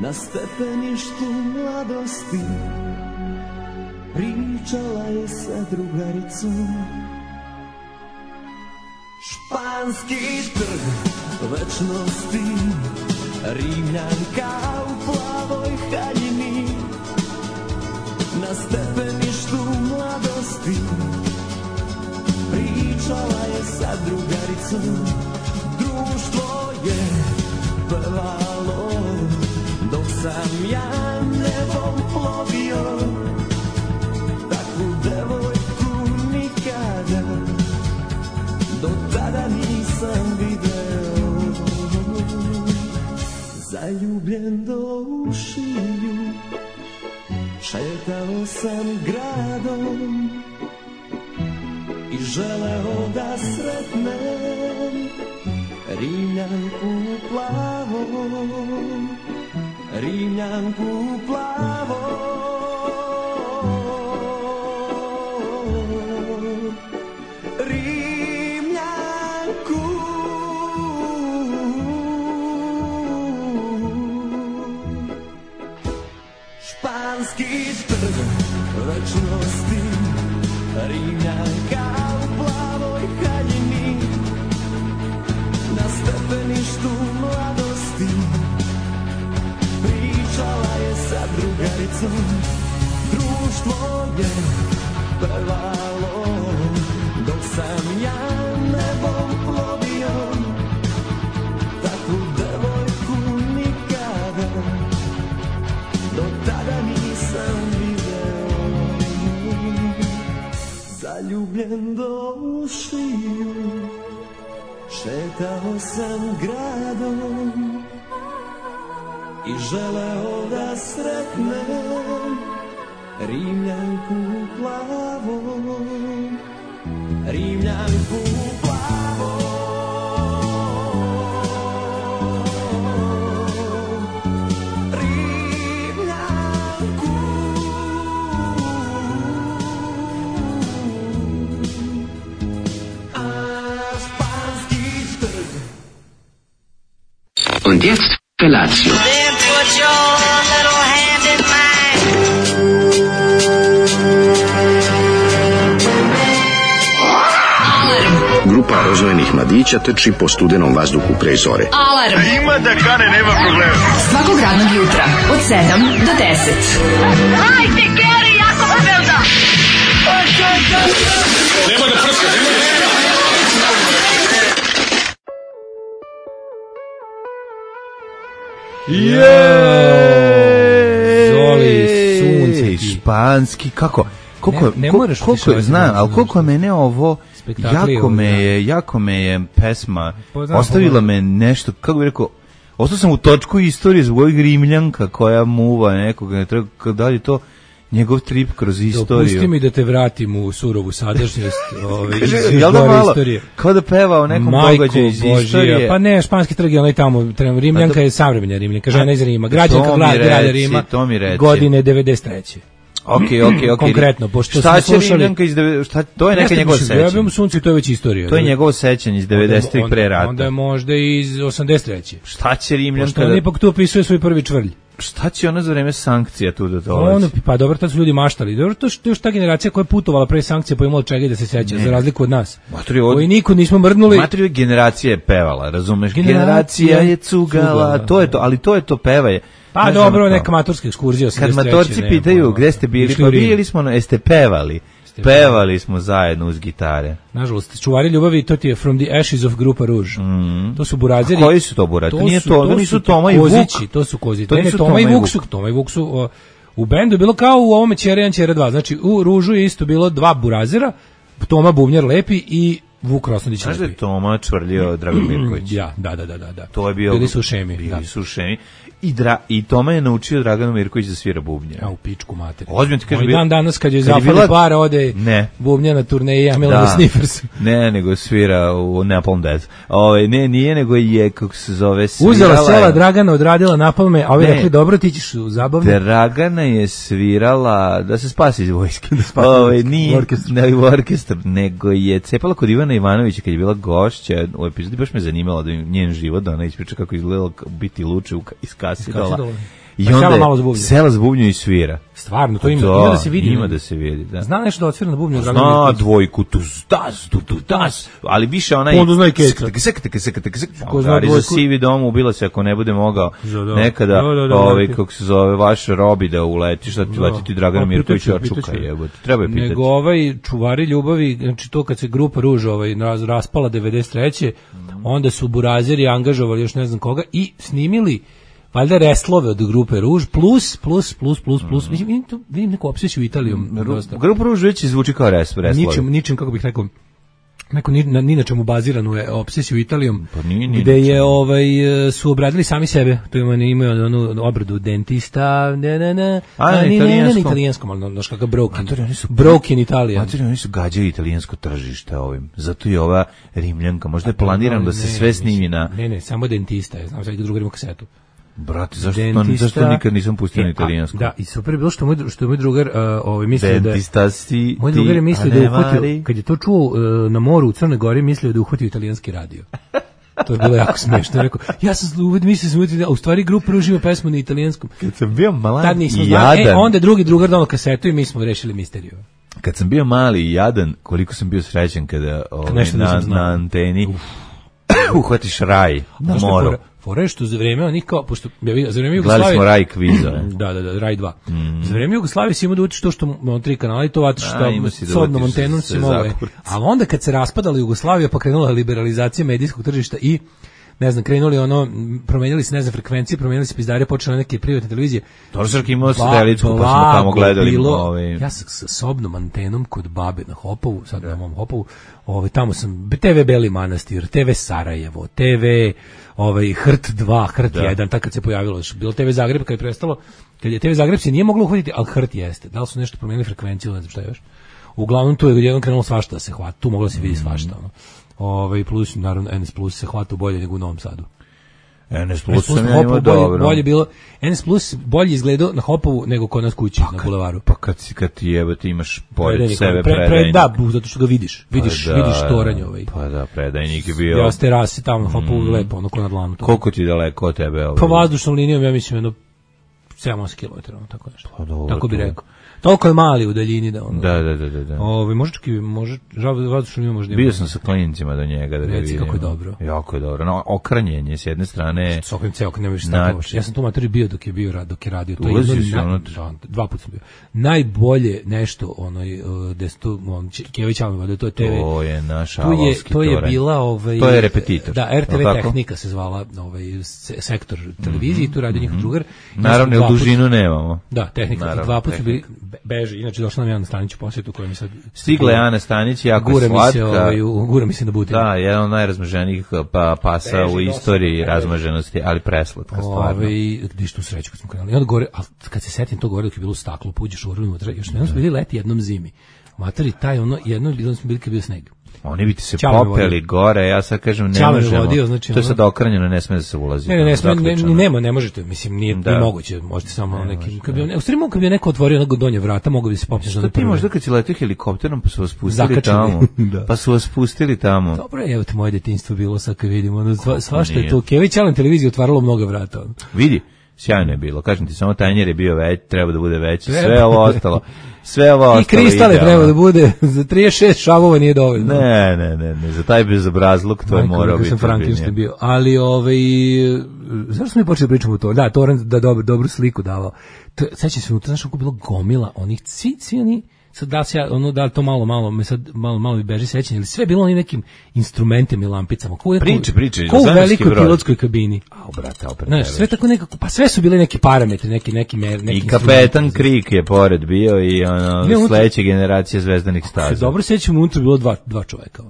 Na stepeništu mladosti pričala je sa drugaricom. Španski trg večnosti, Rimljanka u plavoj haljini. Na stepeništu mladosti pričala je sa drugaricom. Društvo je pevalo dok sam ja nebom plovio. Takvu devojku nikada do tada nisam video. Zaljubljen do ušiju šetao sam gradom i želeo da sretnem Rimljanku plavom, Rimljanku plavom. Španski trg večnosti, Rimljanka u plavoj haljini. Na stepeništu mladosti pričala je sa drugaricom. Društvo je pevalo dok sam ja nebom plovio. Takvu devojku nikada do tada nisam video. Zaljubljen do ušiju šetao sam gradom i želeo da sretnem Rimljanku plavom, Rimljanku plavom. Und jetzt Felatio. Then put your little hand in mine. Grupa rozvojenih mladića trči po studenom vazduhu pre zore. Alarm. Ima da kane, nema problema. Svakog radnog jutra od 7 do 10. Hajde, Geri, jako se velda. Nema da prska, nema da prska. Zoli, sunce ti. Španski, kako? Ne moraš koliko znam, ali koliko mene ovo jako me je pesma ostavila me nešto, kako bih rekao, ostao sam u točku istorije zbog ovih Rimljanka koja muva nekoga, da li to njegov trip kroz istoriju. Dopusti mi da te vratim u surovu sadašnjost jel da malo, kao da peva o nekom događaju iz istorije. Pa ne, Španski trg je onaj tamo, Rimljanka je savremena Rimljanka, žena iz Rima, građanka grada Rima, godine 93. Ok. Konkretno, pošto šta će Rimljanka iz to je neka njegova sećanja. Ja bih sunce, to je već istorija. To je njegovo sećanje iz 90-ih pre rata. Onda je možda iz 83. Šta će Rimljanka? Pošto on ipak tu opisuje svoj prvi čvrlj. Šta će ona za vreme sankcija tu da dolazi? Pa dobro, tad su ljudi maštali. Dobro, to je još ta generacija koja je putovala pre sankcija, pa imala čega da se seća, za razliku od nas. Koji niko nismo mrdnuli. Materiju generacija je pevala, razumeš? Generacija je cugala, to je to, ali to je to pevaje. Pa dobro, neka maturska ekskurzija. Kad matorci pitaju gde ste bili, pa bili smo, jeste pevali. Pevali smo zajedno uz gitare. Nažalost, čuvari ljubavi, to ti je From the Ashes of Grupa Rouge. To su burazeri. A koji su to burazeri? To nije to, nisu Toma i Vuk. To su kozići. Ne, Toma i Vuk su u bendu je bilo kao u ovome Ćera 1, Ćera 2. Znači, u Ružu je isto bilo dva burazera, Toma Bubnjar lepi i Vuk Rosnadić lepi. Znaš da je Toma čvrljio Dragan Mirković? Ja, da. To je bio, bili su u šemi. Bili su u šemi. I Toma je naučio Draganu Mirković da svira bubnje. A u pičku materiju. Ozbiljno ti kaže, dan danas kad je zafali para ode bubnja na turneji Amela Sniffers. Ne, nego svira u Napalm Death. Nije, nego je, kako se zove, svirala. Uzela sela Dragana, odradila napalme, a ovi rekli, dobro, ti ćeš u zabavne. Dragana je svirala da se spasi iz vojske. Nije u orkestar, nego je cepala kod Ivana Ivanovića kad je bila gošća u epizodi, baš me zanimalo da njen život, da ona ispriča kako izgledala biti luče iz Kasidola. I onda sela za bubnju i svira. Stvarno, to ima da se vidi. Ima da se vidi, da. Zna nešto da odsvira na bubnju? Zna dvojku, tu das, ali više onaj... Onda zna i keca. Gari za sivi dom, ubila se ako ne bude mogao nekada, kako se zove, vaš Robi da uleti, šta ti leti ti Dragan Mirković očuka, jebote, treba je pitati. Nego čuvari ljubavi, znači to kad se grupa Ruž raspala 93. onda su burazeri angažovali još ne znam koga i snimili valjda reslove od grupe Ruž plus. Mislim, vidim neku obsesiju Italijom. Grupa Ruž već zvuči kao reslove. Ničim, kako bih rekao, neko ni na čemu baziranu je obsesiju Italijom, pa gde je su obradili sami sebe. To imaju onu obradu dentista, na italijanskom, ali znaš kakav broken Italija. Oni su gađali italijansko tržište ovim. Zato je ova Rimljanka, možda je planirano da se sve snimi na... Ne, samo dentista, znam sad drugar ima kasetu. Brate, zašto nikad nisam pustio na italijanskom? Da, i super je bilo što je moj drugar mislio da je... Moj drugar je mislio da je uhvatio, kad je to čuo na moru u Crnoj Gori, mislio da je uhvatio italijanski radio. To je bilo jako smiješno. Rekao, ja sam mislio da u stvari grupa Ruž ima pesmu na italijanskom. Kad sam bio mali i jadan... onda drugi drugar dao kasetu i mi smo rešili misteriju. Kad sam bio mali i jadan, koliko sam bio srećan kada na anteni uhvatiš raj na moru. Fore što za vreme onih kao, pošto za vreme Jugoslavije... Gledali smo Raj kviza. Da, Raj 2. Za vreme Jugoslavije si imao da učiš to što imamo 3 kanala i to vatiš što odnom antenom si imao. Ali onda kad se raspadala Jugoslavija pa krenula liberalizacija medijskog tržišta i ne znam, krenuli promenjali se, ne znam, frekvencije, promenjali se pizdare, počele neke privatne televizije. Torsarki imao satelitsku, pa smo tamo gledali. Ja sa sobnom antenom kod babe na Hopovu, sad na mom Hopovu, tamo sam, TV Beli Manastir, TV Sarajevo, TV Hrt 2, Hrt 1, tako kad se pojavilo, bilo TV Zagreb, kad je prestalo, kad je TV Zagreb se nije moglo uhvatiti, ali Hrt jeste. Da li su nešto promenili frekvenciju, ne znam šta još. Uglavnom tu je jednom krenulo svašta da se hvata, tu moglo se vidi svašta, plus, naravno, NS Plus se hvata bolje nego u Novom Sadu. NS Plus sam ja imao dobro. Bolje bilo, NS Plus bolje izgledao na Hopovu nego kod nas kući, na bulevaru. Pa kad ti jebate imaš pored sebe predajnik. Da, zato što ga vidiš toranj ovaj. Pa da, predajnik je bio. Ja s terase tamo na Hopovu lepo, ono ko na dlanu. Koliko ti daleko od tebe? Pa vazdušnom linijom, ja mislim, 7-8 km, tako nešto. Tako bi rekao. Toliko je mali u daljini da ono. Da. Može vazdušno ima možda. Bio sam sa klincima do njega da ga vidim. Kako je dobro. Jako je dobro. No, okranjenje s jedne strane. S okranjem ceo, ne možeš tako. Ja sam tu materi bio dok je radio. To je dva puta sam bio. Najbolje nešto gde se tu Kević Almeva, to je TV. To je naš avalski to je bila to je repetitor. Da, RTV Tehnika se zvala sektor televizije, tu radi njihov drugar. Naravno, u dužinu nemamo. Da, Tehnika. Dva puta su bili beži, inače došla nam Ana Stanić u posjetu koja mi sad... Stigla je Ana Stanić, jako slatka. Gura mi se na butinu. Da, jedan od najrazmaženijih pasa u istoriji razmaženosti, ali preslatka stvarno. Gdje što sreću kad smo krenuli. I onda gore, ali kad se setim to gore dok je bilo staklo, puđeš unutra, još jednom smo bili leti jednom zimi. Materi taj jednom smo bili kad je bio sneg. Oni bi ti se popeli gore, ja sad kažem ne možemo. To je sad okranjeno, ne sme da se ulazi. Ne možete, mislim, nije moguće, možete samo nekim... U stvari mogu kad bi neko otvorio donje vrata, mogu bi se popneš. Što ti možda kad si letio helikopterom pa su vas pustili tamo? Dobro, evo te moje detinjstvo bilo sad kad vidimo, svašta je to. Kević Allen televizija otvaralo mnogo vrata. Vidi. Sjajno je bilo, kažem ti, samo tanjer je bio treba da bude veći, sve ovo ostalo i kristale idealno. Treba da bude, za 36 šavova nije dovoljno. Ne, za taj bezobrazluk to je morao biti. Frankenstein bio, ali zašto smo mi počeli pričamo o to? Da, Torrent da dobru sliku davao. Sećam se, znaš kako bilo gomila onih, svi oni, sad da li to malo mi beži sećanje, ali sve je bilo onim nekim instrumentima i lampicama. Priče, ko u velikoj pilotskoj kabini. Brate, opet. Znaš, sve tako nekako, pa sve su bili neki parametri, neki i kapetan Krik je pored bio i sledeća generacija zvezdanih staza. Se dobro sećam, unutra bilo dva čoveka,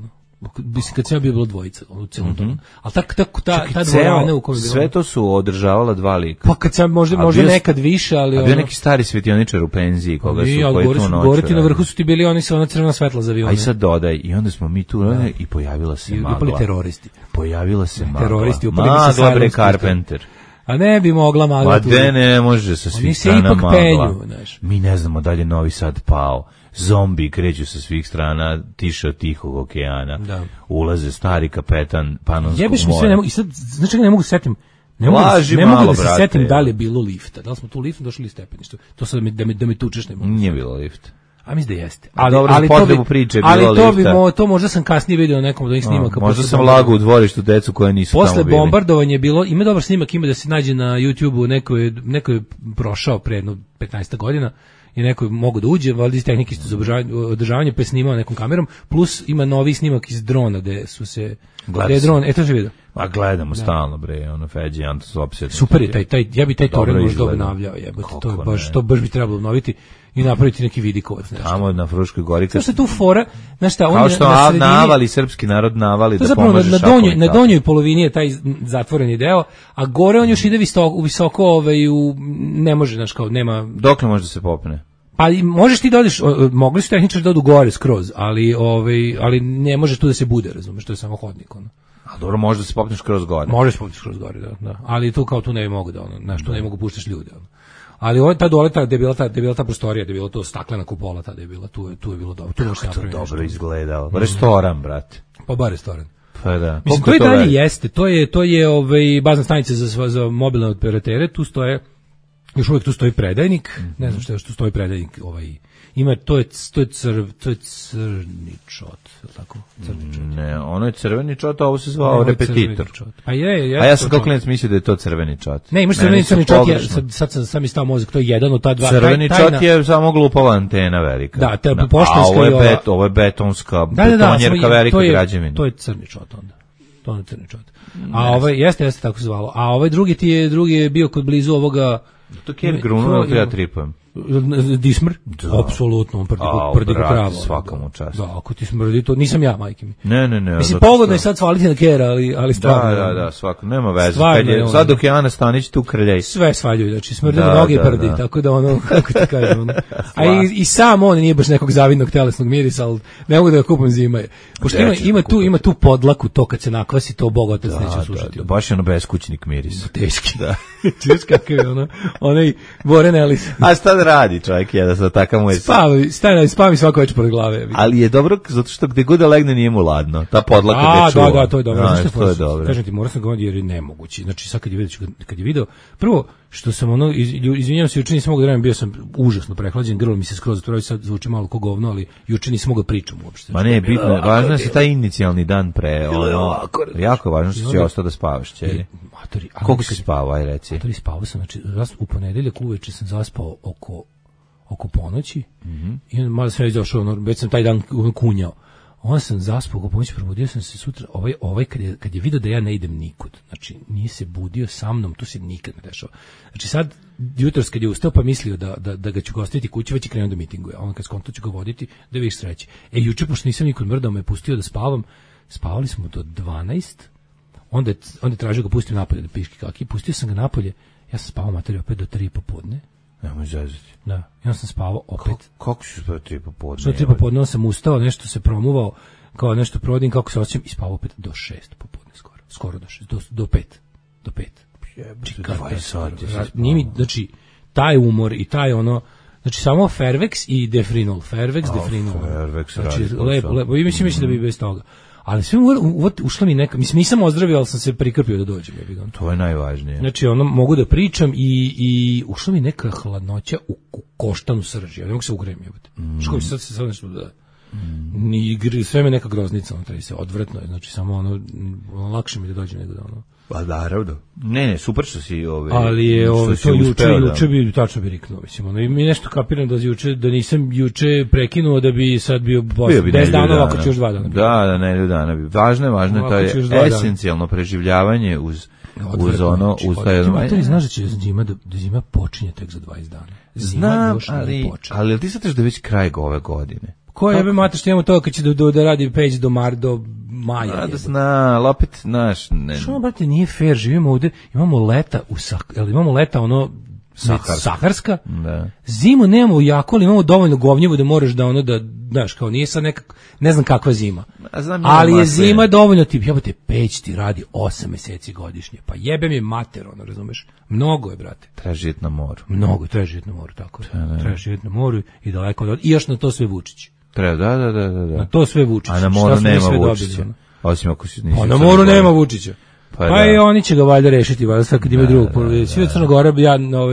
Mislim, kad sam ja bio bilo dvojica u celom tomu. Ali ta dvorana u kojoj je bilo... Sve to su održavala dva lika. Pa kad sam možda nekad više, ali... A bio neki stari svetioničar u penziji koga su koji tu noću... Gore ti na vrhu su ti bili oni sa ona crvena svetla za avione. A i sad dodaj, i onda smo mi tu i pojavila se magla. I upali teroristi. Pojavila se magla. Teroristi upali se sa magla, Carpenter. A ne bi mogla magla tu. Ma ne može sa svih strana magla. Mi ne znamo da li je Novi Sad pao. Zombi kreću sa svih strana, tiše od Tihog okeana. Ulaze stari kapetan Panonskog mora. I sad, znači ne mogu setim, Ne mogu da se setim da li je bilo lifta. Da li smo tu liftom došli ili stepeništa. To sad da me tučeš ne mogu. Nije bilo lifta. A mislim da jeste. Ali potrebu priče je bilo lifta. Ali to možda sam kasnije vidio na nekom od onih snimaka. Možda sam lagao u dvorištu decu koje nisu tamo bili. Posle bombardovanja je bilo, ima dobar snimak, ima da se nađe na YouTubeu, neko je prošao pre 15 godina i neko je mogu da uđe, valjda iz tehnike za održavanje, pa je snimao nekom kamerom, plus ima novi snimak iz drona gde su se... Gde je dron, to se vidio. A gledamo stalno, bre, ono Feđi, Antos opsjedno. Super je, ja bi taj torrent možda obnavljao, jebote, to baš bi trebalo obnoviti i napraviti neki vidikovac. Tamo na Fruškoj gori. Što se tu fora, znaš šta, kao što navali, srpski narod navali da pomože šakom. Na donjoj polovini je taj zatvoreni deo, a gore on još ide visoko, ne može, znaš, kao nema... Dokle može da se popne? Pa možeš ti da odeš, mogli su tehničari da odu gore skroz, ali ne može tu da se bude, razumeš, to je samo hodnik, ono. A dobro, može da se popneš kroz gore. Možeš popneš kroz gore, da. Ali tu kao tu ne mogu da, ono, znaš, tu ne mogu puštaš ljude, ono. Ali ovo ta dole, gde je bila ta prostorija, gde je bilo to staklena kupola, tada je bila, tu je bilo dobro. Tu može se napraviti. To dobro izgledalo. Restoran, brate. Pa bar restoran. Pa da. Mislim, to i dalje jeste, to je bazna stanica za mobilne operatere, tu stoje, još uvijek tu stoji predajnik, ne znam što je, tu stoji predajnik, ima, to je crni čot, je li tako? Crni čot. Ne, ono je crveni čot, a ovo se zvao repetitor. A je. A ja sam kao klinac mislio da je to crveni čot. Ne, imaš crni čot, sad sam mi stao mozak, to je jedan od ta dva. Crveni čot je samo glupava antena velika. Da, te poštanska i ovo je betonska, betonjerka velika građevina. To je crni čot onda. To je crni čot. A jeste tako se zvalo. A ovaj drugi je bio kod blizu ovoga... To je Gruno, ja tripujem. Dismr? Apsolutno, on prdi ko krava. Svakamu čast. Da, ako ti smrdi, to nisam ja, majke mi. Ne. Mislim, pogodno je sad svaliti na Kera, ali stvarno. Da, svako, nema veze. Sad dok je Ana Stanić tu krljej. Sve svaljuju, znači smrdi na noge i prdi, tako da ono, kako ti kažem, ono. A i sam on nije baš nekog zavidnog telesnog mirisa, ali ne mogu da ga kupam zima. Pošto ima tu podlaku, to kad se nakvasi, to Bog otac neće slušati. Baš je ono beskućnik miris. Teški. Da. Čuješ kakav je ono, onaj Boren Ellis. A šta da radi čovjek je da sa takav mu je... Spavi svako već pored glave. Ali je dobro, zato što gde god da legne nije mu ladno. Ta podlaka gde čuva. Da, to je dobro. To je dobro. Kažem ti, morao sam govoriti jer je nemogući. Znači, sad kad je video, prvo, što sam ono, izvinjavam se, juče nisam mogao da radim, bio sam užasno prehlađen, grlo mi se skroz otvorio, sad zvuči malo ko govno, ali juče nisam mogao pričam uopšte. Ma ne, bitno, važno je taj inicijalni dan pre, ono, jako važno što si ostao da spavaš, čeri. Koliko si spavao, aj reci? Matori, spavao sam, znači, u ponedeljak uveče sam zaspao oko ponoći i malo sam već došao, već sam taj dan kunjao. Onda sam zaspao oko ponoći, probudio sam se sutra, ovaj kad je vidio da ja ne idem nikud, znači nije se budio sa mnom, to se nikad ne dešava. Znači sad, jutros kad je ustao pa mislio da ga ću ga ostaviti kući, već je krenuo da mitinguje, a on kad skonto ću ga voditi, da vidiš sreće. Juče, pošto nisam nikud mrdao, me pustio da spavam, spavali smo do 12, onda je tražio ga pustim napolje da piški kaki, pustio sam ga napolje, ja sam spavao materiju opet do 3 popodne. Nemoj zazati. Da, i onda sam spavao opet. Kako si spavao 3 popodne? Što 3 popodne, onda sam ustao, nešto se promuvao, kao nešto provodim, kako se osjećam, i spavao opet do 6 popodne skoro do 6, do 5. Do 5. Jebate, 20 sati. Znači, taj umor i taj ono, znači samo Fervex i Defrinol. Fervex. Znači, lepo. I mislim da bi bez toga. Ali sve ušla mi neka, mislim nisam ozdravio, ali sam se prikrpio da dođem. To je najvažnije. Znači ono, mogu da pričam i ušla mi neka hladnoća u koštanu srži. Ja ne mogu se ugrejem. Škovi sad se nešto da... sve me neka groznica, odvratno je, znači samo ono, lakše mi da dođem nego da ono... Pa naravno. Ne, super što si ali je to juče bi tačno bi riknuo, mislim, ono, i mi nešto kapiram da nisam juče prekinuo da bi sad bio 10 dana, ako ću još 2 dana. Da, ne, dana bi. Važno je, to je esencijalno preživljavanje uz taj jedan... Ti znaš da će zima počinje tek za 20 dana. Znam, ali ti sad da već kraj ove godine. Ko jebe mater što imamo to kad će da radi peć do maja. Da zna, opet naš... Što, brate, nije fair, živimo ovde, imamo leta ono saharska, da. Zimu nemamo jako, ali imamo dovoljno govnjevu da moraš da ono da, znaš, kao nije sad neka, ne znam kakva zima, ali je zima dovoljno, jebote, peć ti radi 8 meseci godišnje, pa jebe mi mater, ono, razumeš, mnogo je, brate. Treba živjeti na moru. Mnogo, treba živjeti na moru, tako je. Treba živjeti na moru i daleko od... I još na to sve Vučić. Treba, da. Na to sve Vučić. A na moru nema Vučića. Osim ako si... A na moru nema Vučića. Pa i oni će ga valjda rešiti, valjda sad kad imaju drugog. Svi od Crna Gora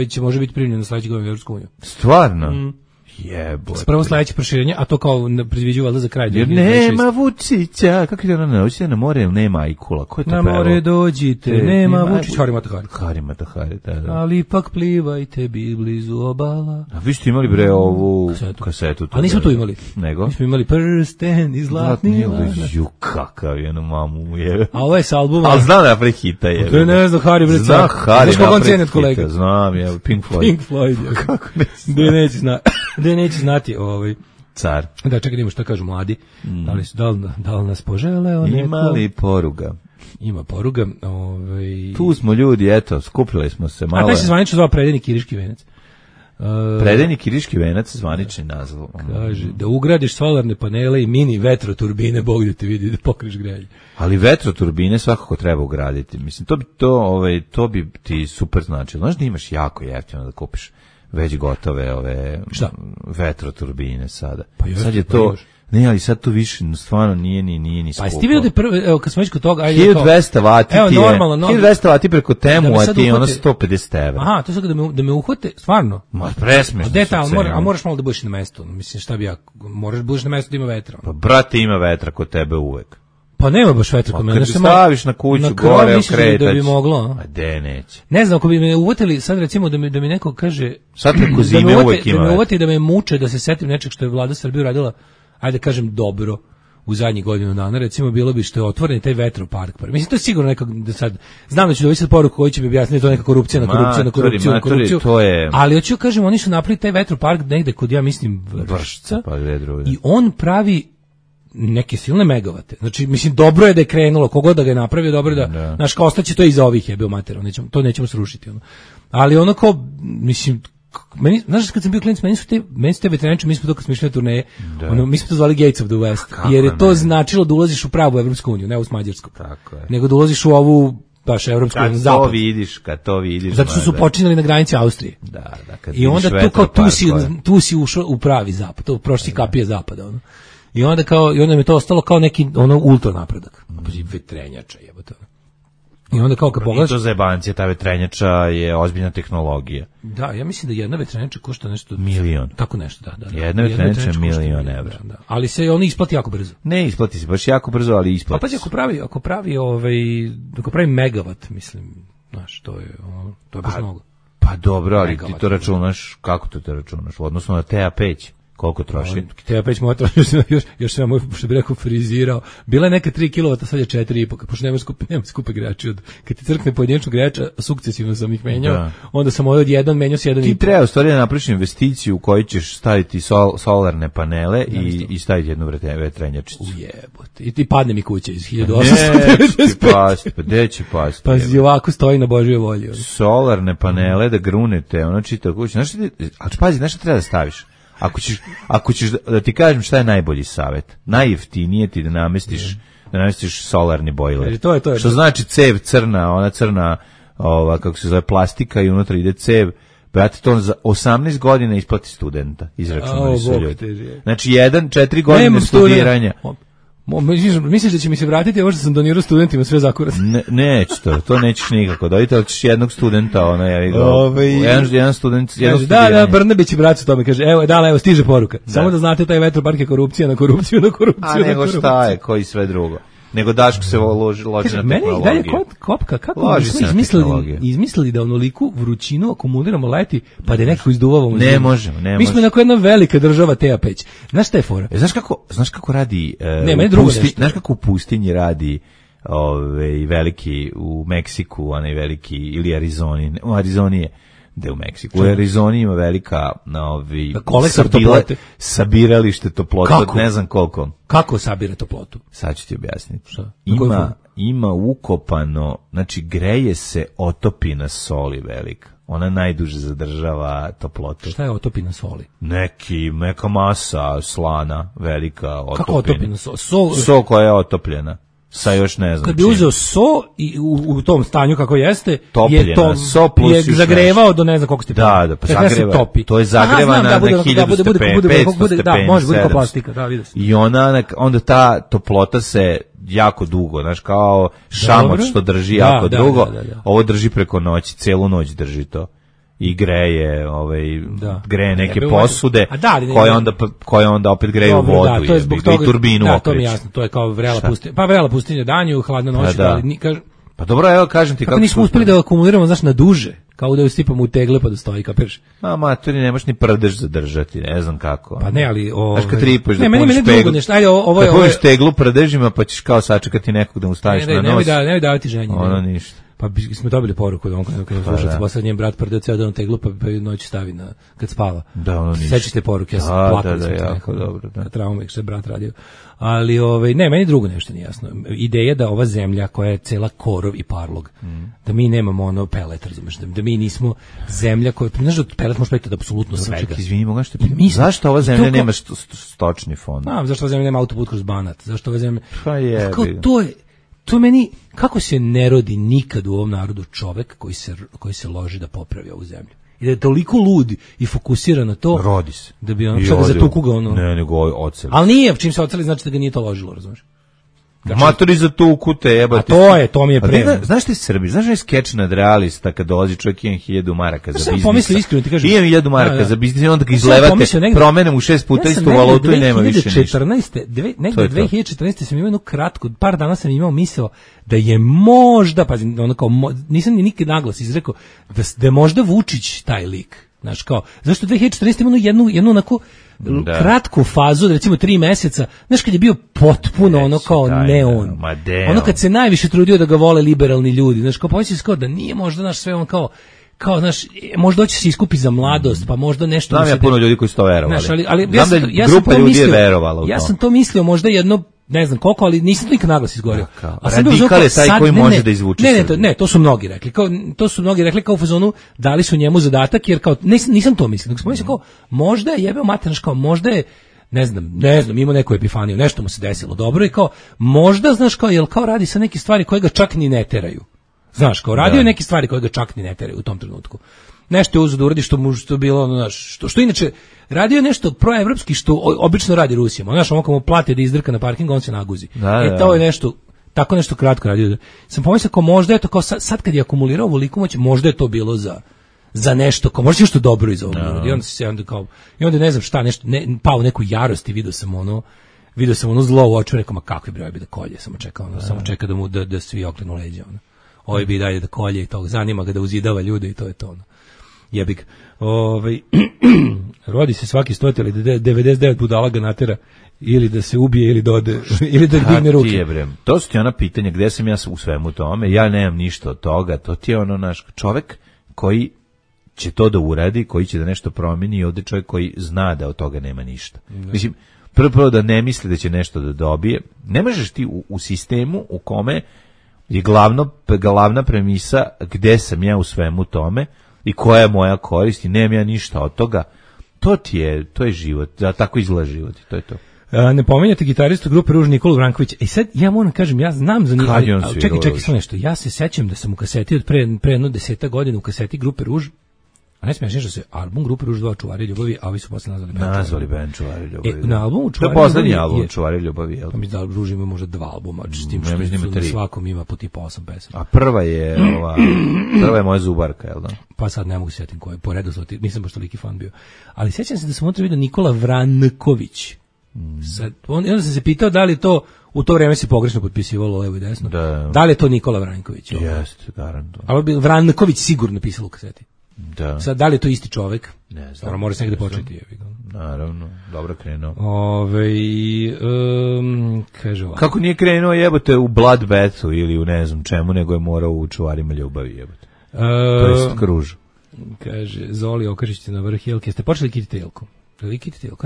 će može biti primljen na sledećeg godina u Evropsku uniju. Stvarno? Jebote. Prvo sledeće proširenje, a to kao predviđaju valjda za kraj. Jer nema Vučića, kako je ona noći na more, ili nema Ajkula, ko je to na pevao? Na more dođite, nema Vučić, Hari Matahari, da. Ali ipak plivajte blizu obala. A vi ste imali bre ovu kasetu. A nismo tu imali. Nego? Mi smo imali prsten i zlatni lanac. Ju, kakav je, mamu je. A ovo je s albuma. Ali znam da prehita je. To je ne znam, Hari bre. Znam Hari na prehita, znam, je, Pink Floyd. Pink Floyd, kako ne znam. Da neće znati car. Da, čekaj, idemo šta kažu mladi. Da li nas poželeo neko? Ima li poruga? Ima poruga. Tu smo ljudi, eto, skupili smo se malo. A taj se zvanično zvao Predajni Kiriški venac. Predajni Kiriški venac, zvanični naziv. Kaže, da ugradiš solarne panele i mini vetroturbine, Bog da te vidi, da pokriješ grejanje. Ali vetroturbine svakako treba ugraditi. Mislim, to bi ti super značilo. Znaš da imaš jako jeftino da kupiš već gotove vetroturbine sada. Pa sad je to, ne, ali sad to više stvarno nije ni skupo. Pa jesi ti vidio da prvo, evo kad smo već kod toga, 1200 vati ti je, 1200 vati preko temu, a ti je ono 150 evra. Aha, to je sad da me uhvate, stvarno? Ma presmešno. A moraš malo da budeš na mestu, mislim šta bi ja, moraš da budeš na mestu da ima vetra. Pa brate, ima vetra kod tebe uvek. Pa nema baš vetra kod mene. Kad staviš na kuću, gore okretać. Da bi moglo. A de neće. Ne znam, ako bi me uvatili, sad recimo da mi neko kaže... Sad preko zime uvek ima. Da me uvati da me muče, da se setim nečeg što je vlada Srbije uradila, ajde kažem dobro, u zadnjih godinu dana, recimo bilo bi što je otvoren taj vetropark. Mislim, to je sigurno nekako, da sad, znam da ću dobiti sad poruku koji će mi objasniti, to je neka korupcija na korupciju, to je... Ali hoću kažem, oni su napravili taj vetropark negde kod, ja mislim, Vršca, i on pravi neke silne megavate. Znači, mislim, dobro je da je krenulo, kogod da ga je napravio, dobro je da, znaš, kao ostaće to iza ovih jebeo matera, to nećemo srušiti. Ali ono kao, mislim, znaš, kad sam bio klinac, meni su te veteraniče, mi smo to kad smo išli na turneje, mi smo to zvali Gates of the West, jer je to značilo da ulaziš u pravu Evropsku uniju, ne u Mađarsku, nego da ulaziš u ovu baš evropsku zapad. Kad to vidiš. Zato što su počinjali na granici Austrije. Da, i onda tu si ušao u pravi zapad, to prošli kapije zapada, ono. I onda mi je to ostalo kao neki ultra napredak. Vetrenjača jebote. I onda kao kad pogledaš, to za jebancije, ta vetrenjača je ozbiljna tehnologija. Da, ja mislim da jedna vetrenjača košta nešto milion. Tako nešto, da. Jedna vetrenjača je $1.000.000. Da. Ali se oni isplati jako brzo. Ne isplati se baš jako brzo, ali isplati. Pa ako pravi megavat, mislim, znaš, to je baš mnogo. Pa dobro, ali ti to računaš, kako to računaš? Odnosno na TA peć. Koliko troši? Te opet moja troši, još sam moj, što bi rekao, frizirao. Bila je neka 3 kW, sad je 4,5, pošto nema skupe grejači. Kad ti crkne pojedinačno grejača, sukcesivno sam ih menjao, onda sam od jedan menjao s 1,5. Ti treba u stvari da napraviš investiciju u kojoj ćeš staviti solarne panele i staviti jednu vetrenjačicu. Ujebote. I ti padne mi kuća iz 1895. Gde će pasti? Pa ovako stoji na Božjoj volji. Solarne panele da grunete, ono čita kuća. Ali pazi, znaš šta treba da staviš? Ako ćeš da ti kažem šta je najbolji savjet, najjeftinije ti da namestiš solarni bojler. To je. Što znači cev crna, ona crna, kako se zove, plastika i unutra ide cev. Brate, to za 18 godina isplati studenta, izračunali su ljudi. Znači 4 godine studiranja. Misliš da će mi se vratiti ovo što sam donirao studentima sve zakurat? Neće to nećeš nikako. Dojte, ali ćeš jednog studenta, jedan student, jednog studiranja. Da, Brnabić i bracu tome kaže, evo, stiže poruka. Samo da znate, taj vetropark je korupcija na korupciju. A nego šta je, koji sve drugo. Nego Daško se loži na tehnologiju. Mene i dalje kopka, kako smo izmislili da onoliku vrućinu akumuliramo leti, pa da nekako izduvavamo. Ne možemo. Mi smo jedna velika država TA peć. Znaš šta je fora? Znaš kako radi, znaš kako u pustinji radi veliki u Meksiku, onaj veliki, ili Arizoni, u Arizoni je, gde u Meksiku. U Arizoni ima velika sabiralište toplote, ne znam koliko. Kako sabira toplotu? Sad ću ti objasniti. Ima ukopano, znači greje se otopina soli velika. Ona najduže zadržava toplotu. Šta je otopina soli? Neka masa slana velika otopina. Kako otopina soli? Sol koja je otopljena. sa još ne znam. Kad bi uzeo so i u tom stanju kako jeste, topljena, so plus je zagrevao do ne znam koliko stepeni. Da, pa zagreva. To je zagrevana na 1000 stepeni, 500 stepeni. Da, može biti kao plastika, da, vidio sam. I onda ta toplota se jako dugo, znaš, kao šamar što drži jako dugo, ovo drži preko noći, celu noć drži to. I greje, greje neke posude koje onda opet greju vodu i turbinu okreće. Da, to mi je jasno, to je kao vrela pustinja. Pa vrela pustinja danju, hladna noć, pa dobro, evo kažem ti kako nismo uspeli da akumuliramo, znaš, na duže, kao da je stipamo u tegle pa da stoji, kapiraš? Maturi, nemaš ni prdež zadržati, ne znam kako. Pa ne, ali... Znaš kad tripaš da puniš teglu, da puniš teglu prdežima pa ćeš kao sačekati nekog da mu staviš na nos. Ne davati ženje. Ono ništa. Pa smo dobili poruku da on kada slušac posle njen brat prdeo ceo dan teglu pa noć stavi na kad spava. Da, ono ništa. Sećate poruke, ja sam plakao. Da, jako dobro, da. Trauma što je brat radio. Ali ne, meni drugo nešto nije jasno. Ideja da ova zemlja koja je cela korov i parlog, da mi nemamo ono pelet, razumeš, da mi nismo zemlja koja, znaš da pelet može praviti od apsolutno svega. Čekaj, izvini, mogu nešto pitati. Zašto ova zemlja nema stočni fond? Zašto ova zemlja nema autoput kroz Banat? Zašto ova zemlja... Pa je. To meni, kako se ne rodi nikad u ovom narodu čovek koji se loži da popravi ovu zemlju. I da je toliko lud i fokusiran na to. Rodi se. Da bi on čak zatuku ga ono. Ne, nego oceli. Ali nije, čim se oceli znači da ga nije to ložilo, razumiješ? Matori zatuku te jebate. To mi je pre. Znaš ti Srbi, znaš je skeč nad realista kad dolazi čovjek imam 1000 maraka za biznis. Pomisli iskreno ti kažem. Imam 1000 maraka za biznis i onda ga izlevate, promenem u 6 puta istu valutu i nema više ništa. Negde 2014. sam imao jednu kratku, par dana sam imao misao da je možda, pazi, ono kao, nisam ni nikad naglas izrekao, da je možda Vučić taj lik. Znaš, kao, zašto 2014. imamo jednu onako kratku fazu, recimo 3 meseca, znaš, kad je bio potpuno ono kao neon. Ono kad se najviše trudio da ga vole liberalni ljudi, znaš, kao pomisliš kao da nije možda naš sve ono kao znaš, možda hoće se iskupi za mladost, pa možda nešto... Znam ja puno ljudi koji su to verovali. Znaš, ali grupa ljudi je verovala u to. Ja sam to mislio možda jedno, ne znam koliko, ali nisam nikad naglas izgovorio. Radikal je taj koji može da izvuče. Ne, to su mnogi rekli. To su mnogi rekli kao u fazonu dali su njemu zadatak, jer kao, nisam to mislio. Nego sam mislio kao, možda je jebeo mater, kao, možda je, ne znam, ima neku epifaniju, nešto mu se desilo dobro i kao, možda, znaš, kao, jel kao radi sa neke stvari koje ga čak ni ne teraju. Znaš, kao radio je neke stvari koje ga čak ni ne teraju u tom trenutku. Nešto je uzeo da uradi što je bilo, znaš, što inače radio nešto proevropski što obično radi Rusijama. Znaš, on mu plate da izdrka na parkingu, on se naguzi. To je nešto, tako nešto kratko radio. Sam pomislio kao možda je to, kao sad kad je akumulirao ovoliko moć, možda je to bilo za nešto, kao možda nešto dobro iz ovog. I onda ne znam šta, nešto, pao neku jarost i vidio sam ono zlo u oču, rekao, ma kakvi broj bi da kolje, samo čeka da mu da svi okrenu leđa, ono. Ovaj bi dalje da kolje i to, zanima ga da uzidava ljude i to je to, ono. Jebik. Rodi se svaki 100 ili 99 budala ga natera ili da se ubije ili dode ili da digne ruke. To su ti ona pitanja gde sam ja u svemu tome, ja nemam ništa od toga, to ti je ono naš čovek koji će to da uradi, koji će da nešto promeni i ovde čovjek koji zna da od toga nema ništa. Mislim, prvo da ne misli da će nešto da dobije, ne možeš ti u sistemu u kome je glavna premisa gde sam ja u svemu tome i koja je moja korist i nemam ja ništa od toga, to je život, tako izgleda život i to je to. Ne pominjate gitaristu grupe Ruž Nikolu Vrankovića. I sad ja moram kažem, ja znam za njih, čekaj samo nešto. Ja se sećam da sam u kaseti od pre jedno 10 godina u kaseti grupe Ruž, a ne smiješ nešto se album grupe Ruž 2 Čuvari ljubavi, a ovi su posle nazvali band Čuvari ljubavi. Na albumu Čuvari ljubavi. To je poslednji album Čuvari ljubavi, jel? Pa mi da Ruž ima možda 2 albuma, s tim što na svakom ima po tipa 8 pesama. A prva je moja Zubarka, jel da? Pa sad ne mogu se sjetiti koje, po redu nisam baš toliki fan bio. Ali sjećam se da sam unutra vidio Nikola Vranković. Onda sam se pitao da li to u to vrijeme se pogrešno potpisivalo levo i desno. Da li je to Nikola Vranković? Jeste, garantujem. Ali bi Vranković sigurno pisalo u kaseti. Da. Sad, da li je to isti čovek? Ne znam. Mora se negde početi. Naravno, dobro krenuo. Kaže ovako. Kako nije krenuo jebote u Bloodbathu ili u ne znam čemu, nego je morao u Čuvarima ljubavi jebote. To je Kruž. Kaže, Zoli okažićete na vrh jelke. Jeste počeli kititelku? Kada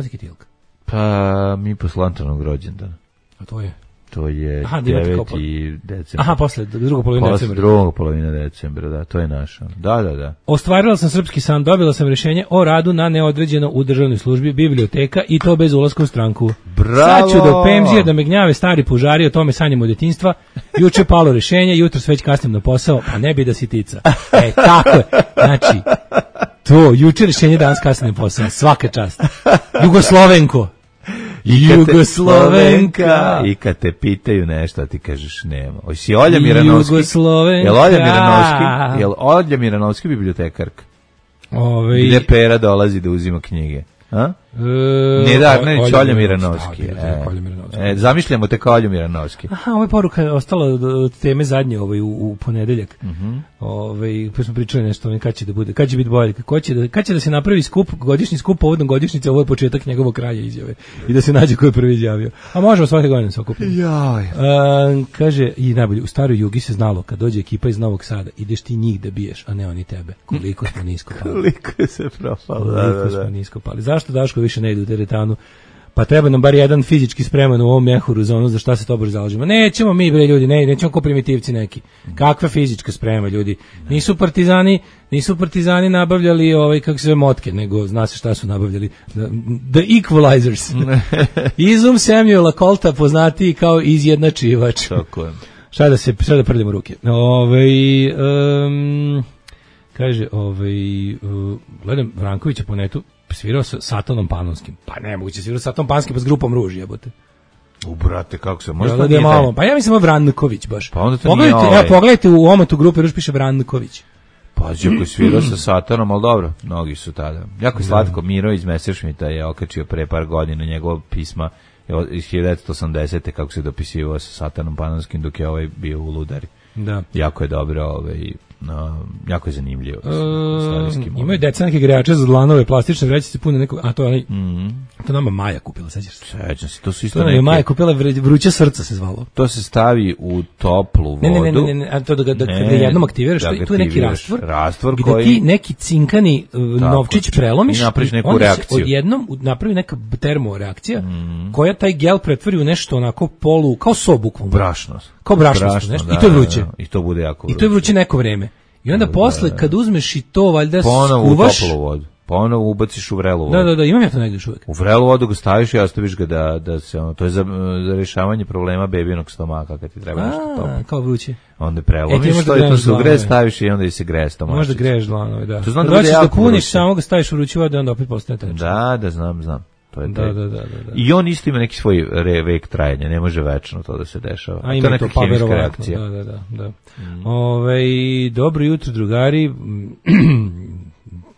je kitelka? Pa mi posle Antonovog rođendana. A to je? To je 9. decembra. Aha, posle druga polovina decembra. Druga polovina decembra, da, to je naša. Da. Ostvarila sam srpski san, dobila sam rješenje o radu na neodređeno u državnoj službi, biblioteka i to bez ulaska u stranku. Sad ću do pemzije da me gnjave stari pužari, o tome sanjamo od djetinjstva. Juče palo rešenje, jutro već kasnim na posao, pa ne bi da si tica. Tako je. Znači, to, juče rešenje, danas kasnim na posao. Svaka čast. Jugoslovenko. Jugoslovenka. I kad te pitaju nešto, ti kažeš nema. Oj, si Olja Miranovski? Jel Olja Miranovski bibliotekarka? Gde Pera dolazi da uzima knjige? A? Neda Arnerić, Olja Miranovski. Zamišljamo te kao Olju Miranovski. Aha, ova poruka je ostala od teme zadnje u ponedeljak. Pa smo pričali nešto, kad će da bude, kad će biti bolje, kad će da se napravi godišnji skup povodom godišnjice, ovo je početak njegovog kraja izjave i da se nađe ko je prvi izjavio. A možemo svake godine se okupiti. Kaže, i najbolje, u staroj Jugi se znalo, kad dođe ekipa iz Novog Sada, ideš ti njih da biješ, a ne oni tebe. Koliko smo nisko pali. Koliko se propalo. Koliko smo nisko pali. Zašto Daško više ne ide u teretanu? Pa treba nam bar jedan fizički spreman u ovom mehuru za ono za šta se to brzo zalažemo. Nećemo mi, bre, ljudi, nećemo ko primitivci neki. Kakva fizička sprema, ljudi? Nisu partizani nabavljali kako se zove motke, nego zna se šta su nabavljali. The Equalizers. Izum Samuela Colta poznati kao izjednačivač. Tako je. Šta da prdimo ruke. Kaže, gledam Vrankovića po netu, svirao sa Satanom Panonskim. Pa nemoguće, svirao sa Satanom Panskim pa s grupom Ruž, jebote. Brate, kako se može? Pa ja mislim Vranković baš. Pa onda to nije pogledajte u omatu grupe Ruž piše Vranković. Pa ako je svirao sa Satanom, ali dobro, mnogi su tada. Jako je slatko, Miro iz Messerschmitta je okačio pre par godina njegov pisma iz 1980. kako se dopisivao sa Satanom Panonskim dok je bio u Ludari. Da. Jako je dobro, jako je zanimljivo. Imaju deca neke grejače za dlanove, plastične vrećice pune nekog, a to je to nama Maja kupila, sećaš se? Sećam se, to su isto neke. To Maja kupila vruće srca se zvalo. To se stavi u toplu vodu. Ne, a to da jednom aktiviraš, tu je neki rastvor koji ti neki cinkani novčić prelomiš i napraviš neku reakciju. Odjednom napravi neka termoreakcija koja taj gel pretvori u nešto onako polu, kao so bukvalno. Brašno. Kao brašno, nešto. I to je vruće. I to bude jako vruće. I to je vruće neko vreme. I onda posle kad uzmeš i to valjda ponovo skuvaš, u toplu vodu. Ponovo ubaciš u vrelu vodu. Da, imam ja to negdje još uvijek. U vrelu vodu ga staviš i ostaviš ga da se to je za rješavanje problema bebinog stomaka kad ti treba nešto toplo. Kao vruće. Onda prelomiš to se ugre, staviš i onda i se greje stomak. Možda greješ dlanove, da. To znam da puniš, samo ga staviš u vruću vodu i onda opet postane teče. Da, znam. To je da. I on isto ima neki svoj vek trajanja, ne može večno to da se dešava. A ima to pa verovatno, da. Dobro jutro, drugari.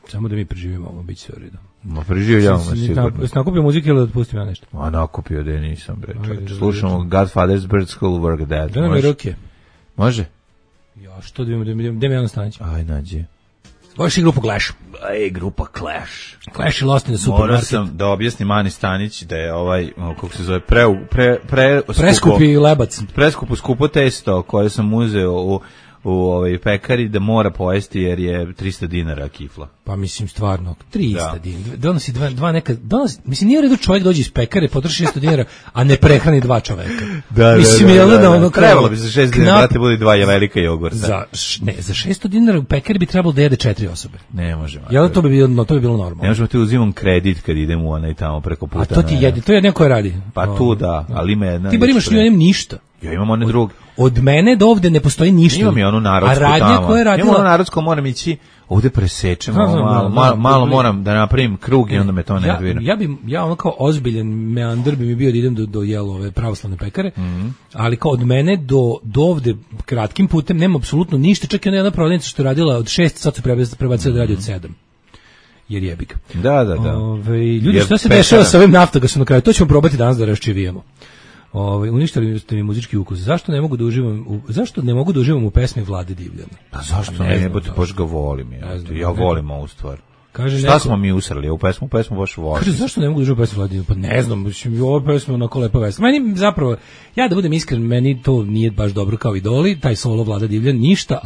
Samo da mi preživimo ovo, bit će sve u redu. Ma preživljamo sigurno. Jesi nakupio muzike ili da otpustim ja nešto? Ma nakupio da nisam, bre. Slušamo Godfather's Bird School Work Dead. Da nam je ruke. Može? Ja, što da mi jedan stanić? Aj, nađi. Voliš i grupu Clash? Grupa Clash. Clash je Lost in the Supermarket. Morao sam da objasnim Mani Stanić da je kako se zove, preskupi lebac. Preskupo skupo testo koje sam uzeo u pekari da mora pojesti jer je 300 dinara kifla. Pa mislim stvarno 300 dinara. Donosi dva neka, mislim nije u redu čovjek dođe iz pekare, potroši 600 dinara, a ne prehrani dva čoveka. Mislim trebalo bi za 6 dinara brate bude dva velika jogurta. Za 600 dinara u pekari bi trebalo da jede 4 osobe. Ne možemo. Jel to bi bilo normalno? Ne možemo ti uzimam kredit kad idemo u onaj tamo preko puta. A to ti jede, to je neko radi. Pa tu da, ali ima jedna. Ti bar imaš ništa. Ja imam one druge. Od mene do ovde ne postoji ništa. Imam i onu narodsku tamo. A radnja koja je radila... Imam onu narodsku, moram ići, ovde presečem, malo moram da napravim krug i onda me to ne odvira. Ja ono kao ozbiljan meandar bi mi bio da idem do Jelove pravoslavne pekare, ali kao od mene do ovde kratkim putem nema apsolutno ništa, čak i ona jedna prodavnica što je radila od 6, sad su prebacili da radi od 7. Jer jebi ga. Da. Ljudi, šta se dešava sa ovim naftogasom na kraju? To ćemo probati danas da raščivijemo. Uništili ste mi muzički ukus. Zašto ne mogu da uživam u pesmi Vlade Divljana? Pa zašto ne, baš ga volim. Ja volim ovu stvar. Šta smo mi usrali u pesmu baš volim. Kaže, zašto ne mogu da uživam u pesmi Vlade Divljana? Pa ne znam, ovo pesma onako lepa pesma. Meni zapravo, ja da budem iskren, meni to nije baš dobro kao Idoli, taj solo Vlada Divljan, ništa,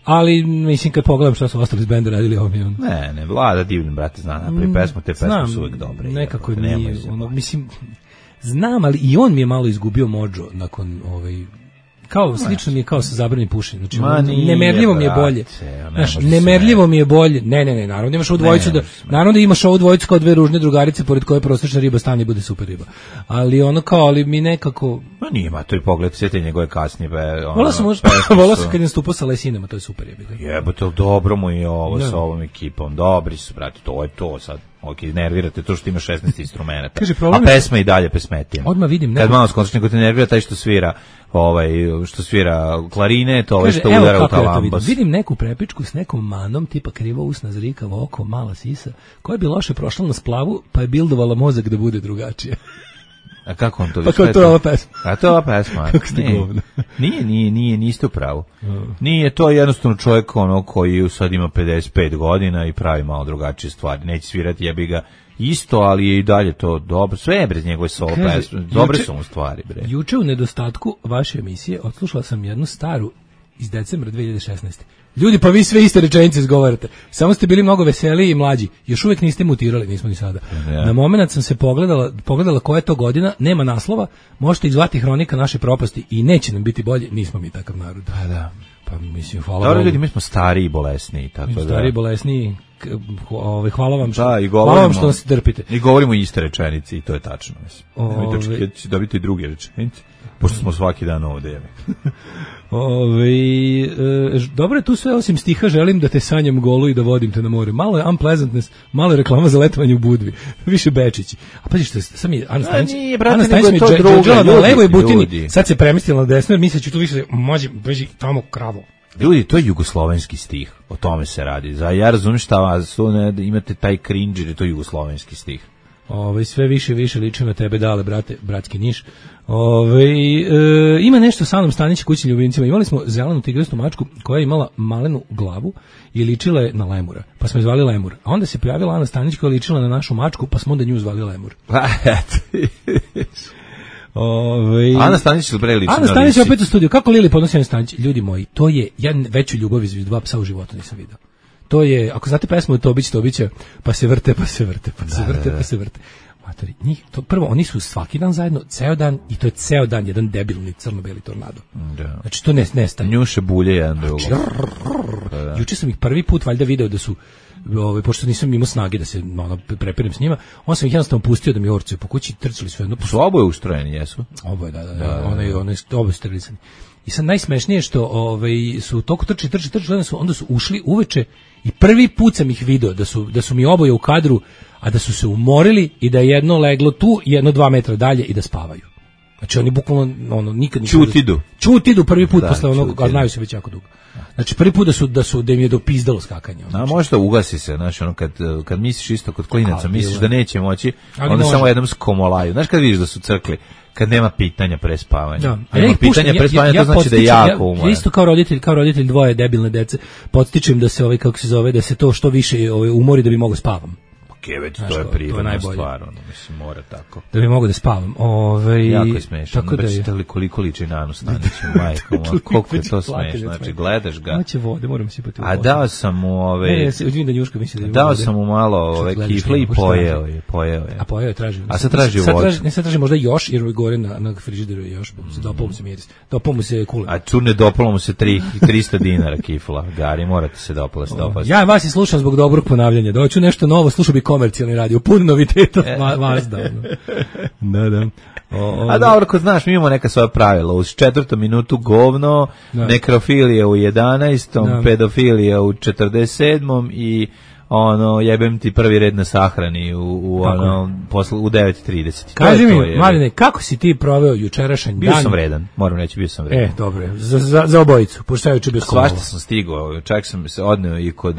ali mislim kad pogledam šta su ostali iz benda radili ovo mi je Ne, Vlada Divljan, brate, zna napravi pesmu, te pesme su uvijek dobre. Nekako nije, mislim... Znam, ali i on mi je malo izgubio mođo nakon kao slično mi je kao sa zabranjenim pušenjem. Znači, nemerljivo mi je bolje. Znaš, nemerljivo mi je bolje. Ne, naravno imaš ovu dvojicu naravno imaš ovu dvojicu kao dve ružne drugarice pored koje prosječna riba stane i bude super riba. Ali ono kao, ali mi nekako... Ma nije, to je pogled, sve te njegove kasnije. Volao sam kad je nastupao sa Lesinama, to je super riba. Jebote, dobro mu je ovo sa ovom ekipom. Dobri su, brate, to je to sad. Ok, nervirate to što ima 16 instrumenta. A pesma i dalje pesmetija. Odmah vidim. Kad malo skončeš, nego te nervira taj što svira klarinet, što udara u talambas. Vidim neku prepičku s nekom manom, tipa krivo usna, zrikavo oko, mala sisa, koja bi loše prošla na splavu, pa je bildovala mozak da bude drugačije. A kako on to? Pa kao to je ova pesma. A to je ova pesma. Kako ste govno. Niste u pravu. Nije to jednostavno čovjek koji sad ima 55 godina i pravi malo drugačije stvari. Neće svirati, jebi ga isto, ali je i dalje to dobro. Sve je brez njegove solo pesme. Dobre su mu stvari, bre. Juče u nedostatku vaše emisije odslušala sam jednu staru iz decembra 2016. Ljudi, pa vi sve iste rečenice izgovarate. Samo ste bili mnogo veseliji i mlađi. Još uvijek niste mutirali, nismo ni sada. Ja. Na moment sam se pogledala koja je to godina, nema naslova, možete ih zvati hronika naše propasti i neće nam biti bolje, nismo mi takav narod. Da. Pa mislim, hvala Bogu. Bogu. Ljudi, mi smo stari i bolesni. Stari i bolesni, hvala vam što, hvala vam što nas trpite. I govorimo iste rečenice i to je tačno. Nemojte će dobiti druge rečenice, pošto smo svaki dan ovdje. Dobro je tu sve osim stiha, želim da te sanjam golu i da vodim te na more. Malo je unpleasantness, malo je reklama za letovanje u Budvi. Više Bečići. A pazi što je, sam je Ana Stanić mi je na levoj butini, sad se premistila na desno, jer misleći tu više može beži tamo kravo. Ljudi, to je jugoslovenski stih, o tome se radi. Ja razumijem šta vas, imate taj cringe, jer je to jugoslovenski stih. Sve više liči na tebe, dale, brate, bratski Niš. Ima nešto sa Anom Stanić kućnim ljubimcima. Imali smo zelenu tigrastu mačku koja je imala malenu glavu i ličila je na lemura, pa smo je zvali Lemur. A onda se pojavila Ana Stanić koja je ličila na našu mačku, pa smo onda nju zvali Lemur. Ana Stanić liči na Ana Stanić opet u studiju. Kako Lili podnosi Ana Stanić? Ljudi moji, to je, ja veću ljubav između dva psa u životu nisam vidio. To je, ako znate pesmu Tobića, pa se vrte. Matori, njih, to prvo, oni su svaki dan zajedno, ceo dan, i to je ceo dan jedan debilni crno-beli tornado. Da. Znači, to nestaje. Njuše bulje jedan drugo. Juče sam ih prvi put valjda video da su, pošto nisam imao snage da se prepirem s njima, on sam ih jednostavno pustio da mi orcuju po kući, trčali su jedno. Su oboje ustrojeni, jesu? Oboje, da. Oboje sterilisani. I sad najsmešnije što su toliko trči, onda su ušli uveče i prvi put sam ih video da su mi oboje u kadru, a da su se umorili i da je jedno leglo tu, jedno 2 metra dalje i da spavaju. Znači oni bukvalno nikad Čutidu prvi put posle onog, a znaju se već jako dugo. Znači prvi put da im je dopizdalo skakanje. A možda ugasi se, znači kad misliš isto kod klinaca, misliš da neće moći, onda samo jednom skomolaju. Znaš kad vidiš da su crkli, kad nema pitanja pre spavanja. Da. Nema pitanja pre spavanja, to znači da je jako umoran. Isto kao roditelj dvoje debilne dece, podstičem da se da se to što više umori da bi mogao spavam. Već to je prirodna stvar, mislim, mora tako. Da bi mogo da spavam. Jako je smešno. Tako da je. Koliko liči na Anu Stanić, majko, koliko je to smešno. Znači, gledaš ga. Hoće vode, moram sipati u A dao sam mu dao sam mu malo kifle i pojeo je. A pojeo je, traži. A sad traži vodu. Ne, sad traži možda još, jer gore na frižideru je još. Dopao mu se miris. Dopao mu se kule. A čurne dopalo mu se 300 dinara kifla. Gari, morate se dopasti. Ja vas i slušam zbog dobrog ponavljanja. Doću nešto novo, slušao bi komercijalni radio, pun noviteta vas da. Da. A dobro, ko znaš, mi imamo neka svoja pravila. Uz 4. minutu govno, nekrofilija u 11. Pedofilija u 47. i jebem ti prvi red na sahrani u 9:30. Kaži mi, Marine, kako si ti proveo jučerašnji dan? Bio sam vredan, moram reći, bio sam vredan. Dobro, za obojicu, pošto ja juče bio skovala. Svašta sam stigao, čak sam se odneo i kod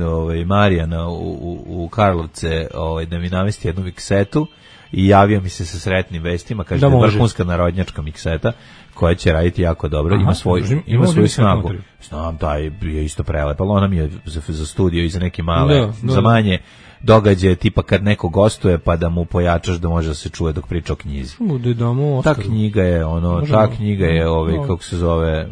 Marijana u Karlovce da mi namesti jednu miksetu i javio mi se sa sretnim vestima, kaže da je vrhunska narodnjačka mikseta koja će raditi jako dobro, ima svoju snagu. Znam, taj je isto prelep, ali ona mi je za studio i za neke male, za manje događaje tipa kad neko gostuje pa da mu pojačaš da može da se čuje dok priča o knjizi. Ta knjiga je kako se zove,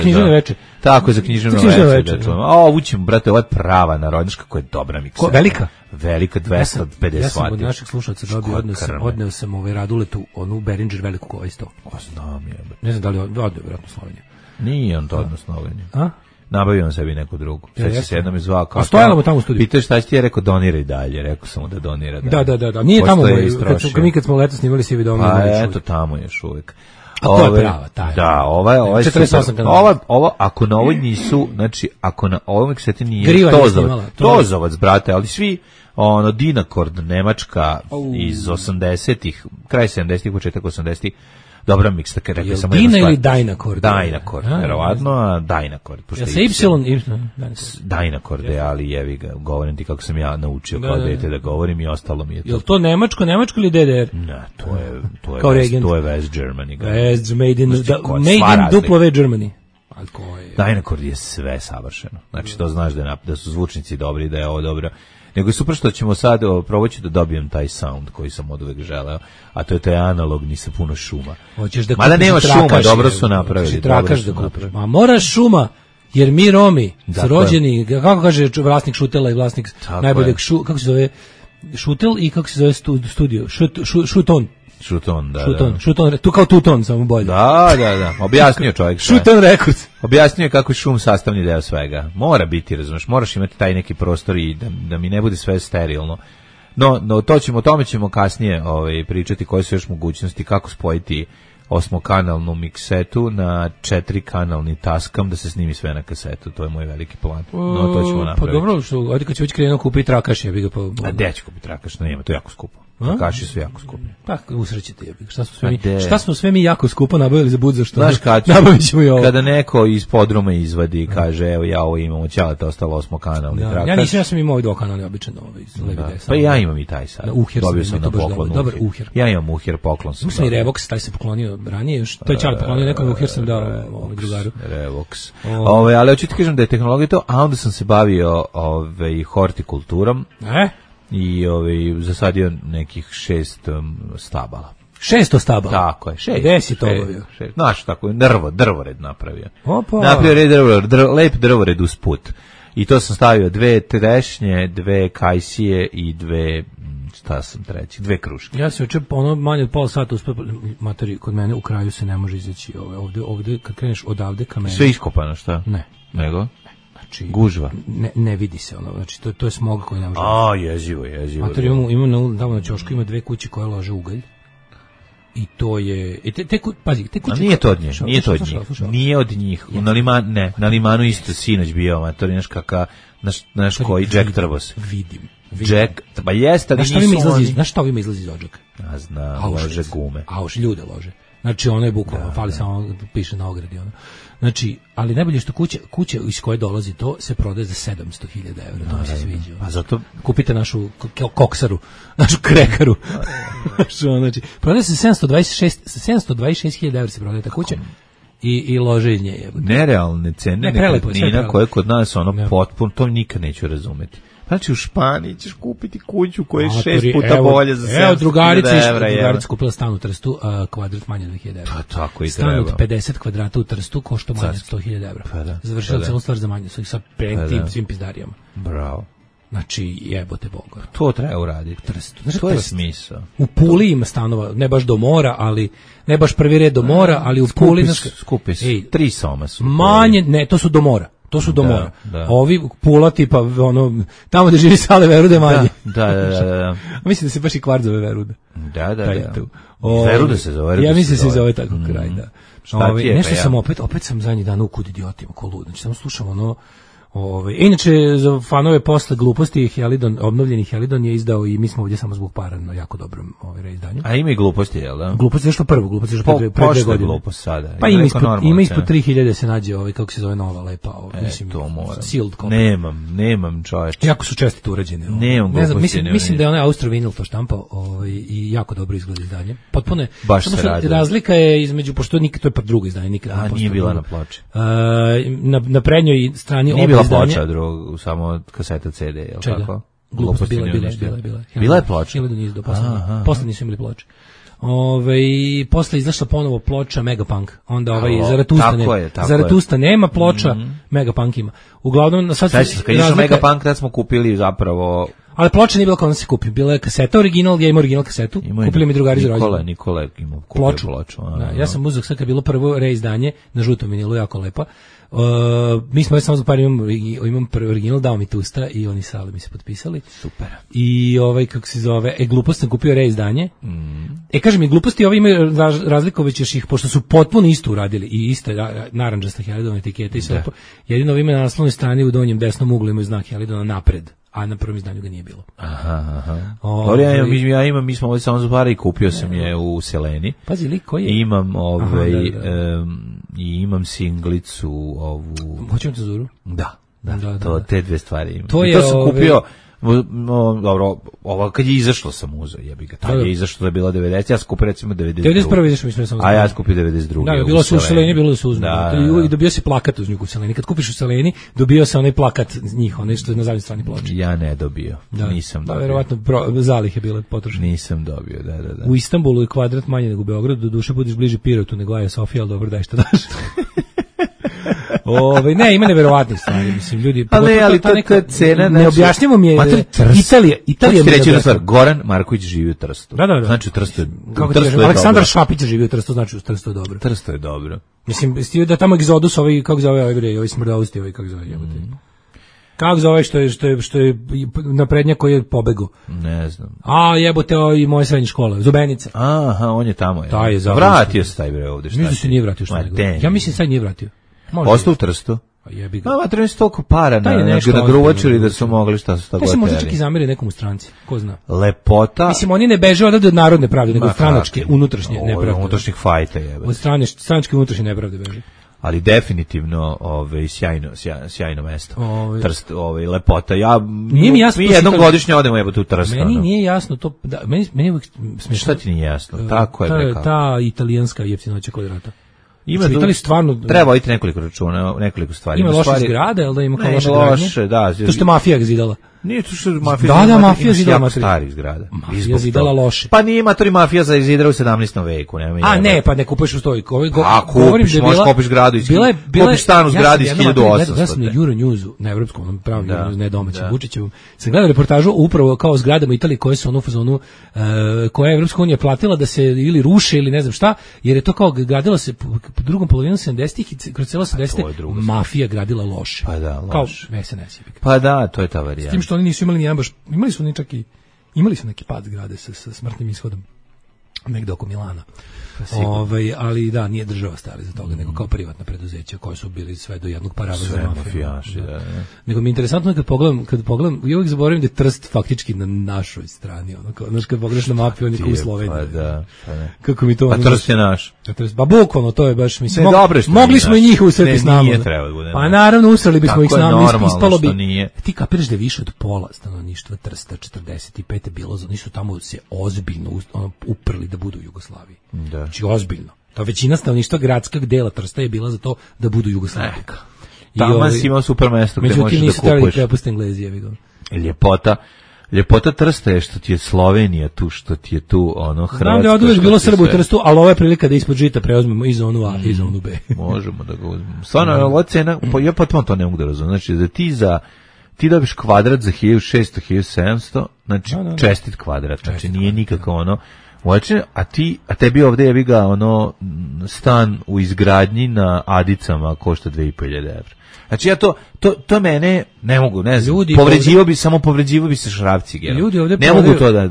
književno veče. Tako, za književno veče. Ovu ćemo, brate, ovo je prava narodnjačka koja je dobra miksera. Velika? Velika, 250 vati. Ja sam od naših slušalaca dobio, odneo sam Raduletu, onu Behringer veliku koja isto. Znam je. Ne znam da li je odneo, vjerojatno Sloveniju. Nije on to odneo Sloveniju. Nabavio on sebi neku drugu. Sad se jednom izvao kao... Stojala mu tamo u studiju. Pitaš šta će ti, je rekao doniraj dalje. Rekao sam mu da donira dalje. Da. Nije tamo, kad smo leto snimali si video. Pa eto, tamo još uvijek. A to je prava, taj. Da, ova je 48 kanala. Ova, ako na ovoj nisu, znači, ako na ovom kseti nije Tozovac, brate, ali svi, Dinakord, Nemačka iz 80-ih, kraj 70-ih, početak 80-ih, dobra miksta, kada rekao samo Dina ili Dynakord? Dynakord, verovatno, a Dynakord. Ja se Y... Dynakord, ali jevi ga, govorim ti kako sam ja naučio kao dete da govorim i ostalo mi je to. Je li to Nemačko ili DDR? Ne, to je West Germany. West, made in W Germany. Dynakord je sve savršeno. Znači, to znaš da su zvučnici dobri, da je ovo dobro. Nego je super što ćemo sad probaći da dobijem taj sound koji sam od uvek želeo, a to je taj analogni sa puno šuma. Mada nema šuma, dobro su napravili. Trakaš da kupiš. Ma moraš šuma, jer mi Romi su rođeni, kako kaže vlasnik Šutela i vlasnik najboljeg kako se zove Šutel i kako se zove studio, Šuton. Šuton, tu kao Tuton, samo bolje. Da, objasnio čovjek. Šuton Records. Objasnio je kako je šum sastavni deo svega. Mora biti, razumeš, moraš imati taj neki prostor i da mi ne bude sve sterilno. No o tome ćemo kasnije pričati koje su još mogućnosti, kako spojiti 8-kanalnu miksetu na 4-kanalni Tascam da se snimi sve na kasetu. To je moj veliki plan. No, to ćemo napraviti. Pa dobro, ovdje kad će već krenuo kupiti trakaš, ja bih ga A gdje ću kupiti trakaš? Nema, to je jako skupo. Trakaši su jako skupi. Pa, usrećete je. Šta smo sve mi jako skupo nabavili za budza što znaš nabavit ćemo i ovo. Kada neko iz podruma izvadi i kaže, evo ja ovo imam, ćalate ostalo 8-kanalni trakaš. Ja sam imao ovaj 2-kanalni običan levi desam. Pa ja imam i taj sad. Dobio sam na poklon. Dobar uher. Ja imam uher, poklon sam. Mislim i Revox, taj se poklonio ranije, još to je Čale poklonio nekom, uher sam dao drugaru. Revox. Ali hoću ti kažem da je tehnologija to, a onda sam se bavio hortikulturom. I zasadio nekih 6 stabala. 600 stabala? Tako je, 6. Gde si to obavio? Znaš, tako je, drvored napravio. Opa! Napravio lep drvored uz put. I to sam stavio 2 trešnje, 2 kajsije i 2, šta sam treći, 2 kruške. Ja se oče manje od pola sata uspio, materi, kod mene u kraju se ne može izaći ovde kad kreneš odavde ka mene. Sve iskopano, šta? Ne. Nego? Znači, gužva. Ne vidi se ono, znači to je smog koji ne može. Jezivo. Mater, ima tamo na ćošku ima 2 kuće koje lože ugalj. I to je pazi, te kuće. Nije to od njih. Nije od njih. Na limanu isto sinoć bio, mater, naš koji Jack Trbos. Vidim. Jack, pa jeste, ali znaš šta ovima izlazi iz odžaka? Ja znam, lože gume. Ljude lože. Znači ono je bukvalno, fali samo piše na ogradi ono. Znači, ali najbolje što kuća iz koje dolazi to se prodaje za 700.000 €. To mi se sviđa. Pa zato kupite našu koksaru, našu krekaru. Znači, prodaje se 726.000 € se prodaje ta kuća. I lože iz nje. Nerealne cene nekretnina koje kod nas potpuno, to nikad neću razumeti. Znači u Španiji ćeš kupiti kuću koja je 6 puta bolje za 700.000 €. Drugarica kupila stan u Trstu, kvadrat manje od 1.000 €. Pa tako i stan od 50 kvadrata u Trstu košta manje od 100.000 €. Pa da. Završila celu stvar za manje, sa svim pizdarijama. Bravo. Znači, jebote Boga. To treba uraditi. To je smisao. U Puli ima stanova, ne baš do mora, ali ne baš prvi red do mora, ali u Puli... Skupi su. 3 soma su. Manje, ne, to su do mora. To su do mora. Ovi Pula tipa, tamo gde živi Sale Verude manje. Da. Mislim da se baš i kvart zove Veruda. Da. Veruda se zove. Ja mislim da se zove tako kraj, da. Nešto sam opet sam zadnji dan u kud idiotima, ko lud. Znači, samo slušam inače, za fanove posle gluposti obnovljeni Helidon je izdao i mi smo ovdje samo zbog para na jako dobrom reizdanju. A ima i gluposti, jel da? Gluposti je što prvo, gluposti je što pre 2 godine. Glupost sada. Pa ima ispod 3.000 se nađe kako se zove nova lepa. Mislim, to moram. Sealed copy. Nemam čovječe. Jako su čestito urađene. Nemam gluposti. Mislim da je onaj Austro Vinyl to štampao i jako dobro izgleda izdanje. Potpuno baš se radi. Razlika je između, pošto to je drugo izdanje, nikad nije bila na ploči. Na prednjoj strani nije bila ploča, samo kaseta CD, je li tako? Glupost bila. Bila je ploča. Posle nisu imali ploče. Posle izašla ponovo ploča Megapunk. Onda Zaratusta nema ploča, Megapunk ima. Uglavnom sad kad išao Megapunk, tad smo kupili zapravo. Ali ploča nije bila kao da se kupi. Bila je kaseta original, ja imam original kasetu. Kupili mi drugari za rođendan. Nikola imao ploču. Ja sam uzeo sad kad je bilo prvo reizdanje na žutom vinilu, jako lepa. Mi smo samo za par imam prvi original, dao mi tusta i oni sali mi se potpisali. Super. I kako se zove, Glupost sam kupio reizdanje. Kažem mi, Gluposti imaju razlikovaće ih, pošto su potpuno isto uradili i iste narandžasta Helidona etikete i sve. Jedino ima na naslovnoj strani u donjem desnom uglu imaju znak Helidona napred, a na prvom izdanju ga nije bilo. Mi smo ovdje samo zbara i kupio sam je u Seleni. Pazi, lik koji je? Imam i imam singlicu ovu. Hoćemo te Zuru? Da, te dve stvari imam. To sam kupio, dobro, ovo kad je izašlo sam uzeo, jebi ga. Tad je izašlo da je bila 90, ja sam kupio recimo 92. 91. izašlo mi smo a ja sam kupio 92. Da, bilo se u Seleni, bilo se uzme. I dobio si plakat uz nju u Seleni. Kad kupiš u Seleni, dobio se onaj plakat njih, onaj što je na zadnjoj strani ploče. Ja ne dobio, nisam dobio. Verovatno zalihe bile potrošene. Nisam dobio, da. U Istanbulu je kvadrat manje nego u Beogradu, do duše budeš bliže Pirotu nego Aja Sofija, ali dobro, daj šta daš. Ne, ima neverovatnih stvari, mislim, ljudi. Ali to neka cena, ne objašnjamo mi je Italija mi reći stvar, Goran Marković živi u Trstu. Da. Znači u Trstu je Aleksandar Švapić živi u Trstu, znači u Trstu je dobro. Trstu je dobro. Mislim, stio da tamo egzodus, kako zove ovaj smrdausti, kako zove jebote. Kako zove što je naprednjak koji je pobegao? Ne znam. Jebote, i moje srednje škole, Zubenica. Aha, on je tamo. Vratio se taj bre ovde, šta? Mislim da se nije vratio što nego. Ja mislim sad nije vratio. Ostao u Trstu. Jebi ga. Treba se toliko para na gruvačili da su mogli šta su tako. To se možda čak i zameri nekom u stranci, ko zna. Lepota. Mislim, oni ne beže od narodne pravde, nego od stranačke, unutrašnje nepravde. Unutrašnjih fajta jebe. Od stranačke unutrašnje nepravde beže. Ali definitivno sjajno mesto. Trst, lepota. Nije mi jasno. Mi jednom godišnje odemo jebote u Trst. Meni nije jasno to, meni uvijek smiješno. Šta ti nije jasno? Tako je rekao. Ta italijanska jeftinoća kvadrata. Treba voditi nekoliko stvari. Ima loše zgrade, ali da ima kao loše gradnje. To što je mafija zidala. Nije to što mafija da, mafija zidala starih zgrada. Mafija zidala loše. Pa nije matori mafija za izidra u 17. veku. Ne, pa ne kupuješ u stojku. Kupiš, možeš kupiš zgradu iz kupiš stan u zgradi iz 1800. Ja sam na Euronewsu, na evropskom, pravno, ne domaćem, Vučićevom, sam gledao reportažu upravo kao zgradama Italije koje su u fazonu, koja je Evropska unija platila da se ili ruše ili ne znam šta, jer je to kao gradila se po drugom polovinu 70-ih i kroz celo 70-te mafija gradila loše. Pa da, loše. Kao SNS. Pa da, to je ta varijanta. Što oni nisu imali nijedan baš, imali su neki pad zgrade sa smrtnim ishodom negde oko Milana. Ali da, nije država stala za toga, nego kao privatna preduzeća koja su bili sve do jednog parava za mafiju. Nego mi je interesantno kad pogledam, ja uvijek zaboravim da je Trst faktički na našoj strani, znaš kad pogledaš na mapu, on je kao u Sloveniji. Pa da. Kako mi to... A Trst je naš. Pa bukvalno, to je baš, mislim, mogli smo i njih usreti s nama. Nije treba da bude. Pa naravno, usreli bismo ih s nama, ispalo bi. Ti kapiraš da je više od pola stanovništva Trsta 45. bilo, oni su tamo se ozbiljno uprli da budu u Jugoslaviji. Znači ozbiljno. Ta većina stanovništva gradskog dela Trsta je bila za to da budu Jugoslavija. Tamo si imao super mesto gde možeš da kupuješ. Međutim, nisu krepost Englezi, jevi ga. Ljepota Trsta je što ti je Slovenija tu, što ti je tu Hrvatska. Znam da je oduvijek bilo Srba u Trstu, ali ovo je prilika da ispod žita preuzmemo i zonu A i zonu B. Možemo da ga uzmemo. Stvarno, ova cena, ja potpuno to ne mogu da razumem. Znači, da ti dobiš kvadrat za 1600-1700, znači čestit kvadrat, znači nije nikako a tebi ovde je ga stan u izgradnji na Adicama košta 2500 evra. Znači ja to mene ne mogu, ne znam, povređivao bi se Šrafci. Ne mogu to da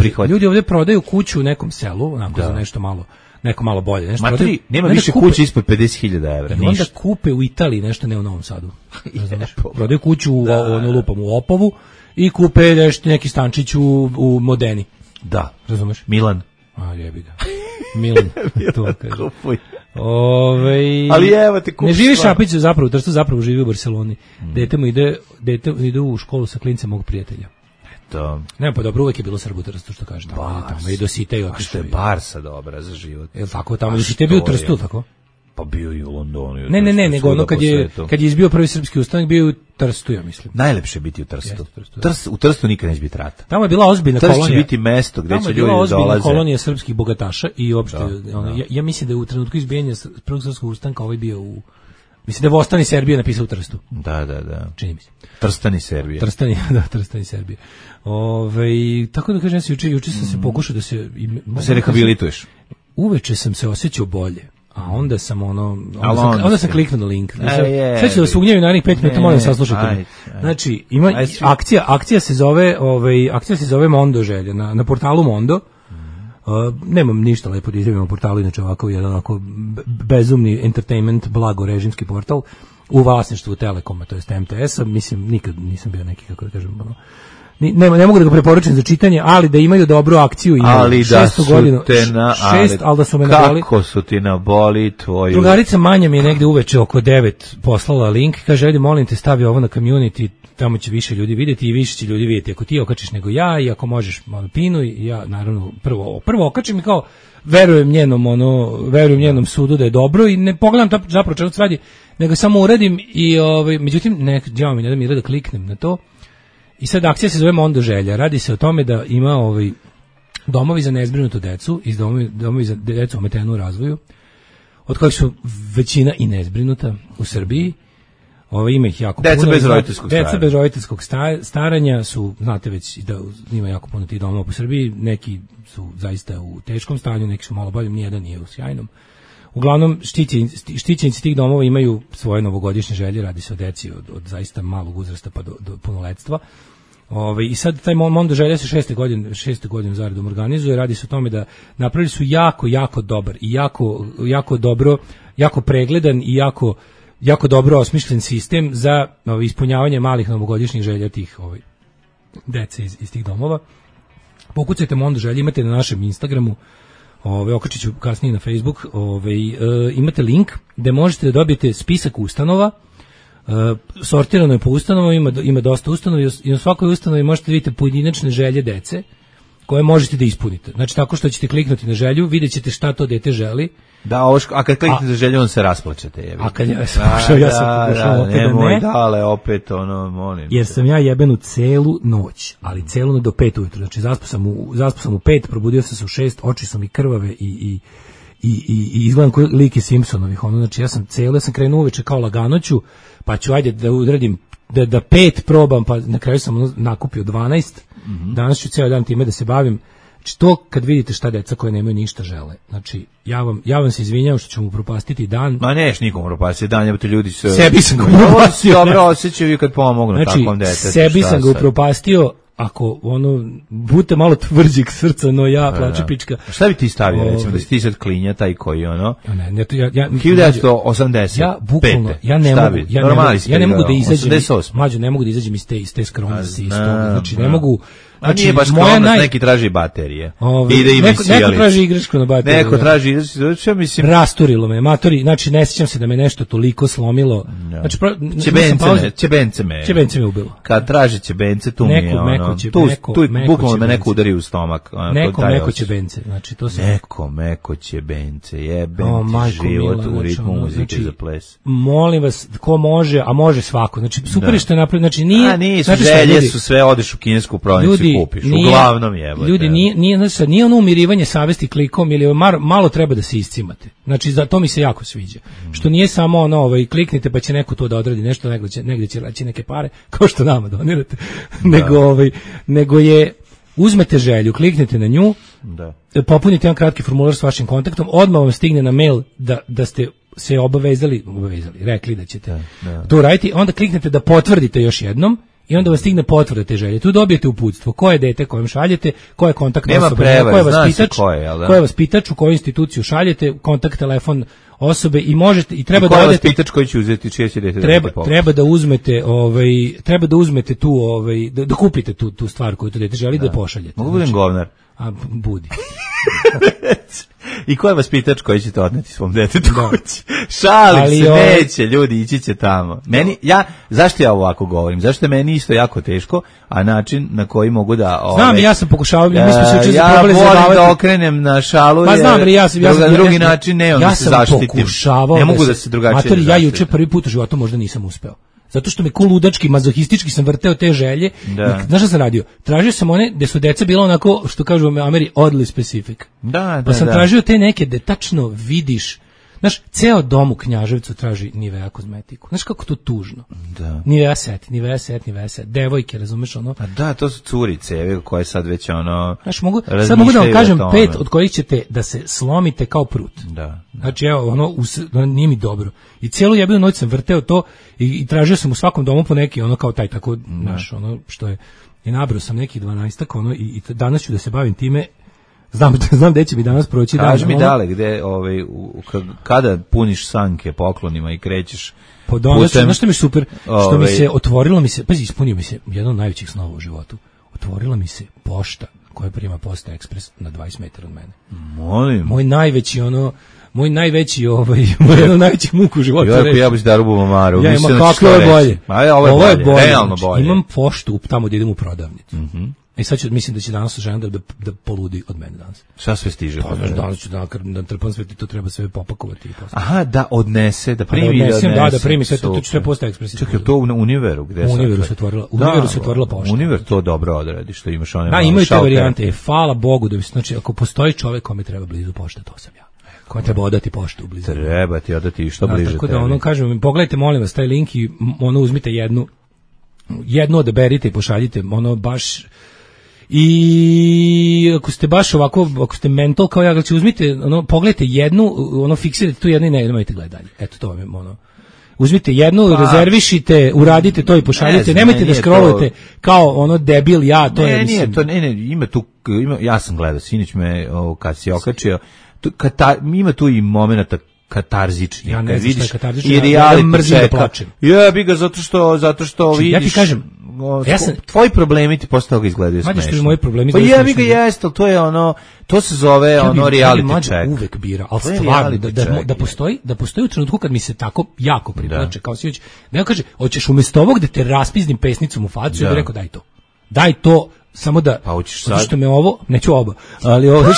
prihvatim. Ljudi ovde prodaju kuću u nekom selu, onako za nešto malo bolje. Nema više kuće ispod 50.000 evra. I onda kupe u Italiji nešto, ne u Novom Sadu. Prodaju kuću u Opovu i kupe neki stančić u Modeni. Da, razumeš? Milan. Jebi ga. Milan. Kupuj. Ali evo te kupi. Ne živi Šapić zapravo u Trstu, zapravo živi u Barseloni. Dete ide u školu sa klincem mog prijatelja. Eto. Ne, pa dobro, uvek je bilo Srbu u Trstu, što kažeš. Tamo i do Site i otišao. Što je Barsa dobra za život. Je tako, tamo do Site je bio u Trstu, tako? Pa bio i u Londonu. Ne, nego ono kad je izbio prvi srpski ustanak, bio u Trstu, ja mislim. Najlepše je biti u Trstu. U Trstu nikad neće biti rata. Tamo je bila ozbiljna kolonija. Trst će biti mesto gde će ljudi dolaze. Tamo je bila ozbiljna kolonija srpskih bogataša i uopšte, ja mislim da je u trenutku izbijanja prvog srpskog ustanka ovaj bio u... Mislim da je Vostani Serbije napisao u Trstu. Da. Čini mi se. Trstani Serbije. Trstani Serbije. Tako da kažem, juče sam se pokušao da se rehabilituješ. Uveče sam se osjećao bolje. A onda sam onda sam kliknuo na link. Sve ću da vas ugnjavim narednih 5 minuta, molim saslušajte. Znači, ima akcija se zove Mondo želja na portalu Mondo. Nemam ništa lepo da izjavim o portalu, inače ovako jedan onako bezumni entertainment, blago režimski portal u vlasništvu Telekoma, to jest MTS-a. Mislim, nikad nisam bio neki, kako da kažem, ne mogu da ga preporučim za čitanje, ali da imaju dobru akciju i ali da su ali da su me naboli. Kako su ti naboli tvoju? Drugarica Manja mi je negde uveče oko 9 poslala link, kaže, ajde molim te stavi ovo na community, tamo će više ljudi vidjeti i više će ljudi vidjeti ako ti okačiš nego ja, i ako možeš malo pinu, i ja naravno prvo okačim i kao verujem njenom sudu da je dobro i ne pogledam zapravo čemu se radi, nego samo uradim i međutim ne da mi da kliknem na to. I sad akcija se zove Mondo želja. Radi se o tome da ima domovi za nezbrinutu decu, domovi za decu ometenu u razvoju, od kojih su većina i nezbrinuta u Srbiji. Ima ih jako puno. Deca bez roditeljskog staranja su, znate već da ima jako puno tih domova po Srbiji, neki su zaista u teškom stanju, neki su malo bolji, nijedan nije u sjajnom. Uglavnom, štićenici tih domova imaju svoje novogodišnje želje, radi se o deci od zaista malog uzrasta pa do punoletstva. I sad taj Mondo želja se šeste godine zaredom organizuje, radi se o tome da napravili su jako dobar i jako dobro, jako pregledan i jako dobro osmišljen sistem za ispunjavanje malih novogodišnjih želja tih dece iz tih domova. Pokucajte Mondo želje, imate na našem Instagramu, okačit ću kasnije na Facebook, imate link gde možete da dobijete spisak ustanova, sortirano je po ustanovama, ima dosta ustanova i u svakoj ustanovi možete vidjeti pojedinačne želje dece koje možete da ispunite. Znači tako što ćete kliknuti na želju, vidjet ćete šta to dete želi. Da, a kad kliknete na želju, on se rasplačete. A kad ja sam pokušao opet da ne. Dale, opet molim. Jer sam ja jebenu celu noć, ali celu noć do 5 ujutru. Znači zaspao sam u 5, probudio sam se u 6, oči su mi krvave i izgledam kao lik iz Simpsonovih. Znači ja sam krenuo uveče kao laganoću, pa ću ajde da uradim da 5 probam, pa na kraju sam nakupio 12. Danas ću ceo dan time da se bavim. Znači to kad vidite šta deca koje nemaju ništa žele. Znači ja vam se izvinjavam što ću mu propastiti dan. Ma neš nikom propastiti dan, jebote ljudi su... Sebi sam ga upropastio. Dobro osjećaju kad pomognu takvom detetu. Sebi sam ga upropastio, ako budete malo tvrđeg srca, no ja plače pička. Šta bi ti stavio, recimo, da si ti sad klinja taj koji Ne, 1980. Ja bukvalno, ja ne mogu da izađem. Mlađo, ne mogu da izađem iz te skromnosti. Znači ne mogu. Znači, nije baš skromnost, neki traži baterije. Neko traži igračku na bateriju. Neko traži igračku, mislim... Rasturilo me, matori, znači ne sjećam se da me nešto toliko slomilo. Znači, Čebence me ubilo. Kad traži čebence, tu mi je tu bukvalno me neko udari u stomak. Neko čebence, znači to se... Neko čebence, jebem ti život u ritmu muzike za ples. Molim vas, ko može, a može svako, znači super što je napravio, znači nije... Nisu, želje su sve, odeš u kinesku prodavnicu kupiš, uglavnom jebote. Ljudi, nije ono umirivanje savesti klikom ili malo treba da se iscimate. Znači, za to mi se jako sviđa. Što nije samo kliknite pa će neko to da odradi nešto, negdje će raći neke pare, kao što nama donirate, nego je, uzmete želju, kliknete na nju, popunite jedan kratki formular s vašim kontaktom, odmah vam stigne na mail da ste se obavezali, rekli da ćete to raditi, onda kliknete da potvrdite još jednom, i onda vas stigne potvrda te želje. Tu dobijete uputstvo. Ko je dete kojem šaljete, ko je kontaktna osoba, ko je vaspitač, u koju instituciju šaljete, kontakt, telefon osobe i možete i treba da odete. Vaspitač koji će uzeti čije će dete treba da uzmete tu da kupite tu stvar koju to dete želi da pošaljete. Mogu budem govnar. A budi. I ko je vaspitač koji ćete odneti svom detetu kući? Šalim se, neće, ljudi, ići će tamo. Zašto ja ovako govorim? Zašto je meni isto jako teško, a način na koji mogu da... Znam, ja sam pokušao, mi smo se juče ja volim da okrenem na šalu, pa znam, drugi način ne, onda se zaštitim. Ne mogu da se drugačije zaštitim. Ja juče prvi put u životu možda nisam uspeo. Zato što me ludački, mazohistički sam vrteo te želje. Znaš šta sam radio? Tražio sam one gde su deca bila onako, što kažu u Ameri, oddly specific. Pa sam tražio te neke gde tačno vidiš. Znaš, ceo dom u Knjaževcu traži Nivea kozmetiku. Znaš kako to tužno? Da. Nivea set. Devojke, razumeš ono? A da, to su curice, koje sad već ono... Znaš, sad mogu da vam kažem 5 od kojih ćete da se slomite kao prut. Da. Znači, evo, nije mi dobro. I cijelu jebenu noć sam vrteo to i tražio sam u svakom domu po neki, ono kao taj, tako, znaš, ono što je... I nabrao sam nekih 12-ak, ono, i danas ću da se bavim time. Znam gde će mi danas proći dan. Kaži mi dale, gde, kada puniš sanke poklonima i krećeš putem... Znaš što mi je super? Što mi se otvorilo, pazi, ispunio mi se jedan od najvećih snova u životu. Otvorila mi se pošta koja prima Posta Ekspres na 20 metara od mene. Molim. Moj najveći najvećih muku u životu. Ja bih da rubu Maru. Ja imam kako je bolje. Ovo je bolje, realno bolje. Imam poštu tamo gdje idem u prodavnicu. I sad mislim da će danas žena da poludi od mene danas. Šta sve stiže? Pa znaš, danas ću da trpam sve, to treba sve popakovati. Aha, da odnese, da primi. Da primi sve, to ću sve Posta Ekspres. Čekaj, to u Univeru? U Univeru se otvorila pošta. Univer to dobro odradi, što imaš one... Da, imaju te varijante. Hvala Bogu da bi se, znači, ako postoji čovek kome treba blizu pošte, to sam ja. Kome treba odati poštu blizu. Treba ti odati što bliže tebi. Tako da ono, kažem, pogledajte, molim vas, taj link i ono, uzmite jednu odaberite i pošaljite, ono, baš... I ako ste baš ovako, ako ste mental kao ja, znači uzmite, ono, pogledajte jednu, ono, fiksirajte tu jednu i nemojte gledati dalje. Eto, to vam je, ono, uzmite jednu, rezervišite, uradite to i pošaljite, nemojte da scrollujete kao ono debil ja, to je, mislim. Ima tu, ja sam gledao, sinoć me, kad si okačio, ima tu i momenata katarzični. Ja ne znam šta je katarzični, ja mrzim da plačem. Jebi ga, zato što vidiš... Ja ti kažem, tvoji problemi ti posle toga izgledaju smešno. Što moji problemi pa jebi ga, jeste, ali to je ono, to se zove ono reality check. Uvek bira, ali stvarno, da postoji u trenutku kad mi se tako jako priplače, kao sinoć, da kaže, hoćeš umjesto ovog da te raspiznim pesnicom u facu, ja bih rekao daj to, samo da, zato što me ovo, neću oba, ali ovo,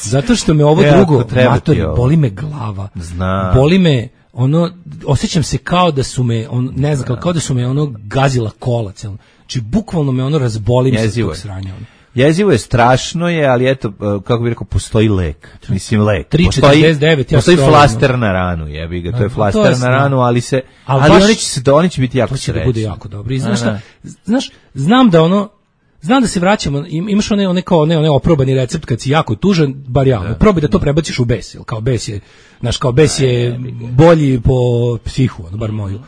zato što me ovo drugo, matori, boli me glava, boli me, ono, osjećam se kao da su me, ne znam, kao da su me ono gazila kola celom. Znači, bukvalno me ono razbolim sa tog sranja. Jezivo je, strašno je, ali eto, kako bih rekao, postoji lek. Mislim, lek. 3,49, postoji flaster na ranu, jebi ga, to je flaster na ranu, ali oni će biti jako srećni. To će da bude jako dobro. I znaš, znam da ono, znam da se vraćamo, imaš one oprobani recept kad si jako tužan, bar ja, probaj da to prebaciš u bes, kao bes je, znaš, kao bes je bolji po psihu, bar moju.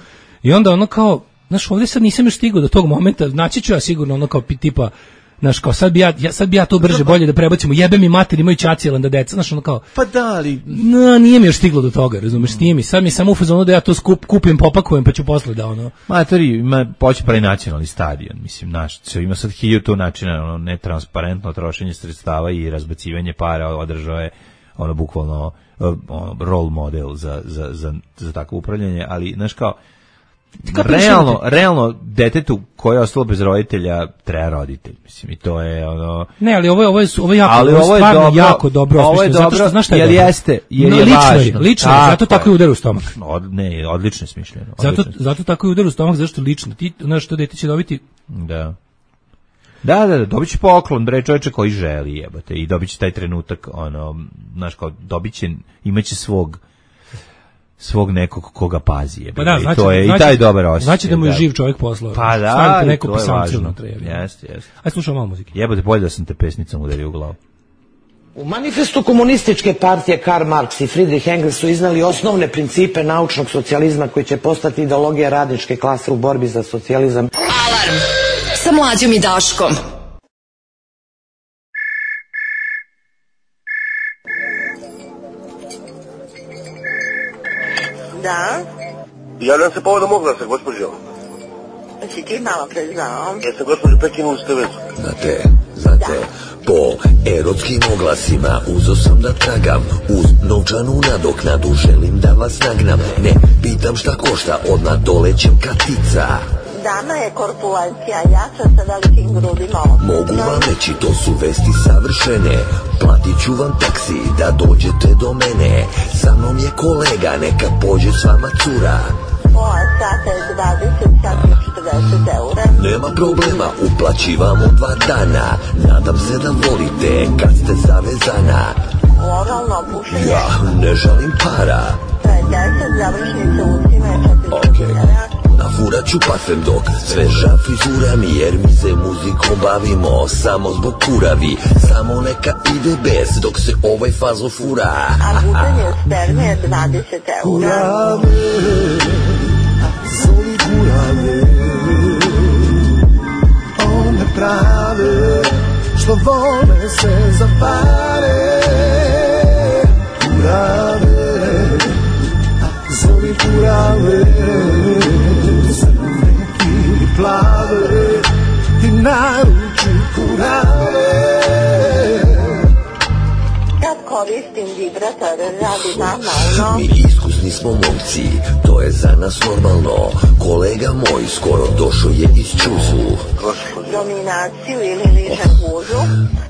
I onda ono kao, znaš, ovdje sad nisam još stigao do tog momenta, naći ću ja sigurno ono kao tipa, znaš, kao sad bi ja to brže bolje da prebacimo, jebe mi mater, imaju ćacijelan da deca, znaš, ono kao, pa da, ali nije mi još stiglo do toga, razumeš, nije mi, sad mi samo u fazonu da ja to kupim, popakujem, pa ću posle da ono. Matori, ima poći pravi nacionalni stadion, mislim, naš, ima sad 1000 načina, ono, netransparentno trošenje sredstava i razbacivanje para, održao je, ono, bukvalno, role model za takvo upravljanje, ali, znaš, kao, realno detetu koje je ostalo bez roditelja treba roditelj, mislim, i to je ono. Ne, ali ovo je stvarno jako dobro. Ovo je dobro, zato što jer jeste, jer je važno. Lično, zato tako i udar u stomak. Ne, odlično je smišljeno. Zato tako i udar u stomak, zašto lično. Ti, znaš, što dete će dobiti? Da, dobit će poklon, bre, čovječe koji želi, jebate, i dobit će taj trenutak, ono, znaš, kao, dobit će, imaće svog nekog koga pazi, pa da, znači, to je i taj dobar osjećaj. Znači da mu je živ čovjek poslao. Pa da, neko to je važno. Jeste. Aj slušamo malo muzike. Jebote, bolje da sam te pesnicom udario u glavu. U manifestu komunističke partije Karl Marx i Friedrich Engels su iznali osnovne principe naučnog socijalizma koji će postati ideologija radničke klase u borbi za socijalizam. Alarm sa Mlađom i Daškom. Da? Javljam se povodom oglasa, gospođo. Si ti malo preznao? Jeste gospođu Pekinovu Stevecu? Znate, po erotskim oglasima uzo sam da tragam, uz novčanu nadoknadu želim da vas nagnam. Ne pitam šta košta, odmah dolećem katica. Dama je korpulencija, jača sa velikim grudima. Mogu vam reći, to su vesti savršene. Platit ću vam taksi da dođete do mene. Sa mnom je kolega, neka pođe s vama cura. Pola sata je 20, sad je 40 eura. Nema problema, uplaćivamo 2 dana. Nadam se da volite kad ste zavezana. Oralno pušenje? Ja ne žalim para. To je 10, završnice usima je 4 eura. Nafurat ću parfem dok sveža frizura mi, jer mi se muzikom bavimo samo zbog kuravi. Samo neka ide bez dok se ovaj fazo fura. A gutenje sperme je 20 eura. Kurave, zoli kurave, one prave što vole se za pare. Kurave, zoli kurave, plave, ti naruči kurave. Kad koristim vibrator, radi normalno. Mi iskusni smo momci, to je za nas normalno. Kolega moj skoro došao je iz čuzu. Dominaciju ili liže kužu?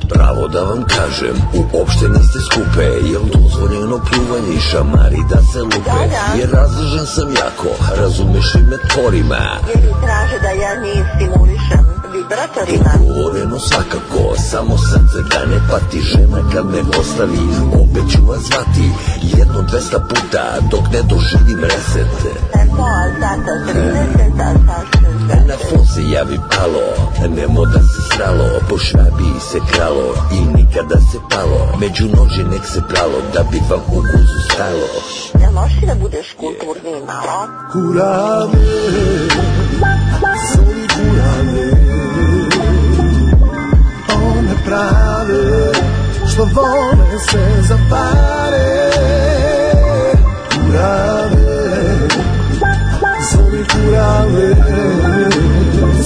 Pravo da vam kažem, uopšte niste skupe, jel dozvoljeno pljuvanje i šamari da se lupe? Jer razložen sam jako, razumeš i me tvorima. Jer ti traže da ja njih stimulišem vibratorima? Dogovoreno svakako, samo srce da ne pati. Žena kad me ostavi, opet ću vas zvati. 1-200 puta dok ne doživim reset. Pola sata 30, a sa 60. Na fon se javi palo, nemo da se sralo. Po švabiji se kralo i nikada se palo. Među noži nek se pralo da bi vam u guzu stalo. Jel možeš da budeš kulturni malo? Kurave, zoli kurave, one prave što vole se za pare. Kurave, zoli kurave,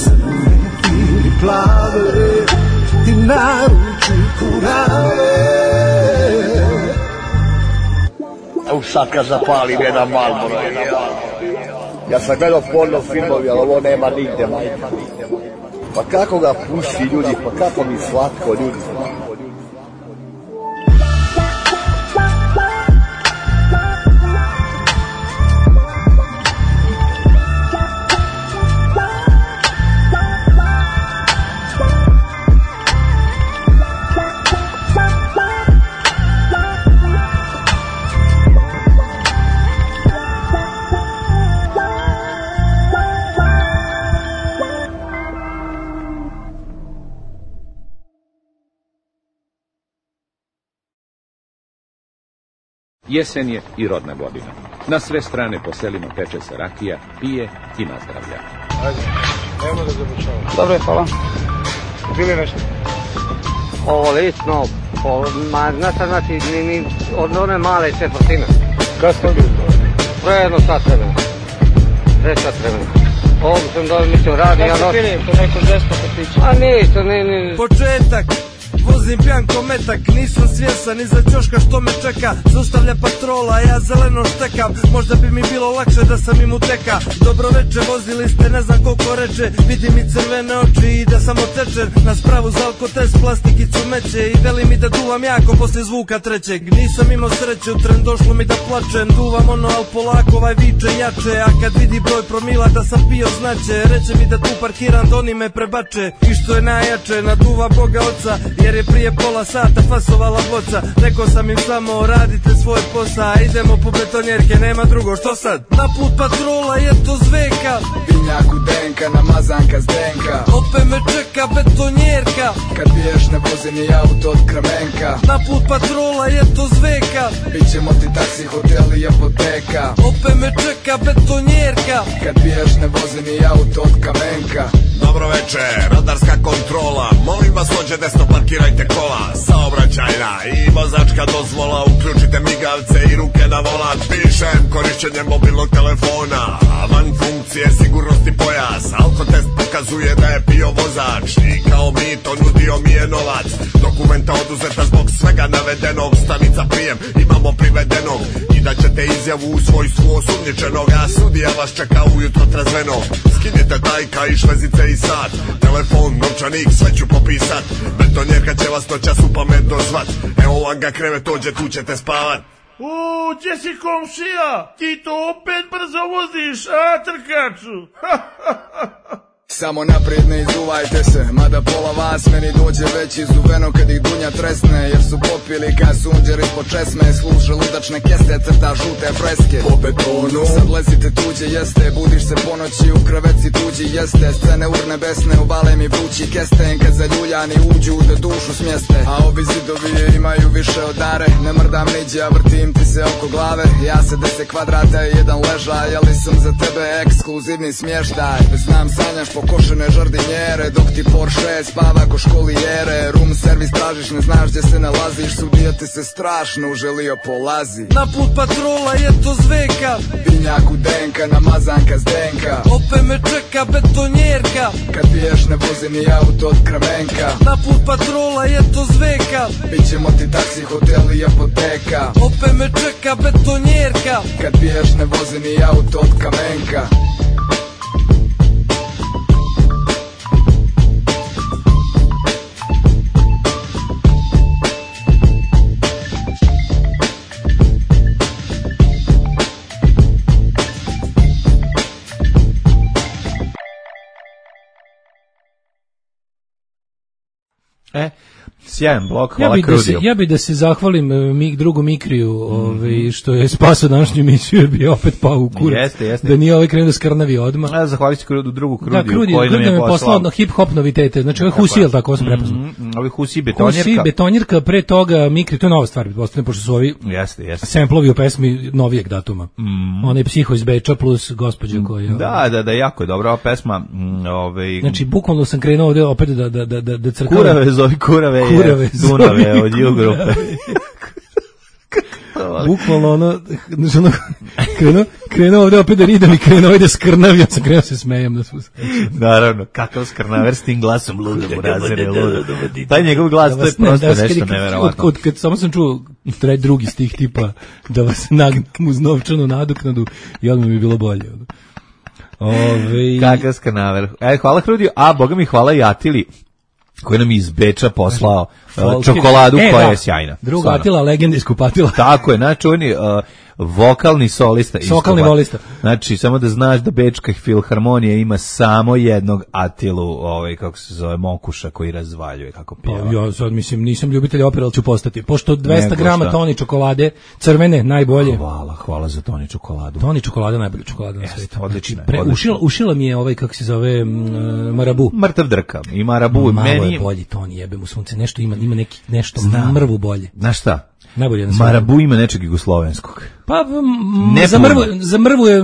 crne ili plave, ti naruči kurave. Evo sad kad zapalim jedan Marlboro. Ja sam gledao porno filmovi, ali ovo nema nigde. Pa kako ga puši ljudi, pa kako mi slatko ljudi. Jesen je i rodna godina. Na sve strane po selima peče se rakija, pije i nazdravlja. Ajde, nemo da završavamo. Dobro je, hvala. Bili nešto? Ovo lično, znači, ni od one male četvrtine. Kad ste bili? Prejedno sat vremena. 3 sat vremena. Ovdje sam dobro mislio radi. Kad ste bili po nekom žesto kafiću? A ništa, ni... Početak! Vozim pijan ko metak, nisam svjesan iza ćoška što me čeka. Zaustavlja patrola, ja zeleno štekam. Možda bi mi bilo lakše da sam im uteka. Dobro veče, vozili ste, ne znam koliko reče. Vidim i crvene oči i da sam otečen. Na spravu za alkotest, plastikicu meće. I veli mi da duvam jako poslije zvuka trećeg. Nisam imao sreće, u tren došlo mi da plačem. Duvam ono, al polako, ovaj viče jače. A kad vidi broj promila da sam pio znače. Reče mi da tu parkiram, da oni me prebače. I što je najjače, naduva Boga oca. Jer je prije pola sata fasovala boca. Rekao sam im samo radite svoj posao. Idemo po betonjerke, nema drugo, što sad? Na put patrola je to zveka. Vinjak u denka, namazanka s denka. Opet me čeka betonjerka. Kad biješ ne vozi ni auto od Kramenka. Na put patrola je to zveka. Bićemo ti taksi, hotel i apoteka. Opet me čeka betonjerka. Kad biješ ne vozi ni auto od Kamenka. Dobro večer, radarska kontrola. Molim vas dođe desno, parkirajte kola. Saobraćajna i vozačka dozvola, uključite migavce i ruke na volan. Pišem korišćenjem mobilnog telefona, van funkcije sigurnosti pojas. Alkotest pokazuje da je pio vozač i kao mito nudio mi je novac. Dokumenta oduzeta zbog svega navedenog, stanica prijem, imamo privedenog. I da ćete izjavu u svojstvu osumnjičenog, a sudija vas čeka ujutro trezvenog. Skinite tajka i švezice i sat, telefon, novčanik, sve ću popisat. Betonjerka će vas noćas u pamet dozvat. Evo vam ga krevet, dođe, tu ćete spavat. Gdje si komšija? Ti to opet brzo voziš, a trkaču? Samo naprijed ne izuvajte se, mada pola vas meni dođe već izuveno kad ih dunja tresne. Jer su popili kaj sunđer ispod česme, služe ludačne keste, crta žute freske. Po betonu sad lezite tuđe jeste, budiš se po noći u kreveci tuđi jeste. Scene urne besne, uvale mi vrući kesten, kad zaljuljani uđu da dušu smjeste. A ovi zidovi imaju više od dare, ne mrdam niđe, a vrtim ti se oko glave. Ja se 10 kvadrata i jedan ležaj, ali sam za tebe ekskluzivni smještaj. Znam sanjaš pokošene žardinjere, dok ti Porsche spava ko školijere. Room servis tražiš, ne znaš gdje se nalaziš, sudija ti se strašno uželio polazi. Na put patrola je to zveka, vinjak u denka, namazanka s denka. Opet me čeka betonjerka, kad piješ ne vozi ni auto od Kramenka. Na put patrola je to zveka, bit ćemo ti taksi, hotel i apoteka. Opet me čeka betonjerka, kad piješ ne vozi ni auto od Kamenka. Sjajan blok, hvala Krudiju. Ja bi da se zahvalim drugu Mikriju, što je spasao današnju emisiju, jer bi opet pao u kurac. Jeste. Da nije krenu da skrnavi odmah. Zahvaljujući drugu Krudiju, da, koji nam je poslao hip-hop novitete. Znači, ovo je Husi, ili tako, ovo sam prepoznao. Ovo Husi, betonjerka. Husi, betonjerka, pre toga Mikri, to je nova stvar, pošto su ovi samplovi u pesmi novijeg datuma. Onaj Psiho iz Beča plus gospođa koja... Da, jako je dobra ova pesma. Znači, bukvalno sam krenuo ovdje opet da crkam. Kurave Dunave od Jugrupe. Bukvalno krenuo ovdje opet da ridam i krenuo da skrnavim, ja sam krenuo se smejem. Naravno, kakav skrnaver s tim glasom ludom u razine ludo. Taj njegov glas, to je prosto nešto neverovatno. Kad samo sam čuo drugi stih tipa da vas nagnem uz novčanu nadoknadu i odmah mi je bilo bolje. Kakav skrnaver. Hvala Hrudiju, a boga mi hvala i Atili, koji nam iz Beča poslao čokoladu koja je sjajna. Druga Atila, legenda iz Kupatila. Tako je, znači on je vokalni solista. Vokalni volista. Znači, samo da znaš da Bečka filharmonija ima samo jednog Atilu, kako se zove, Mokuša, koji razvaljuje, kako pjeva. Ja sad mislim, nisam ljubitelj opere, ali ću postati. Pošto 200 grama Toni čokolade, crvene, najbolje. Hvala za Toni čokoladu. Toni čokolada je najbolja čokolada na svijetu. Odlično. Ušila mi je kako se zove, Marabu. Mrtav drka. I Marabu. Malo je bolji Toni, jebem u sunce. Nešto ima nešto mrvu bolje. Znaš šta? Najbolje na Marabu ima nečeg jugoslovenskog. Pa za mrvu je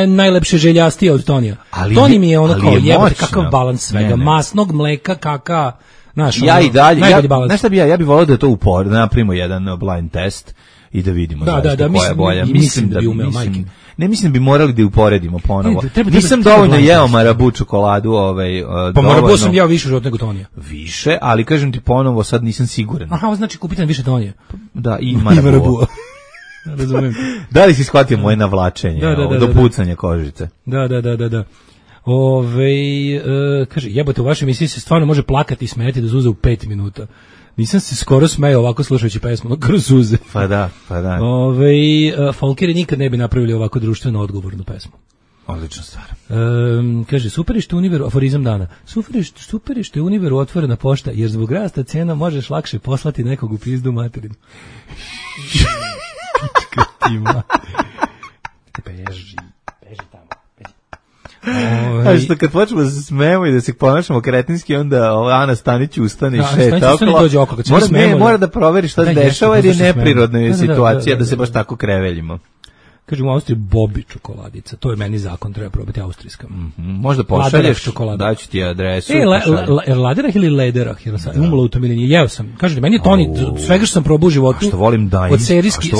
najlepše željastije od Tonija. Toni mi je ono kao jebate kakav balans svega. Masnog mleka, kaka, znaš, ja i dalje, znaš šta bi ja bih volio da to napravimo jedan blind test i da vidimo koja je bolja. Mislim da bi umeo, majke. Ne mislim da bi morali da uporedimo ponovo. Nisam dovoljno jeo Marabu čokoladu. Pa Marabu sam jeo više od nego Tonija. Više, ali kažem ti ponovo, sad nisam siguran. Aha, znači kupite više Tonija. Da, i Marabu. Razumem. Da li si shvatio moje navlačenje, do pucanja kožice? Da. Kaže, jebote, u vašoj emisiji se stvarno može plakati i smeti do suze u 5 minuta. Nisam se skoro smejao ovako slušajući pesmu, kroz suze. Pa da. Folkeri nikad ne bi napravili ovako društveno odgovornu pesmu. Odlična stvar. Kaže, superište Univeru, aforizam dana, superište Univeru otvorena pošta, jer zbog rasta cena možeš lakše poslati nekog u pizdu materinu. Beži tamo. A što kad počnemo da se smemo i da se ponašamo kretinski, onda Ana Stanić ustane i šeta okolo. Mora da proveri šta se dešava, jer je neprirodna situacija da se baš tako kreveljimo. Kažem u Austriji Bobi čokoladica, to je meni zakon, treba probati austrijska. Možda pošalješ, daću ti adresu. Laderah ili Lederah, jer sam umalo u tom ili nije, jeo sam. Kažete, meni je Toni, svega što sam probao u životu, što volim Daim, od serijski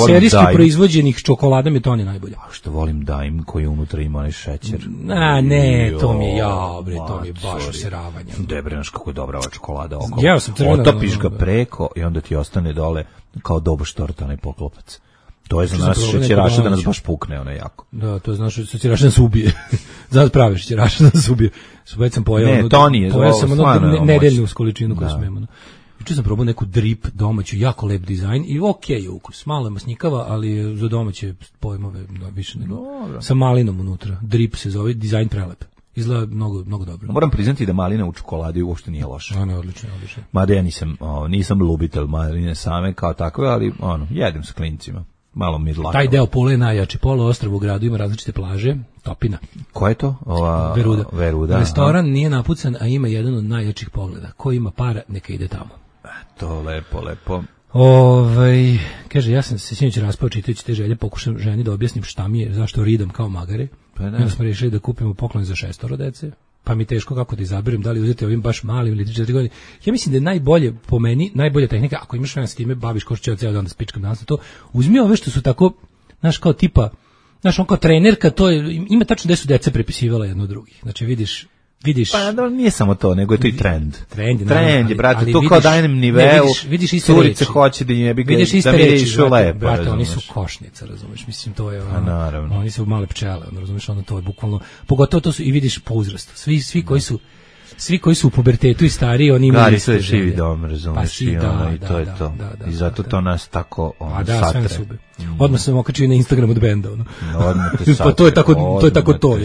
proizvođenih čokolada mi je Toni najbolje. A što volim Daim koji unutra ima onaj šećer. Ne, to mi je to mi je baš useravanje. Debrinaš kako je dobra ova čokolada oko. Jeo sam crveno. Otopiš ga preko i onda ti ostane dole kao doboš torta, onaj poklopac. To je za nas šećeraša da nas baš pukne, ono jako. Da, to je za nas šećeraša da nas ubije. Zato pravi šećeraša da nas ubije. Već sam pojao. Ne, to nije. Pojao sam nedeljnu količinu koju sam imao. Juče sam probao neku drip domaću, jako lep dizajn i okej je ukus. Malo je masnikava, ali je za domaće pojmove više nego. Sa malinom unutra. Drip se zove, dizajn prelep. Izgleda mnogo dobro. Moram priznati da malina u čokoladi uopšte nije loša. Ono je odlično. Mada ja nisam ljubitelj maline same kao takve, ali jedem sa klincima. Malo midlaka. Taj deo Pule je najjači. Poluostrvo u gradu ima različite plaže, Topina. Ko je to? Veruda. Restoran nije napucan, a ima jedan od najjačih pogleda. Ko ima para, neka ide tamo. To lepo. Kaže, ja sam se sinoć raspao čitajući te želje, pokušam ženi da objasnim šta mi je, zašto ridam kao magare. Onda smo rešili da kupimo poklon za 6 dece. Pa mi teško kako da izaberem, da li uzeti ovim baš malim ili 3-4 godine. Ja mislim da je najbolje, po meni, najbolja tehnika, ako imaš vremena s time, baviš ko što će ceo dan da spičkam danas na to, uzmi ove što su tako, znaš, kao tipa, znaš, on kao trenerka, to je, ima tačno gde su deca prepisivala jedno od drugih. Znači, vidiš. Pa nije samo to, nego je to i trend. Trend je, brate, to kao dajem niveu, curice hoće da im da mi išu lepo. Brate, oni su košnica, razumeš, mislim, to je, oni su male pčele, razumeš, to je bukvalno, pogotovo to su, i vidiš po uzrastu, svi koji su u pubertetu i stariji, oni imaju iste želje. Živi dom, razumeš, i to je to. I zato to nas tako satre. Odmah sam okačio na Instagram od benda, pa to je tako to,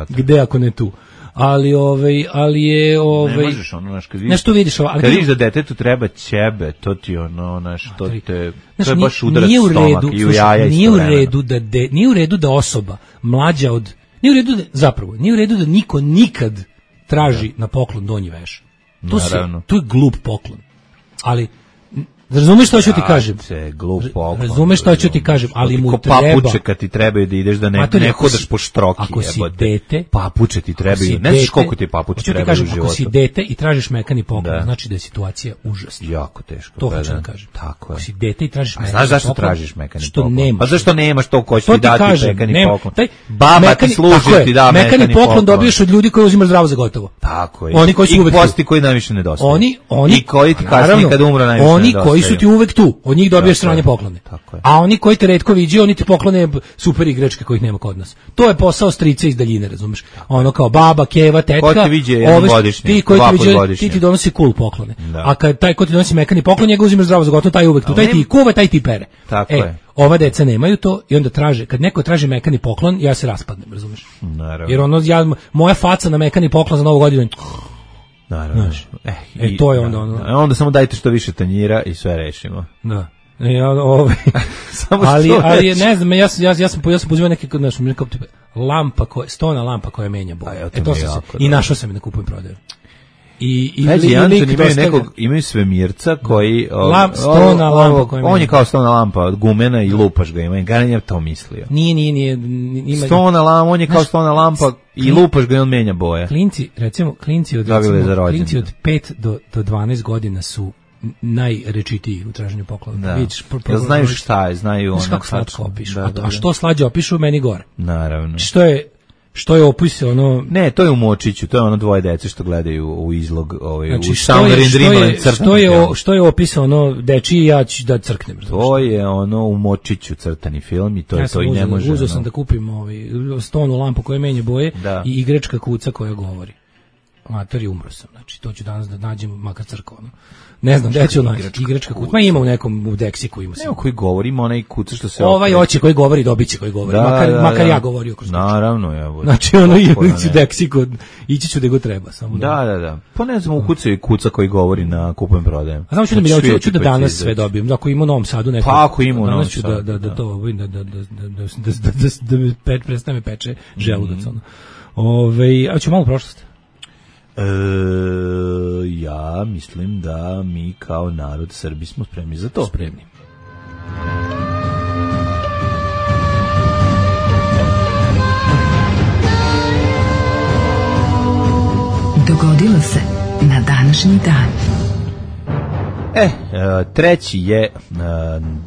gde ako ne tu. Ali je ne možeš nešto vidiš, kad vidiš da detetu treba ćebe, to ti to je baš udarac stomak i u jaja nije u redu da osoba mlađa od nije u redu da niko nikad traži na poklon donji veš. To je glup poklon. Ali razumeš što ću ti kažem? Razumeš što ću ti kažem, ali mu treba. Papuče kad ti trebaju da ideš da ne hodaš po štroki. Ako si dete, papuče ti trebaju. Ne znaš koliko ti papuče trebaju u životu. Ako si dete i tražiš mekani poklon, znači da je situacija užasna. Jako teško. To hoću da kažem. Tako je. Ako si dete i tražiš mekani poklon. Znaš zašto tražiš mekani poklon? Što nemaš. Pa zašto nemaš to ko će ti dati mekani poklon? Baba ti služi ti da mekani poklon dobiješ od ljudi koji uzimaju zdravo za gotovo. Tako je. Oni koji su uvek posti koji najviše nedostaju. Oni koji ti kasnije kad umru najviše nedostaju. Oni koji su ti uvek tu. Od njih dobiješ strane poklone. A oni koji te retko viđaju, oni ti poklone super igračke kojih nema kod nas. To je posao strice iz daljine, razumeš? Ono kao baba, keva, tetka, ko ti viđe jednogodišnje, ti koji ti viđe, ti donosi cool poklone. A kad taj ko ti donosi mekani poklon, njega uzimaš zdravo za gotovo, taj uvek tu, taj ti kuva, taj ti pere. Ova deca nemaju to i onda traže, kad neko traži mekani poklon, ja se raspadnem, razumeš? Jer moja faca na mekani poklon za Novu godinu. Naravno. To je onda samo dajte što više tanjira i sve rešimo. Da. Ali ne znam, ja sam pozivao neke kao tipa lampa stona lampa koja menja boje. I našao sam je na kupujem prodaju. I imaju svemirca koji stona lampa koja menja. On je kao stona lampa, gumena i lupaš ga, ima garanija to mislio. Nije. Stona lampa, on je kao stona lampa i lupaš ga i on menja boje. Klinci od 5 do 12 godina su najrečitiji u traženju poklona. Jel znaju šta je, znaju ono. Kako slatko opišu. A što slađe opišu, meni gore. Naravno. Što je opis ono... Ne, to je u Močiću, to je ono dvoje dece što gledaju u izlog, znači, u Summer in Dreamland crtani. Što je opis ono dečiji, ja ću da crknem. To je ono u Močiću crtani film i to je to i ne može. Uzeo sam da kupim stonu lampu koja menja boje i igračka kuca koja govori. Mater, umro sam, znači to ću danas da nađem makar crkveno. Ne znam, gde ću naći igračka kuca. Ma ima u nekom u Deksiku ima. Evo koji govori, ima onaj kuca što se ovaj oće koji govori, dobiće koji govori. Makar ja govorio kroz. Naravno, ja. Znači ono je u Deksiku, ići ću gde go treba samo. Da. Pa ne znam, u kuca koji govori na kupujem prodajem. A samo ću da danas sve dobijem. Ako ima u Novom Sadu neko. Pa ako ima u Novom Sadu. Da to da predstave peče želudac ono. A ću malo prošlost. Ja mislim da mi kao narod Srbi smo spremni za to. Spremni. Dogodilo se na današnji dan. 3. je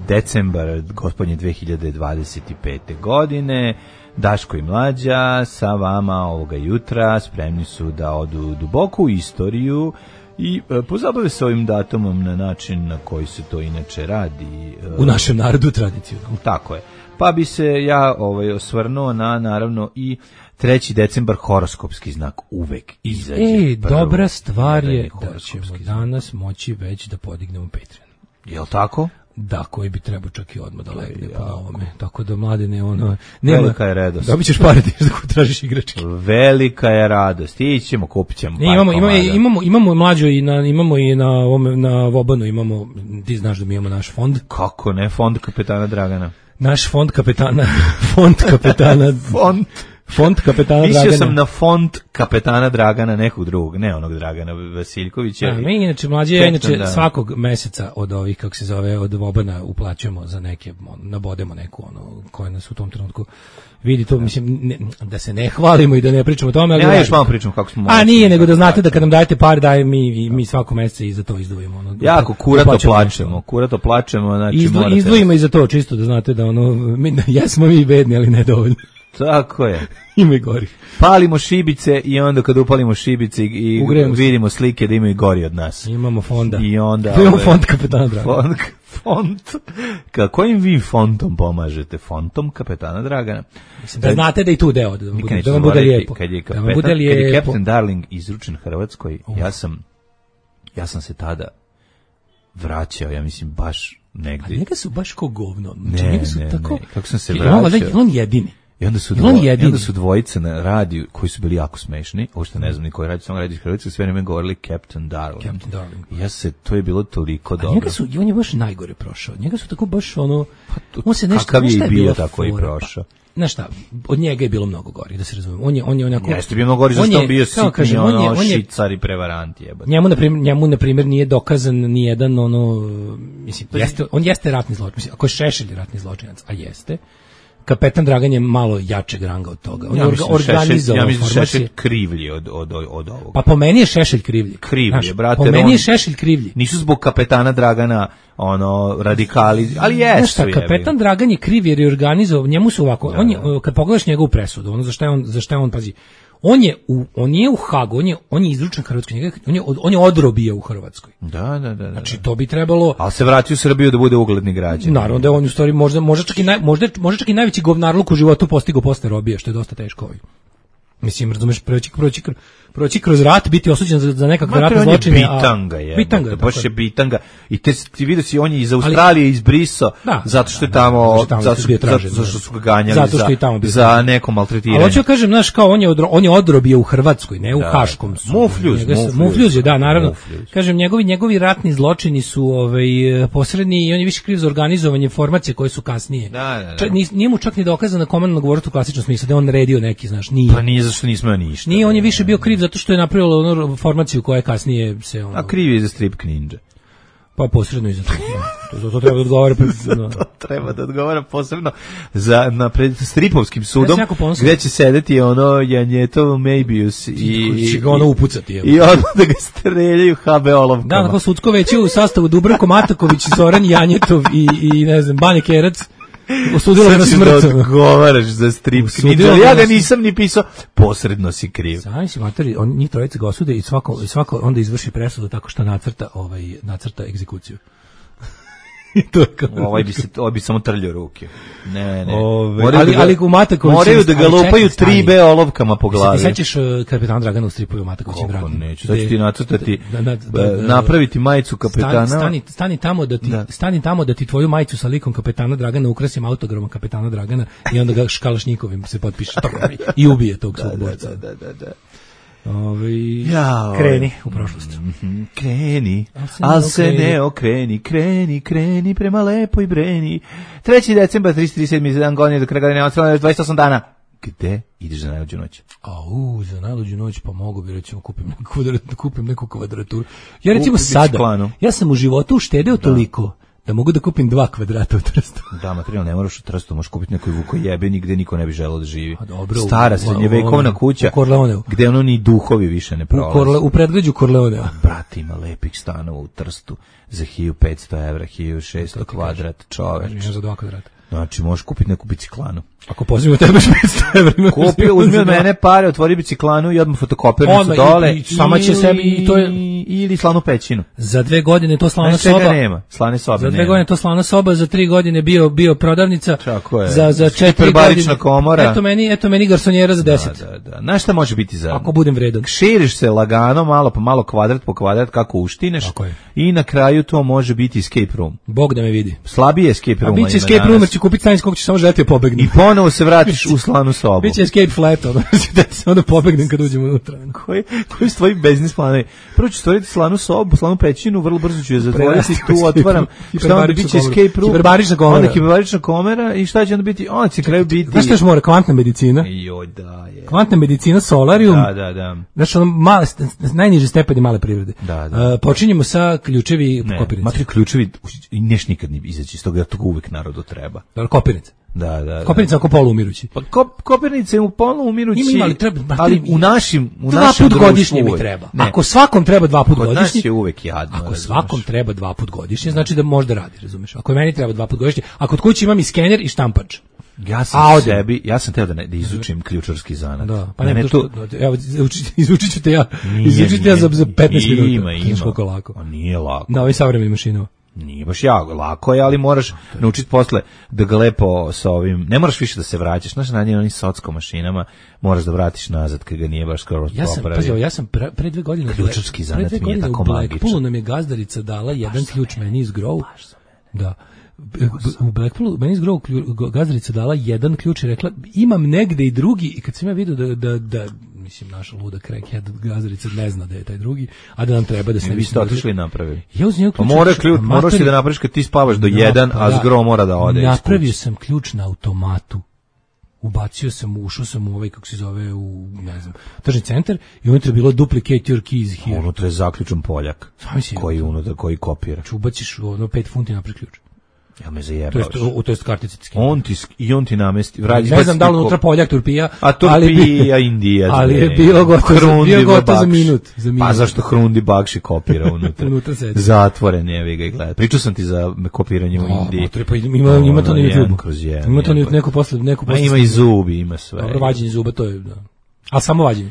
decembar gospodnje 2025. godine. Daško i Mlađa sa vama ovoga jutra spremni su da odu duboko u istoriju i pozabave se ovim datumom na način na koji se to inače radi. U našem narodu tradicionalno. Tako je. Pa bi se ja osvrnuo na, naravno, i 3. decembar horoskopski znak uvek izađe. Dobra stvar je da ćemo danas moći već da podignemo Patreon. Jel' tako? Da, koji bi trebao čak i odmah da legne po ovome. Tako da, Mladene, velika je radost. Dobit ćeš pare da tražiš igračke. Velika je radost. Ićemo, kupit ćemo. Imamo Mlađo imamo i na Vobanu imamo, ti znaš da mi imamo naš fond. Kako ne, fond kapetana Dragana. Naš fond kapetana Fond kapetana Dragana. Mislio sam na fond kapetana Dragana, nekog drugog, ne onog Dragana Vasiljkovića. Mi inače, Mlađe, svakog meseca od ovih, kako se zove, od Vobana uplaćujemo za neke, nabodemo neku, koje nas u tom trenutku vidi to, mislim, da se ne hvalimo i da ne pričamo o tome. Ja još malo pričamo kako smo... nije, nego da znate da kad nam dajete par, daje mi svako meseca i za to izdvojimo. Jako kurato plačemo. Znači izdvojimo i za to, čisto da znate da jesmo mi bedni, ali ne dovoljno. Tako je. Ima i gori. Palimo šibice i onda kad upalimo šibice i vidimo slike da imaju gori od nas. Imamo fonda. I onda... Imamo fond kapetana Dragana. Fond. Kojim vi fondom pomažete? Fondom kapetana Dragana. Mislim, da znate da i tu deo, da vam bude lijepo. Kad je Captain Darling izručen Hrvatskoj, ja sam se tada vraćao, ja mislim, baš negdje. A njega su baš ko govno. Ne. Kako sam se vraćao. On jedini. I onda su dvojice na radiju koji su bili jako smešni, ovo što ne znam ni koji radio, samo radio iz Hrvatske, sve vreme govorili Captain Darling. To je bilo toliko dobro. On je baš najgore prošao. Njega su tako baš on se nešto... Kakav je i bio tako i prošao. Znaš šta, od njega je bilo mnogo gori, da se razumemo. On je onako... Jeste bio mnogo gori, zašto on bio sitni, šicar i prevarant jebate. Njemu, na primjer, nije dokazan ni jedan, mislim, on jeste ratni zločinac. Mislim, ako je Šešelj ratni zločinac, a jeste, Kapetan Dragan je malo jačeg ranga od toga. On je organizovao. Ja mislim Šešelj krivlji od ovoga. Pa po meni je Šešelj krivlji. Krivlji, brate. Po meni je Šešelj krivlji. Nisu zbog Kapetana Dragana radikali, ali jesu. Kapetan Dragan je kriv jer je organizovao, njemu su ovako, kad pogledaš njegovu presudu, za šta je on, pazi, on je u Hagu, on je izručen Hrvatskoj, on je odrobio u Hrvatskoj. Da. Znači to bi trebalo... Ali se vratio u Srbiju da bude ugledni građanin. Naravno da je on u stvari možda čak i najveći govnarluk u životu postigao posle robije, što je dosta teško. Mislim, razumeš, proći kroz rat, biti osuđen za nekakve ratne zločine. Bitanga, baš je bitanga. I ti vidio si, on je iz Australije izbrisao, zato što je tamo, zato što su ga ganjali za neko maltretiranje. Ali hoću kažem, znaš, kao on je odrobio u Hrvatskoj, ne u Haškom sudu. Mufljuz je, da, naravno. Kažem, njegovi ratni zločini su posredni i on je više kriv za organizovanje informacije koje su kasnije. Nije mu čak ni dokazano komandno govoriti u klasičnom smislu, da je on naredio neki, znaš, nije. Pa nije, zašto nismo ništa. Nije, on je više bio kriv zato što je napravilo formaciju koja je kasnije se... A kriv je za strip Ninja. Pa posredno i za to. To treba da odgovara... To treba da odgovara posebno pred stripovskim sudom, gde će sedeti Janjetov Mejbius i... će ga upucati. I da ga streljaju HB olovkama. Da, tako sudsko veće u sastavu Dubravko Mataković, Zoran Janjetov i ne znam, Bane Kerac. Osudilo ga na smrt. Sad ću da odgovaraš za strip Ninja, ali ja ga nisam ni pisao, posredno si kriv. Sami si materi, njih trojice ga osude i svako onda izvrši presudu tako što nacrta egzekuciju. Ovo bi samo trljio ruke. Ne. Ali u Matakoviću... Moraju da ga lupaju 3B olovkama po glavi. Se sećaš Kapetan Dragana u stripu u Matakovićem Draganu? Kako neću, sad ću ti nacrtati, napraviti majicu kapetana. Stani tamo da ti tvoju majicu sa likom Kapetana Dragana ukrasim autogramom Kapetana Dragana i onda ga Škalašnikovim se potpiše i ubije tog svog borca. Da. Kreni u prošlost. Kreni, al se ne okreni, kreni prema lepoj Breni. 3. decembar, 337. dan godine do kraja godine, 28 dana. Gde ideš za najluđu noć? Za najluđu noć pa mogu bi recimo kupim neku kvadraturu. Ja recimo sada, ja sam u životu uštedeo toliko da mogu da kupim 2 kvadrata u Trstu. Da, materijal ne moraš u Trstu, možeš kupiti nekoj Vukojebeni gde niko ne bi želeo da živi. Dobro, stara srednjevekovna kuća gde ono ni duhovi više ne prolaze. U predgrađu Korleonea. Brate, ima lepih stanova u Trstu za 1500 evra, 1600 kvadrat, čoveč. Za 2 kvadrata. Znači, možeš kupiti neku biciklanu. Ako pozivimo tebe 500 evra. Kupi, uzmi od mene pare, otvori biciklanu i odmah fotokopernicu dole. I sama će sebi i to je... Ili slanu pećinu. Za 2 godine to slana soba. Nema, slane sobe za 2 godine to slana soba, za 3 godine bio prodavnica. Tako je. Za 4 godine. Komora. Eto meni garsonjera za 10. Da. Znaš šta može biti za... Ako budem vredan. Širiš se lagano, malo po malo, kvadrat po kvadrat, kako uštineš. I na kraju to može biti escape room. Bog da me vidi. Slabije escape room. A biće escape room, jer će kupiti stan iz kog će samo želeti pobegne. I ponovo se vratiš u slanu sobu. Biće escape flat, da se onda pobegnem kad uđemo unutra. Koji su tvoji biznis planovi? Prvo ću stvoriti slanu sobu, slanu pećinu, vrlo brzo ću je zatvoriti, tu otvaram. Šta onda biće escape room? Hiperbarična komora. I šta će onda biti? Onda će kraju biti... Znaš što još mora? Kvantna medicina. Joj, da je. Kvantna medicina, solarium. Da. Znaš, najniži stepeni male privrede. Da. Počinjemo sa ključevi kopirnice. Matri ključevi, neš nikad ne izaći iz toga, jer toga uvek narodu treba. Kopirnice. Da. Kopirnica oko poluumirući. Pa kopirnice u poluumirući, ali u našim 2 put godišnje mi treba. Ne. Ako svakom treba 2 put godišnje, nas je uvek jadno. Ako svakom treba 2 put godišnje, znači da možda radi, razumeš? Ako meni treba 2 put godišnje, a kod kuće imam i skener i štampač. Ja sam teo da izučim ključarski zanat. Da, pa ne to. Evo izučit ću te ja za 15 minuta. Ima. Nije lako. Da, ovaj savremeni mašinova. Nije baš lako je, ali moraš naučiti posle da ga lepo sa ovim, ne moraš više da se vraćaš, znaš, na njim onim socko mašinama, moraš da vratiš nazad kad ga nije baš skoro popravio. Ja sam pre 2 godine ključarski zanat mi je tako magičan. U Blackpoolu nam je gazdarica dala jedan ključ meni iz Grow. Da. U Blackpoolu meni iz Grow gazdarica dala jedan ključ i rekla imam negde i drugi, i kad sam ja vidio da mislim, naša luda crackhead gazdarica ne zna da je taj drugi, a da nam treba da se ne vi ste otišli i napravili. Ja uz njega ključ. Moraš ti da napraviš kad ti spavaš do 1, a zgro mora da ode. Napravio sam ključ na automatu. Ubacio sam, ušao sam u ovaj, kako se zove, u, ne znam, tržni centar i unutra je bilo duplicate your keys here. Unutra je zaključan Poljak, koji kopira. Ubaciš 5 funti napred ključ. Ja me zajebavaš. To jest kartice. On ti namesti. Ne znam da li unutra Poljak, Turpija. A Turpija, Indija. Ali je bilo gotovo za minut. Pa zašto Hrundi Bakši kopira unutra? Zatvoren je, vi ga gleda. Pričao sam ti za kopiranje u Indiji. Ima to na YouTube. Ima to neko posle. Ima i zubi, ima sve. Dobro, vađenje zuba, to je... Ali samo vađenje.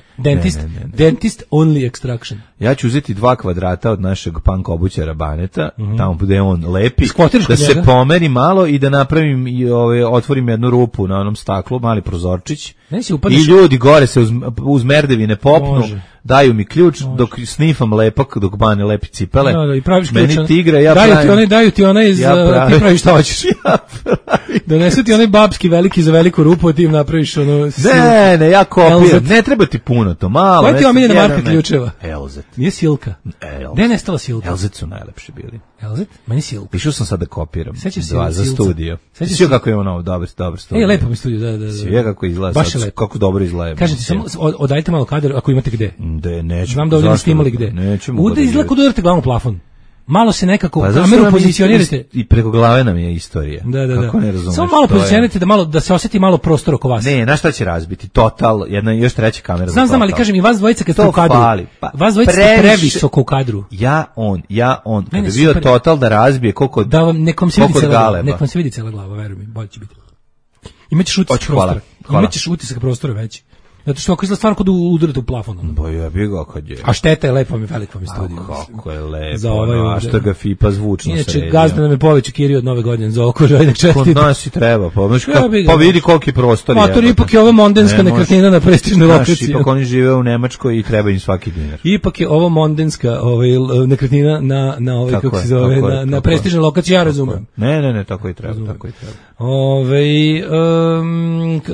Dentist only extraction. Ja ću uzeti 2 kvadrata od našeg punk obućara Baneta, tamo gde on lepi, da se pomeri malo i da napravim i otvorim jednu rupu na onom staklu, mali prozorčić. I ljudi gore se uz merdevine popnu, daju mi ključ dok snifam lepak, dok Bane lepi cipele. I praviš ključ. Meni tigra, daju ti onaj ti praviš šta hoćeš. Donesu ti onaj babski veliki za veliku rupu, a ti im napraviš ono... Ne, ja kopiram. Ne treba ti puno, to malo. Koja ti omiljena marka ključeva? Elzet. Nije Silka. Gde je nestala Silka? Elzet su najlepši bili. Elzet? Meni Silka. Išao sam sad da kopiram. Za studio. Sviđa kako je ono dobar studio. Lepo mi studio, da. Sviđa kako izgleda sad, kako dobro izgleda. Kažete samo, odajte malo kadar ako imate gde. Nećemo. Znam da ovdje niste imali gde. Nećemo. Ude izgleda kod udarate glavom plafon. Malo se nekako kameru pozicionirate. I preko glave nam je istorija. Da. Kako ne razumeš? Samo malo pozicionirate da se osjeti malo prostor oko vas. Ne, na šta će razbiti? Total, jedna još treća kamera. Znam, ali kažem i vas dvojica kad ste u kadru. Vas dvojica ste previsoko u kadru. Ja on. Kad bi bio Total da razbije koliko da vam nekom se vidi cela glava, veruj mi, bolje će biti. Imaćeš utisak prostora. Imaćeš utisak prostora veći. Zato što ako izgleda stvarno kod udarate u plafon. Ja bih ga kad je. A šteta je lepo, mi veliko mi studio. Kako je lepo, a što ga FIPA zvučno sredio. Inače, gazda nam je poveću Kiri od nove godine za oko žajnak čestiti. Kod nas i treba, pa vidi koliki prostor je. Mator, ipak je ovo mondenska nekretnina na prestižnoj lokaciji. Ipak oni žive u Nemačkoj i treba im svaki dinar. Ipak je ovo mondenska nekretnina na ovaj, kako se zove, na prestižnoj lokaciji, ja razumem. Ne, tako i treba.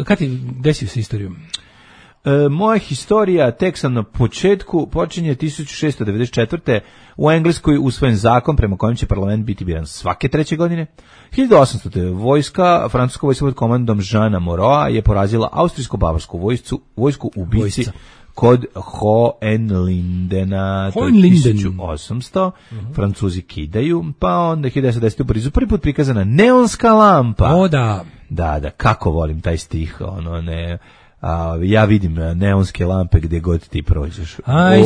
Kad ti desio se istoriju? Moja historija, tek sam na početku, počinje 1694. U Engleskoj usvojen zakon prema kojem će parlament biti biran svake 3. godine. 1800. francuska vojska pod komandom Jeana Moreau je porazila austrijsko-bavarsku vojsku ubici kod Hohenlindena, to je 1800, Francuzi kidaju, pa onda 1910 u Parizu prvi put prikazana neonska lampa. O da. Da, kako volim taj stih, ja vidim neonske lampe gdje god ti prođeš. I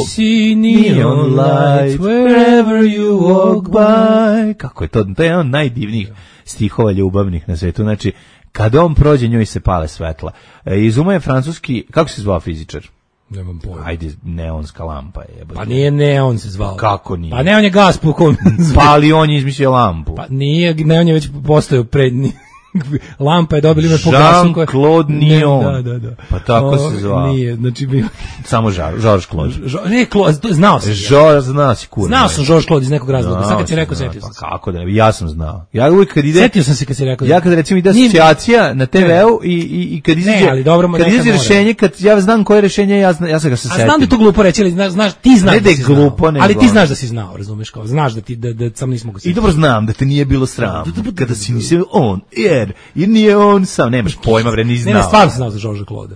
see neon lights wherever you walk by. Kako je to? To je jedan od najdivnijih stihova ljubavnih na svetu. Znači, kada on prođe, njoj se pale svetla. Izumao je francuski, kako se zvao fizičar? Nemam pojma. Ajde, neonska lampa je. Pa nije neon se zvao. Kako nije? Pa neon je gas po kom. Pa ali on je izmislio lampu. Pa nije, neon je već postojao prednji. Lampa je dobila ime po gasu. Jean-Claude Neon. Da. Pa tako se zvao. Nije, znači bio... Samo Georges Claude. Ne, znao sam. Znao si kurno. Znao sam Georges Claude iz nekog razloga. Sad kad si rekao, setio sam se. Pa kako da ne, ja sam znao. Ja uvijek kad ide... Setio sam se kad si rekao. Ja kad recimo ide asocijacija na TV-u i kad izađe... Ne, ali dobro, kad izađe rešenje, kad ja znam koje rešenje, ja sam ga se setim. A znam da je to glupo reći, ali znaš, ti znaš da si znao. Ali ti znaš da si znao, razumeš kao. Znaš da sam nismo ga setiti. I dobro znam da te nije bilo sram. Kada si nisi on, jer nije on sam, nemaš pojma, bre, ni znao. Ne, stvarno sam znao za Georgesa Claude.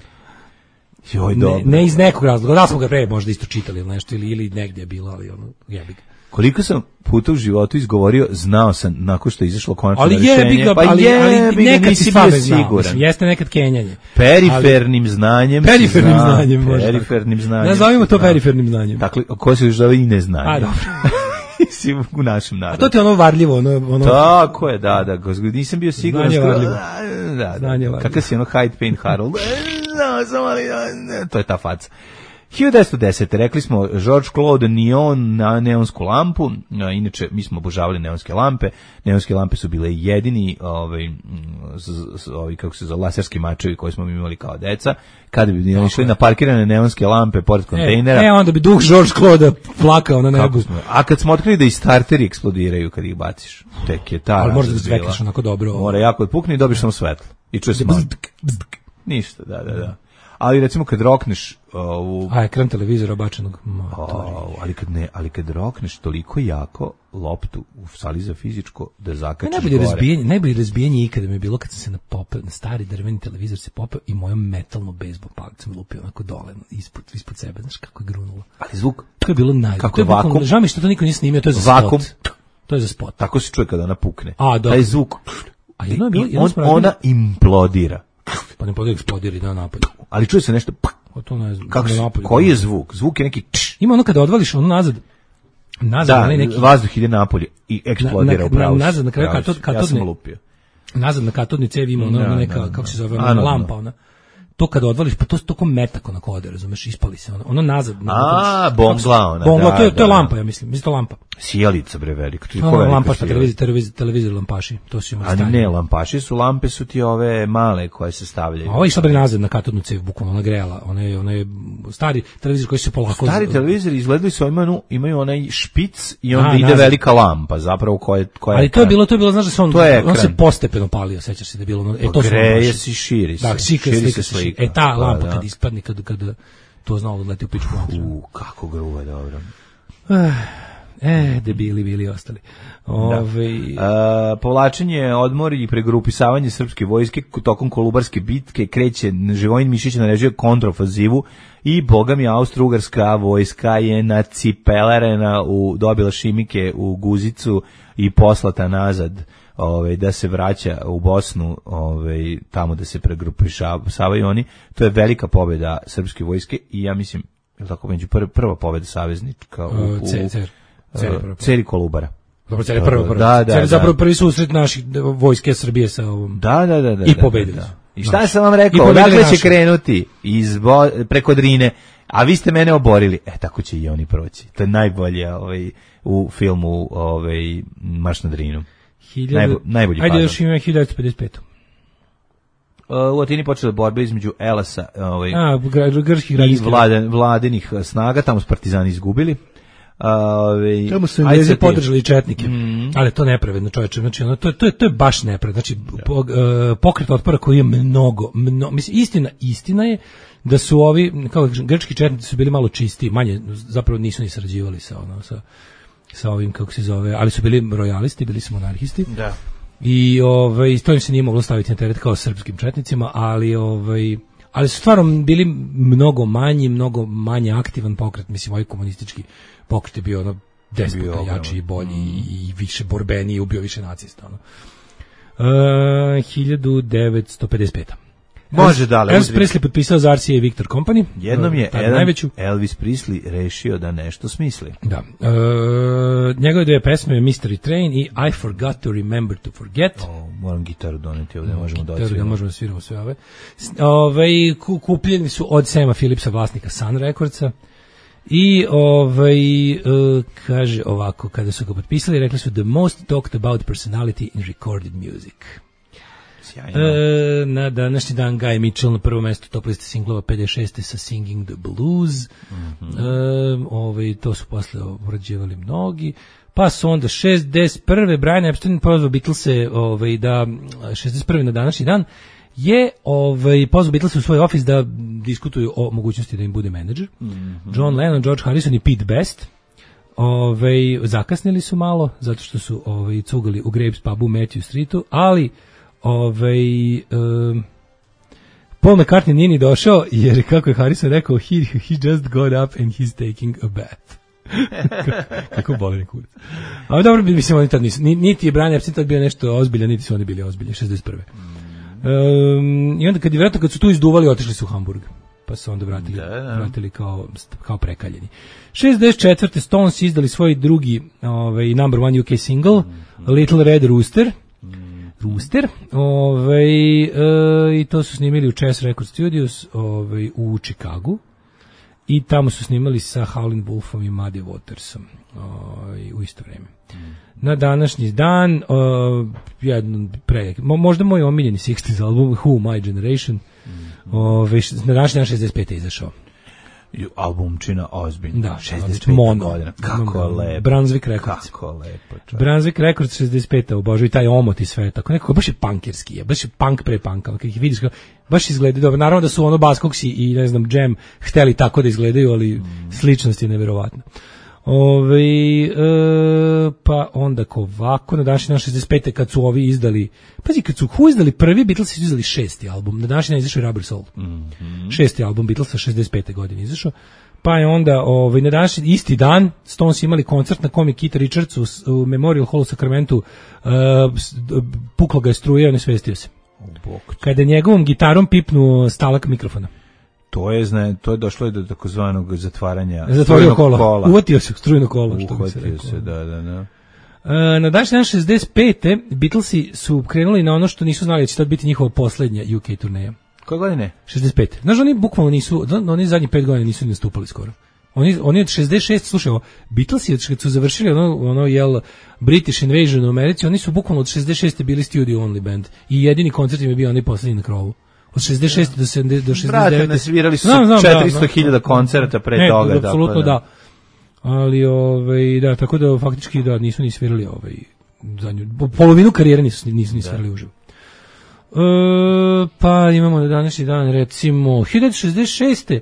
Joj, dobro. Ne iz nekog razloga, da smo ga pre možda isto čitali ili nešto, ili negdje je bilo, ali jebi ga. Koliko sam puta u životu izgovorio, znao sam nakon što je izašlo konačno rešenje. Ali nekad si stvarno znao. Jeste nekad kenjanje. Perifernim znanjem. Perifernim znanjem. Nazovimo to perifernim znanjem. Dakle, ko se još zove i ne znanje. A, dobro. U našem narodu. A to ti je ono varljivo, ono... Tako je, da, nisam bio siguran. Znanje varljivo. Da. Kakav si ono Hyde Payne Harold? To je ta faca. 1910. rekli smo Georges Claude Neon na neonsku lampu. Inače, mi smo obožavali neonske lampe. Neonske lampe su bile jedini kako se zove, laserski mačevi koje smo imali kao deca. Kada bi išli na parkirane neonske lampe pored kontejnera. Onda bi duh Georges Claude plakao na nebu. A kad smo otkrili da i starteri eksplodiraju kad ih baciš, tek je ta ali možda da zvekaš onako dobro. Mora jako odpukne i dobiš samo svetlo. I čuje se malo. Ništa, da. Ali recimo kad rokneš ekran televizora obačenog ali kad rokneš toliko jako loptu u sali za fizičko da zakačiš gore. Najbolje razbijanje ikada mi je bilo kad sam se na stari drveni televizor se popeo i mojom metalno bejzbol palicom lupio onako dole ispod sebe, znaš kako je grunulo. Ali zvuk, to je bilo najbolje. Kako je vakum? Žao mi što to niko nije snimio, to je za vakum. Spot. To je za spot. Tako se čuje kada ona pukne. Taj zvuk. Ona implodira. Pa ne podijek eksplodiri na napolju. Ali čuje se nešto. To ne znam. Koji je zvuk? Zvuk je neki Ima ono kada odvališ ono nazad. Da, neki vazduh ide napolje i eksplodira u pravu. Nazad na kraju ja sam lupio. Nazad na katodni cevi ima ono neka, kako se zove, lampa ona. To kada odvališ, pa to ko metak onako ode, razumeš, ispali se ono nazad. Bongla ona. Bongla, to je lampa, ja mislim to lampa. Sjelica bre velika. Lampaš, televizor lampaši, to su imali stanje. Ne, lampaši su, lampe su ti ove male koje se stavljaju. Ovo je išla bre nazad na katodnu cev, bukvalno ona grela, ona je stari televizor koji se polako... Stari televizori izgledali su, imaju onaj špic i onda ide velika lampa, zapravo koja ali to je bilo, znaš da se on se postepeno palio, sećaš se da je bilo... Greje se, širi se. Širi se slika. Ta lampa kad ispadne, kad to znalo da leti u pičku vatru. Kako gruba, dobro. Debili bili ostali. Povlačenje, odmor i pregrupisavanje srpske vojske tokom Kolubarske bitke kreće, Živojin Mišić naređuje kontraofanzivu i bogami Austro-Ugarska vojska je nacipelarena, dobila šimike u guzicu i poslata nazad da se vraća u Bosnu, tamo da se pregrupisavaju oni. To je velika pobjeda srpske vojske i ja mislim, tako među prva pobjeda saveznička u Ceri Kolubara. Dobro, Cer je prva. Zapravo prvi susret naših vojske Srbije sa ovom. Da. I pobedili su. I šta sam vam rekao? Dakle će krenuti preko Drine, a vi ste mene oborili. Tako će i oni proći. To je najbolje u filmu Marš na Drinu. Najbolji ajde još ima 1955. U Atini počela borba između Elasa grčkih i vladinih snaga, tamo su partizani izgubili. Tamo su Englezi podržali četnike, ali to nepravedno, čoveče, znači to je baš nepravedno, znači pokret otpora koji je mnogo, mislim, istina je da su ovi, kao grčki četnici su bili malo čistiji, manje, zapravo nisu ni sarađivali sa ovim, kako se zove, ali su bili rojalisti, bili su monarhisti. Da. I to im se nije moglo staviti na teret kao srpskim četnicima, ali ali su stvarno bili mnogo manje aktivan pokret, mislim, ovaj komunistički pokret je bio ono 10 puta jači i bolji i više borbeni i ubio više nacista. Ono. 1955. Može dale. Elvis Presley potpisao za RCA Victor Company. Jednom je Elvis Presley rešio da nešto smisli. Da. Njegove dve pesme, Mystery Train i I Forgot to Remember to Forget. Moram gitaru doneti ovdje, možemo da odsviramo. Da možemo da sviramo sve ove. Kupljeni su od Sama Phillipsa, vlasnika Sun Recordsa. I kaže ovako, kada su ga potpisali, rekli su the most talked about personality in recorded music. Na današnji dan Guy Mitchell na prvo mesto top liste singlova 56. sa Singing the Blues. To su posle obrađivali mnogi. Pa su onda 61. Brian Epstein pozvao Beatlese da 61. na današnji dan je pozvao Beatlese u svoj ofis da diskutuju o mogućnosti da im bude menadžer. John Lennon, George Harrison i Pete Best zakasnili su malo zato što su cugali u Grapes pubu u Matthew Streetu, ali Paul McCartney nije ni došao jer, kako je Harrison rekao, he just got up and he's taking a bath. Kako boli kurac. Ali dobro, mislim, oni tad nisu, niti je Brian Epstein tad bio nešto ozbiljan, niti su oni bili ozbiljni, 61. I onda kad su tu izduvali, otišli su u Hamburg, pa su onda vratili kao prekaljeni. 64. Stones izdali svoj drugi number one UK single, Little Red Rooster, i to su snimili u Chess Record Studios u Chicagu i tamo su snimali sa Howlin' Wolfom i Muddy Watersom u isto vreme. Na današnji dan možda moj omiljeni 60s album Who My Generation na današnji dan 65. je izašao. Albumčina ozbiljna. Da, 65 godina. Kako lepo. Brunswick Records. Kako lepo. Brunswick Records 65. Obožuju taj omot i sve. Tako nekako baš je punkerski. Baš je punk pre punka. Kad ih vidiš, baš izgleda dobro. Naravno da su ono Buzzcocks i ne znam Jam hteli tako da izgledaju, ali sličnost je neverovatna. Pa onda ovako, na današnji dan 65. kad su ovi izdali, pazi, kad su izdali prvi, Beatles su izdali 6. album, na današnji dan izašao Rubber Soul. 6. album Beatlesa 65. godine izašao. Pa je onda na današnji isti dan Stones imali koncert na kom je Keith Richards u Memorial Hall u Sacramentu, pukla ga je struja, nesvestio se. Kada je njegovom gitarom pipnuo stalak mikrofona. To je došlo do takozvanog zatvaranja kola. Uvatio se u strujno kolo. Uvatio se, da. Na današnji dan 65. Beatlesi su krenuli na ono što nisu znali da će tad biti njihova posljednja UK turneja. Koje godine? 65. Znaš, oni bukvalno nisu, oni zadnjih 5 godina nisu nastupali skoro. Oni od 66, slušaj, Beatlesi kad su završili British Invasion u Americi, oni su bukvalno od 66. bili studio only band i jedini koncert im je bio onaj posljednji na krovu. Od 66. do 69. Brate, nasvirali su 400.000 koncerta pre toga. Apsolutno da. Ali, da, tako da faktički da, nisu ni svirali zadnju, polovinu karijere nisu ni svirali uživo. Pa imamo na današnji dan, recimo, 1966.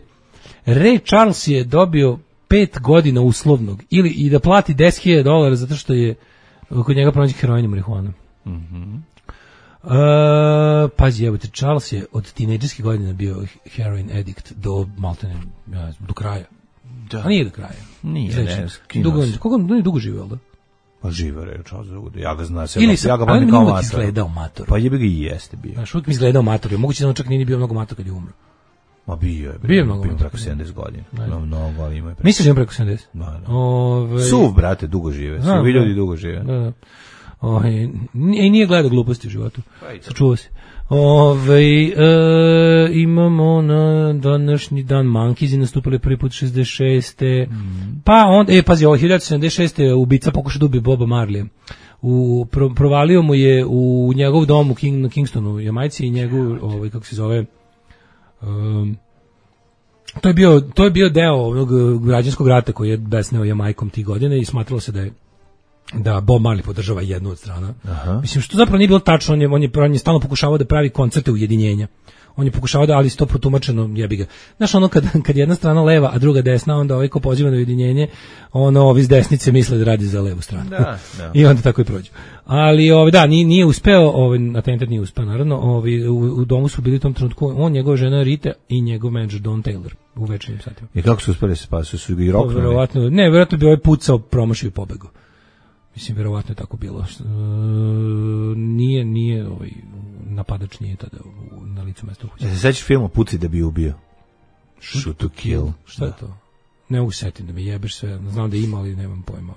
Ray Charles je dobio 5 godina uslovnog i da plati $10.000 zato što je kod njega pronađen heroin i marihuana. Pazi, evo te, Charles je od tinejdžerskih godina bio heroin addict do maltene, do kraja. Da. A nije do kraja. Nije, Koliko on dugo živio, ali da? Pa živo je Charles dugo. Ja ga znam, ja ga pamtim kao mator. Izgledao mator. Pa jebi ga i jeste bio. Znaš, uvijek mi izgledao mator. Moguće da on čak nije bio mnogo mator kad je umro. Ma bio je. Bio mnogo preko 70 godina. Mnogo, ali ima je preko. Misliš da ima preko 70? Da. Suv, brate, dugo žive. Suvi ljudi dugo žive. Da. Nije gledao gluposti u životu. Sačuva se. Imamo na današnji dan Monkeesi nastupali prvi put 66. Pa onda, pazi, 1976. ubica pokušao da ubije Boba Marleya. Provalio mu je u njegov dom na Kingstonu u Jamajci i njegov, kako se zove, to je bio deo onog građanskog rata koji je besneo Jamajkom tih godina i smatralo se da je da Bob Marley podržava jednu od strana. Mislim, što zapravo nije bilo tačno, on je stalno pokušavao da pravi koncerte ujedinjenja. On je pokušavao da, ali to protumačeno, jebi ga. Znaš, ono kad jedna strana leva, a druga desna, onda ovaj ko poziva na ujedinjenje, ovi s desnice misle da radi za levu stranu. Da. I onda tako i prođu. Ali, da, nije uspeo, atentat nije uspeo, naravno, u domu su bili u tom trenutku, on, njegova žena Rita i njegov menadžer Don Taylor u večernjim satima. I kako su uspeli se spasiti? Su ga i roknuli? Verovatno bi ovaj pucao, promašio i pobegao. Mislim, verovatno je tako bilo. Nije napadač nije tada na licu mesta uhućen. Se sećaš filmu Puci da bi ubio? Shoot to kill. Šta je to? Ne mogu setiti da me jebeš sve. Znam da ima, ali nemam pojma.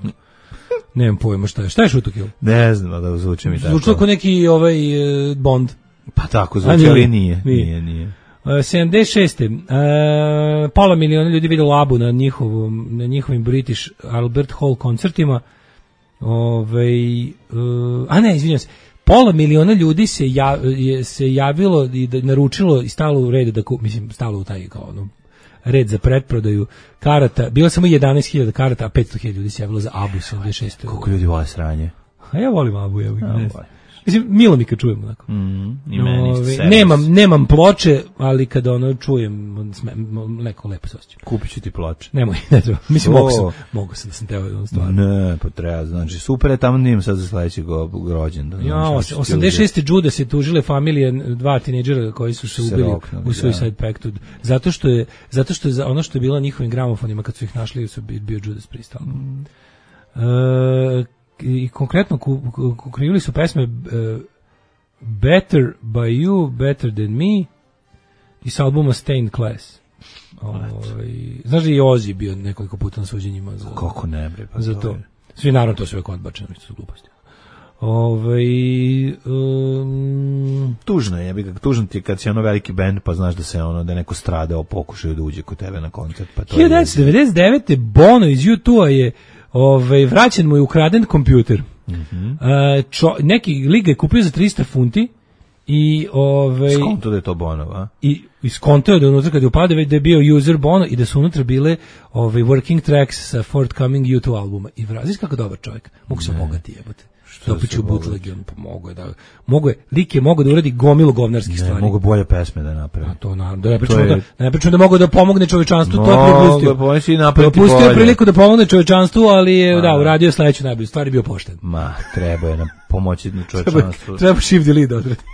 Nemam pojma šta je. Šta je Shoot to kill? Ne znam da zvuči mi tako. Zvučilo kao neki Bond. Pa tako zvuči, ali nije. 76. Pola miliona ljudi videlo ABBU na njihovim British Albert Hall koncertima. Izvinjam se. Pola miliona ljudi se javilo i naručilo i stalo u red stalo u taj red za pretprodaju karata. Bilo samo 11.000 karata, a 500.000 ljudi se javilo za ABBU 76. Koliko ljudi vole sranje? A ja volim ABBU, mislim, milo mi kad čujem onako. I meni nemam ploče, ali kada čujem, neko lepo se osjećam. Kupit ću ti ploče. Nemoj, ne treba. Mislim, mogu sam da sam teo stvarno. Ne, pa treba, znači, super je, tamo nijem sad za sledećeg rođendan. 86. Judas je tužile familije dva tinejdžera koji su se ubili u Suicide Pactu. Zato što je ono što je bilo njihovim gramofonima kad su ih našli, su bio Judas Priest. I konkretno krivili su pesme Better by You, Better than Me i s albuma Stained Class. Znaš da je i Ozzy bio nekoliko puta na suđenjima za, kako ne bre, pa za to. Svi naravno to sve odbačeno, što su gluposti. Tužno je, tužno ti kad si veliki bend pa znaš da se da neko stradao pokušaju da uđe kod tebe na koncert. Pa to 1999. Bono iz U2 je vraćen mu je ukraden kompjuter. Neki lik ga je kupio za 300 funti i skonto da je to Bonova i skonto je da unutra kad je upade da je bio user Bono i da su unutra bile working tracks sa forthcoming U2 albuma i znaš kako dobar čovjek, mogu se bogati jebote. Dopiću bootleg, on mogo je, lik je mogao da uradi gomilu govnarskih stvari. Mogu bolje pesme da napravi. A to naravno, da ne pričamo da mogu da pomogne čovečanstvu, to je propustio. Propustio priliku da pomogne čovečanstvu, ali je, uradio sledeću najbolju, stvari bio pošten. Treba je nam pomoći na čovečanstvu. Treba shift delete odreti.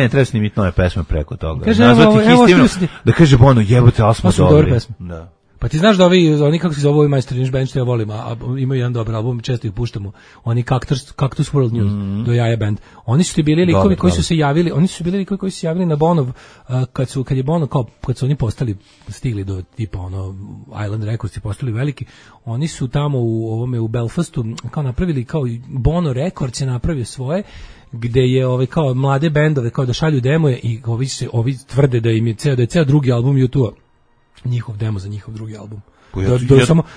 Treba snimiti nove pesme preko toga. Nazvati histivno, da kaže Bono, jebote, ali smo dobri. Da. Pa ti znaš da oni kako se zove ovi Majster Inch Band što ja volim, a imaju jedan dobar album, često ih puštamo, oni Cactus World News, do Jaja Band. Oni su bili likovi koji su se javili, na Bonov, kad je Bono, kad su oni stigli do tipa Island Records i postali veliki, oni su tamo u Belfastu kao napravili, kao Bono Records je napravio svoje, gde je kao mlade bendove, kao da šalju demoje i ovi tvrde da im je ceo drugi album U2-a njihov demo za njihov drugi album.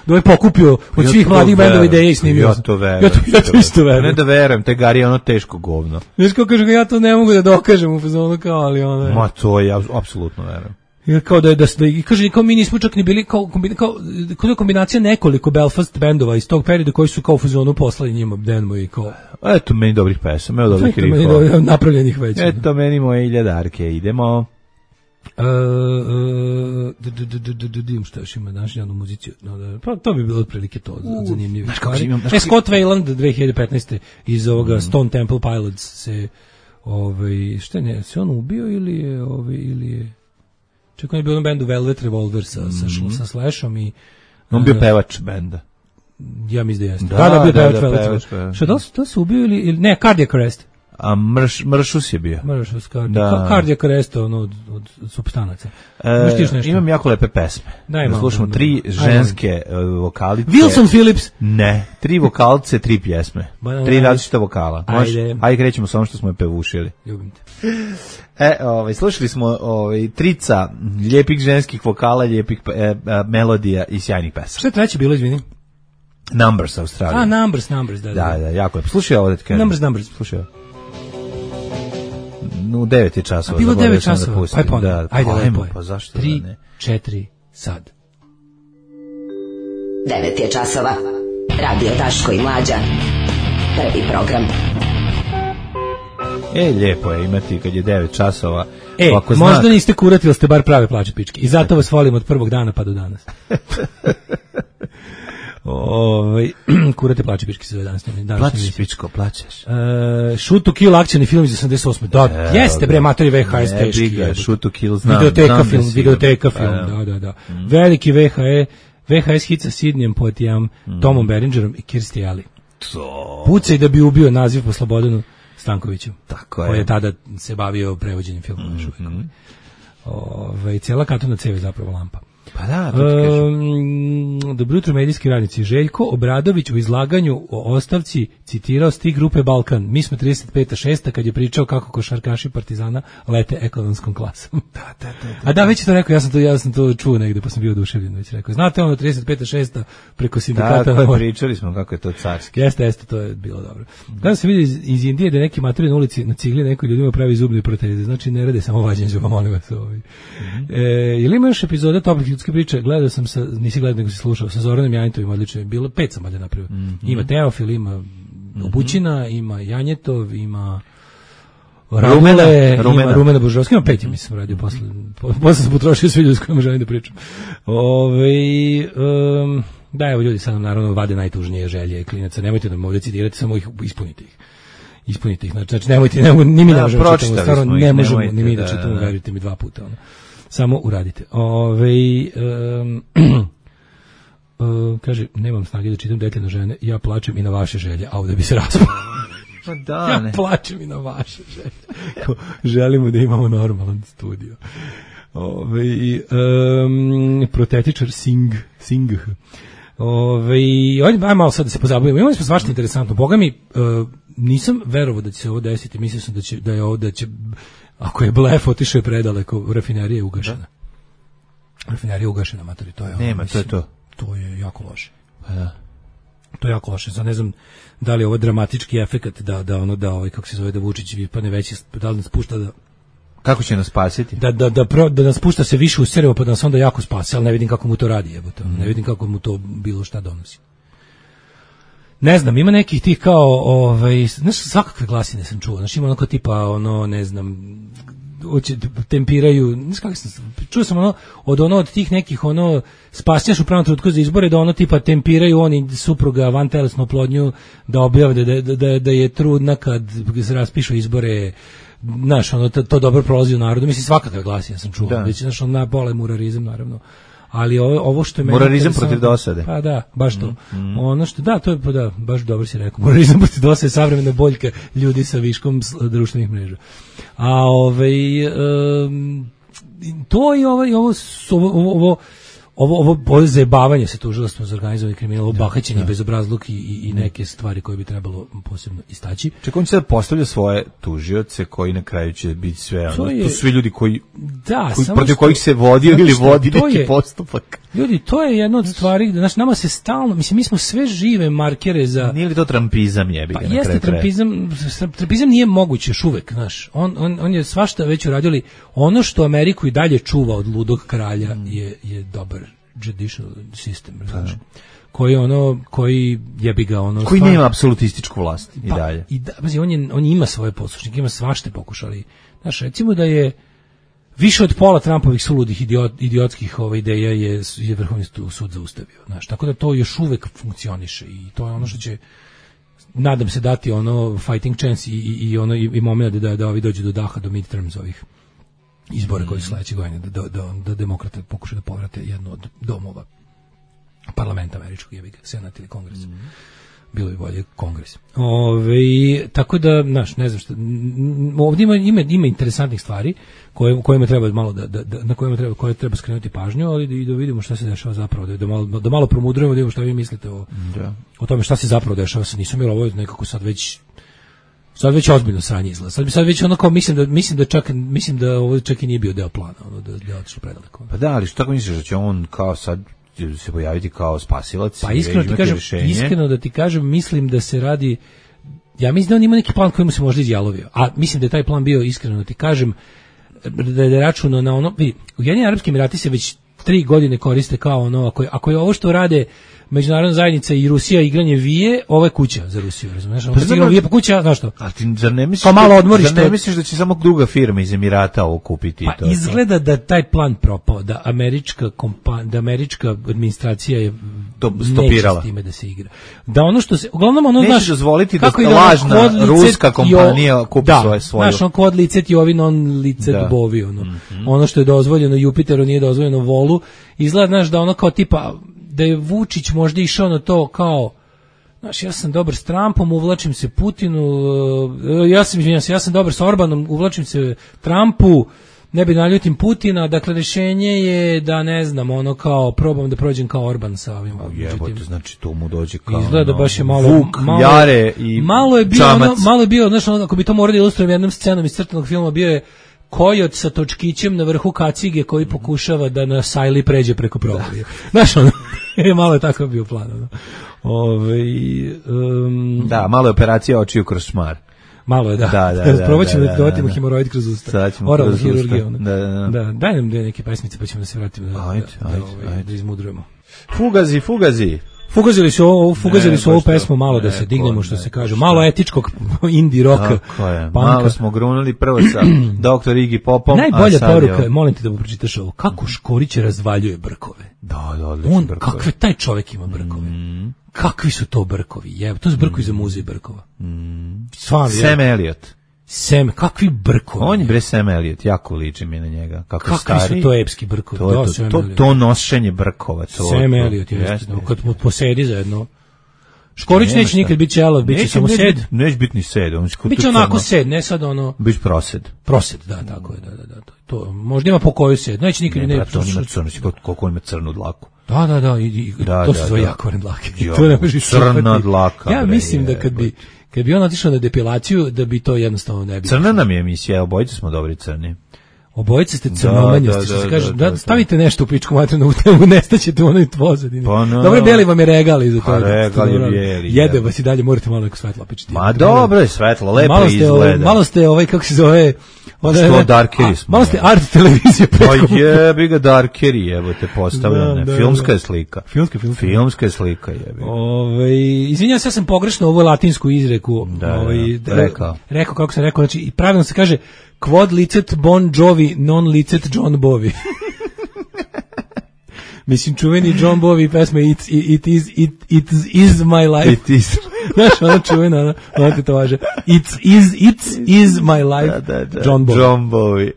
Da je pokupio od svih mladih bendova ideje i snimio. Ja to verujem. Ja to isto verujem. Ne da verujem, te Gari je teško govno. Znaš kako kaže, ja to ne mogu da dokažem u fazonu kao, ali je. Ma to ja apsolutno verujem. I kao da kaže, kao mi nismo čak ni bili kao kombinacija nekoliko Belfast bendova iz tog perioda koji su kao u fazonu poslali njima demo i kao. Eto meni dobrih pesama, evo dobrih rifova. Napravljenih već. Eto meni moje iljadarke, idemo. Šta još ima danas jednu muziciju, pa to bi bilo otprilike to zanimljivo. Scott Weiland 2015. iz ovoga Stone Temple Pilots se se on ubio ili je čekaj, on je bio na bendu Velvet Revolver sa Slashom i on bio pevač benda. Ja mislim da jeste. Da, bio pevač Velvet. Šta da su ubio ili ne, Cardiac Arrest. A Mršus je bio. Mršus, Cardiac Arrest od supstanaca. Imam jako lepe pesme. Da slušamo 3 ženske vokalice. Wilson Phillips. Ne, 3 vokalce, 3 pjesme. 3 različita vokala. Ajde krećemo sa onom što smo je pevušili. Ljubim te. Slušali smo trica lijepih ženskih vokala, lijepih melodija i sjajnih pesama. Šta je treće bilo, izvini? Numbers, Australija. Numbers, da. Da, jako lepo. Slušaj ovo da ti kažem. Numbers. Slušaj ovo. U 9 časova. Bilo 9 časova. Ajde, lepo je. Pa zašto 3, 4, sad. 9 je časova. Radio Daško i Mlađa. Prvi program. Lijepo je imati kad je 9 časova. Možda niste kurati, ali ste bar prave plače pičke. I zato vas volim od prvog dana pa do danas. Kurate plače pičke se zove danas. Plačeš pičko, plačeš. Shoot to Kill akcioni film iz 88. Da, jeste bre, matori VHS teški. Shoot to Kill, znam. Videoteka film, da. Veliki VHS hit sa Sidnijem Poitijem, Tomom Berengerom i Kirstie Alley. Pucaj da bi ubio naziv po Slobodanu Stankoviću, koji je tada se bavio prevođenjem filma. Cijela katona cev je zapravo lampa. Pa da, dobro jutro medijski radnici. Željko Obradović u izlaganju o ostavci citirao stih grupe Balkan. Mi smo 35-6 kad je pričao kako košarkaši Partizana lete ekonomskom klasom. A da, već je to rekao, ja sam to čuo negde, pa sam bio oduševljen, već rekao. Znate ono 35-6 preko sindikata. Da, pričali smo kako je to carski. Jeste, to je bilo dobro. Kada se vidi iz Indije da neki maturi na ulici na cigli neko ljudima pravi zubne proteze, znači ne rade samo vađenje zuba, molim vas. Je li ima još epizoda toplih ljudske priče? Gledao sam nisi gledao nego si slušao, sa Zoranom Janjetovim, odlično je bilo, 5 sam valjda napravio. Ima Teofil, ima Obućina, ima Janjetov, ima Rumena Božovska, ima 5, mislim, radio posle sam potrošio svi ljudi s kojima želim da pričam. Da, evo ljudi sad nam naravno vade najtužnije želje klinaca, nemojte da me ovdje citirati, samo ih ispunite ih, znači nemojte, ni mi ne možemo čitamo, stvarno ne možemo ni mi da čitamo, verujte mi 2 puta, samo uradite. Kaže, nemam snage da čitam detaljno žene, ja plačem i na vaše želje, a ovdje bi se raspao. Ja plačem i na vaše želje. Želimo da imamo normalan studio. Protetičar Singh. Ajde malo sad da se pozabavimo. Imali smo svašta interesantno. Boga mi, nisam verovao da će se ovo desiti. Mislio sam da je ovo, da će, ako je blef otišao je predaleko, rafinerija je ugašena. Rafinerija je ugašena, matori, to je ovo. Nema, to je to. To je jako loše. To je jako loše. Sad ne znam da li je ovo dramatički efekat da kako se zove, da Vučić padne veći, da li nas pušta da... Kako će nas spasiti? Da nas pušta se više u servo, pa da nas onda jako spasi, ali ne vidim kako mu to radi, jebote. Ne vidim kako mu to bilo šta donosi. Ne znam, ima nekih tih kao, znaš, svakakve glasine sam čuo, znaš, ima onako tipa, ne znam, tempiraju, znaš kako sam, čuo sam od tih nekih, spasjaš u pravom trenutku za izbore, da tipa tempiraju oni supruga vantelesnu oplodnju, da objave da je trudna kad se raspišu izbore, znaš, to dobro prolazi u narodu, mislim, svakakve glasine sam čuo, već, znaš, na pola je murarizam, naravno. Ali ovo što je meni murarizam protiv dosade. Pa da, baš to. Ono što to je baš dobro si rekao. Murarizam protiv dosade je savremena boljka ljudi sa viškom društvenih mreža. A to i ovo zajebavanje se tužilaštvom za organizovani kriminal, ovo bahaćenje, bezobrazluk i neke stvari koje bi trebalo posebno istaći. Čekaj, on će sad postavlja svoje tužioce koji na kraju će biti sve, to su svi ljudi koji protiv kojih se vodio ili vodi neki postupak. Ljudi, to je jedna od stvari, znači nama se stalno, mislim, mi smo sve žive markere za... Nije li to trampizam jebi ga? Pa jeste trampizam nije moguće još uvek, znaš. On je svašta već uradio, ono što Ameriku i dalje čuva od ludog kralja je dobar judicial system, znači. Koji jebi ga koji nema apsolutističku vlast i dalje. On ima svoje poslušnike, ima svašta pokušali. Znaš, recimo da je više od pola Trumpovih suludih idiotskih ideja je Vrhovni sud zaustavio. Znaš, tako da to još uvek funkcioniše i to je ono što će, nadam se, dati fighting chance i moment da ovi dođu do daha, do midterms ovih izbora koji su sledeće godine, da demokrate pokušaju da povrate jednu od domova parlamenta američkog, jebi ga, senat ili kongres. Bilo bi bolje kongres. Tako da, znaš, ne znam šta, ovdje ima interesantnih stvari kojima treba malo koje treba skrenuti pažnju, ali i da vidimo šta se dešava zapravo, da malo promudrujemo, da vidimo šta vi mislite o tome šta se zapravo dešava sa Nisom, jer ovo je nekako sad već ozbiljno sranje izgleda. Sad već onako mislim da ovo čak i nije bio deo plana, da je otišlo predaleko. Pa da, ali što tako misliš da će on kao sad se pojaviti kao spasilac? Pa iskreno da ti kažem, mislim da se radi, ja mislim da on ima neki plan koji mu se možda izjalovio, a mislim da je taj plan bio, iskreno da ti kažem, da je računao na vidi, Ujedinjeni Arapski Emirati se već 3 godine koriste kao ako je ovo što rade međunarodna zajednica i Rusija igranje vije, ovo je kuća za Rusiju, razumiješ? Ono igranje vije pa kuća, znaš što? A ti zar ne misliš, kao malo odmorište, zar ne misliš da će samo druga firma iz Emirata ovo kupiti? Pa izgleda da taj plan propao, da američka administracija je stopirala. Neće s time da se igra. Da ono što se, uglavnom ono, neće dozvoliti da lažna ruska kompanija kupi svoju. Znaš, on kod licet i ovi non licet bovi, ono što je dozvoljeno Jupiteru nije dozvoljeno Volu, izgleda, znaš, da ono kao tipa, da je Vučić možda išao na to kao, znaš, ja sam dobar s Trumpom, uvlačim se Putinu, ja sam dobar s Orbanom, uvlačim se Trumpu, ne bi naljutim Putina, dakle rješenje je da ne znam, ono kao probam da prođem kao Orban sa ovim. Jebote, znači to mu dođe kao izgleda baš je malo Vuk, Jare i malo je bio, znaš, ako bi to morali ilustrovati jednom scenom iz crtanog filma, bio je kojot sa točkićem na vrhu kacige koji pokušava da na sajli pređe preko provalije. Znaš, ono, malo je tako bio plan. Ono. Da, malo je operacija očiju kroz šmar. Malo je, da. Probat ćemo da dovatimo hemoroid kroz usta. Oralna hirurgija. Da, daj nam dve neke pesmice pa ćemo da se vratimo da izmudrujemo. Fugazi. Fugazili su ovu pesmu malo da se dignemo, što se kaže. Malo etičkog indie roka. Malo smo grunuli prvo sa Dr. Iggy Popom. Najbolja poruka, molim te da mu pročitaš ovo. Kako Škorić razvaljuje brkove. Da, odlično brkove. Kakve taj čovjek ima brkove. Kakvi su to brkovi? To su brkovi za muze brkova. Sam Elliot. Kakvi brkovi. On je bre Sam Elliot, jako liči mi na njega. Kakvi su to epski brkovi. To nošenje brkova. Sam Elliot je, kad mu posedi zajedno. Škorić neće nikad biti čelav, bit će samo sed. Neće biti ni sed. Biće onako sed, ne sad ono... Biće prosed. Prosed, da, tako je, da. To, možda ima po koju sed, neće nikad ne... To ima crno, koliko on ima crnu dlaku. Da, to se zove jakvarne dlake. Crna dlaka. Ja mislim da kad bi on otišao na depilaciju, da bi to jednostavno ne bi... Crna nam je emisija, obojice smo dobri crni. Obojice ste crnomanjosti, što se kaže, stavite nešto u pičku materinu u temu, nestaćete u onoj pozadini. Dobro, beli vam je regal iza toga. Regal je bijeli. Jede vas i dalje, morate malo neko svetlo pičiti. Ma dobro je svetlo, lepo izgleda. Malo ste, kako se zove... Što darkeri smo. Malo ste art televizije preko. Pa jebi ga darkeri, evo te postavljene. Filmska je slika. Filmska je slika, jebi. Izvinjam se, ja sam pogrešno ovu latinsku izreku rekao, kako sam rekao, znači pravilno se kaže quod licet Bon Jovi non licet John Bovi. Mislim, čuveni John Bovi pesma It is my life. It is. Znaš, ona čuvena, ona ti to važe. It is my life. Da.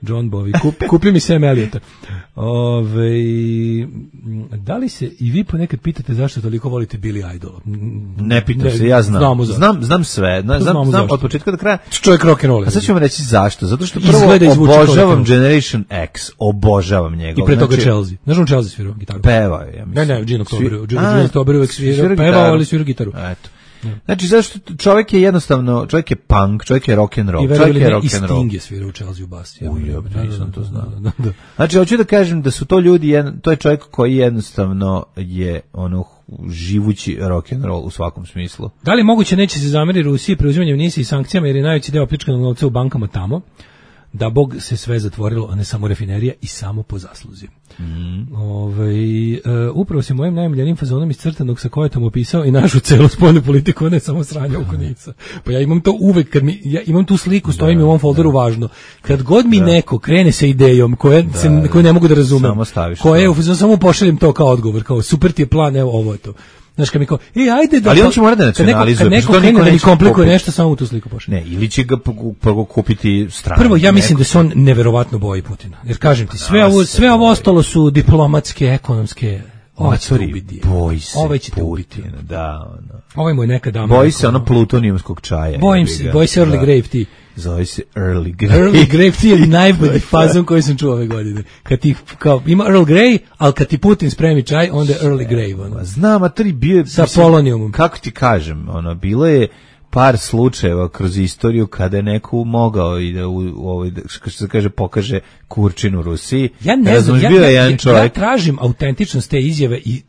John Bovi. Kupi mi Sam Elliota. Da li se i vi ponekad pitate zašto toliko volite Billy Idol? Ne pitam se, ja znam. Znam sve. Znam od početka do kraja. Čovjek rock'n'roll. A sad ću vam reći zašto. Zato što prvo obožavam Generation X. Obožavam njega. I pre toga Chelsea. Znaš on Chelsea svirao gitaru? Pevao je, ja mislim. Ne, Gino October uvek svirao. Pevao, ali svirao gitaru. Eto. Znači, zašto čovjek je jednostavno, čovjek je punk, čovjek je rock'n'roll, čovjek je rock'n'roll. I Sting je svirao u Chelsea u bas. Nisam to znao. Znači, hoću da kažem da su to ljudi, to je čovjek koji jednostavno je živući rock'n'roll u svakom smislu. Da li moguće neće se zameriti Rusiji preuzimanjem NIS i sankcijama jer je najveći deo opljačkanog novca u bankama tamo? Da Bog se sve zatvorilo, a ne samo rafinerija i samo po zasluzi. Upravo se mojim najmiljenim fazonom iz crtanog sa kojetom opisao i našu celu spoljnu politiku, ne samo sranja oko Nica. Pa ja imam to uvek, ja imam tu sliku, stojim u ovom folderu važno. Kad god mi neko krene sa idejom koju ne mogu da razumem, samo pošaljem to kao odgovor, kao super ti je plan, evo ovo je to. Znaš, kad mi kao, ajde da... Ali on će morati da nacionalizuje. Kad neko krene da mi komplikuje nešto, samo u tu sliku pošalje. Ne, ili će ga prvo kupiti stranu. Prvo, ja mislim da se on neverovatno boji Putina. Jer kažem ti, sve ovo ostalo su diplomatske, ekonomske... Ovaj ćete ubiti. Ovaj ćete ubiti. Da, ovaj mu je neka dama. Boji se ono čaja. Boji se Early Grave tea. Zove se Early Grey. Early Grey tea je najbolji fazon koji sam čuo ove godine. Kad ti, ima Earl Grey, ali kad ti Putin spremi čaj, onda je Early Grey. Znam, a bio je... Sa polonijumom. Kako ti kažem, bilo je par slučajeva kroz istoriju kada je neko mogao i da što se kaže pokaže kurčinu Rusiji. Ja ne znam, ja tražim autentičnost te izjave i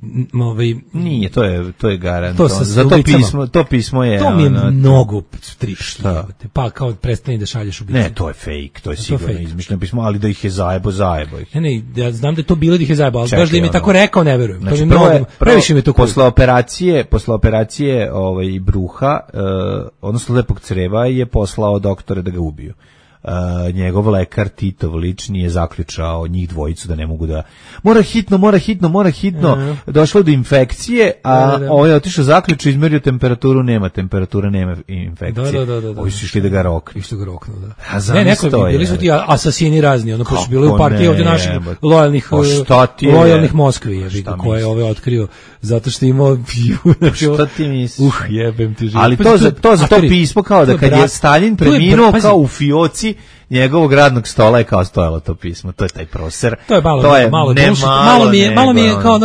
nije, to je garant. To pismo je to mi je mnogo stripšti. Pa kao prestani da šalješ ubice. Ne, to je fake, to je sigurno izmišljeno pismo, ali da ih je zajebo ih. Ne, ja znam da je to bilo da ih je zajebo, ali baš da im je tako rekao, ne verujem. Znači, to mi mnogo, previše mi je to posle operacije bruha, odnosno lepog creva, je poslao doktore da ga ubiju. Njegov lekar Titov lični je zaključao njih dvojicu da ne mogu da mora hitno došlo do infekcije, a ovaj je otišao zaključao, izmerio temperaturu, nema infekcije. Ovi su išli da ga roknu. Ne, neko bili su ti asasini razni, ono pošto bilo u partiji ovdje naših lojalnih Moskvi, koje je ove otkrio zato što imao šta ti misliš? Jebem ti život. Ali to za to pismo kao da kad je Stalin preminuo kao u fioci njegovog radnog stola je kao stojalo to pismo, to je taj proser. To je malo mi je kao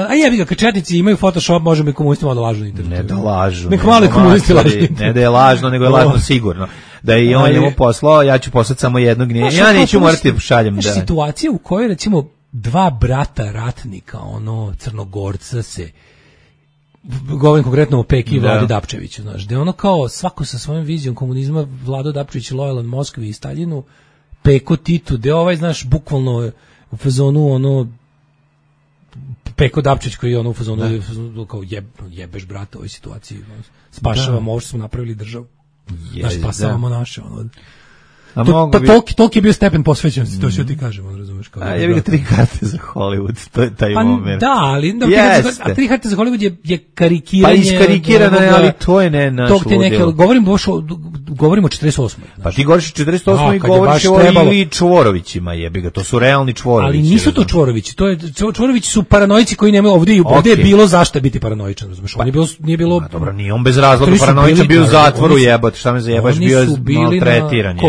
a jebi ga, kad četnici imaju Photoshop, možemo i komunistima da lažu na internetu. Ne da lažu. Nek mali komunisti lažu. Ne da je lažno, nego je lažno sigurno. Da je i on njemu poslao, ja ću poslati samo jednog, ja neću morati da šaljem. Da. Situacija u kojoj recimo dva brata ratnika, Crnogorca se, govorim konkretno o Peki i Vladi Dapčeviću, znaš, gde ono kao svako sa svojom vizijom komunizma, Vlado Dapčević je lojalan Moskvi i Staljinu, Peko Titu, gde bukvalno u fazonu Peko Dapčević koji je u fazonu kao jebeš brata u ovoj situaciji, spašavamo ovo što smo napravili državu, spasavamo naše, toliki je bio stepen posvećenosti, to što ti kažemo, razumeš? Ja bih ga 3 karte za Hollywood, to je taj moment. Da, ali 3 karte za Hollywood je karikiranje. Pa iskarikirano je, ali to je ne naš ludilo. Govorimo o 48. Pa ti govoriš o 48. i govoriš o ili Čvorovićima, jebi ga, to su realni Čvorovići. Ali nisu to Čvorovići, Čvorovići su paranoici koji nemaju, ovdje je bilo zašto biti paranoičan, razumeš? Nije bilo... Dobro, nije on bez razloga paranoičan, bio u zatvoru, jebote, šta me zajebaš, bio je maltretiran.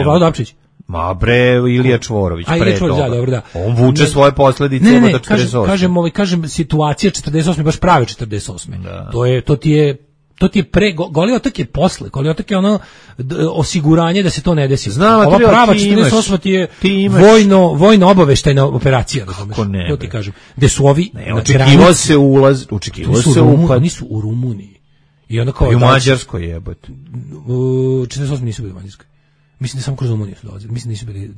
Ma bre, Ilija Čvorović, pre toga. Da. On vuče svoje posledice od 48. Kažem, situacija 48. baš prave 48. Da. To ti je Goli otok je posle, Goli otok je osiguranje da se to ne desi. Ova prava 48. ti je vojno obaveštajna operacija, razumeš? To ti kažem. Gde su ovi očekivao se upad. Oni su u Rumuniji. I onda kao u Mađarskoj jebote. 48 nisu bili u Mađarskoj. Mislim da samo kroz Rumuniju su dolazili. Mislim da nisu bili...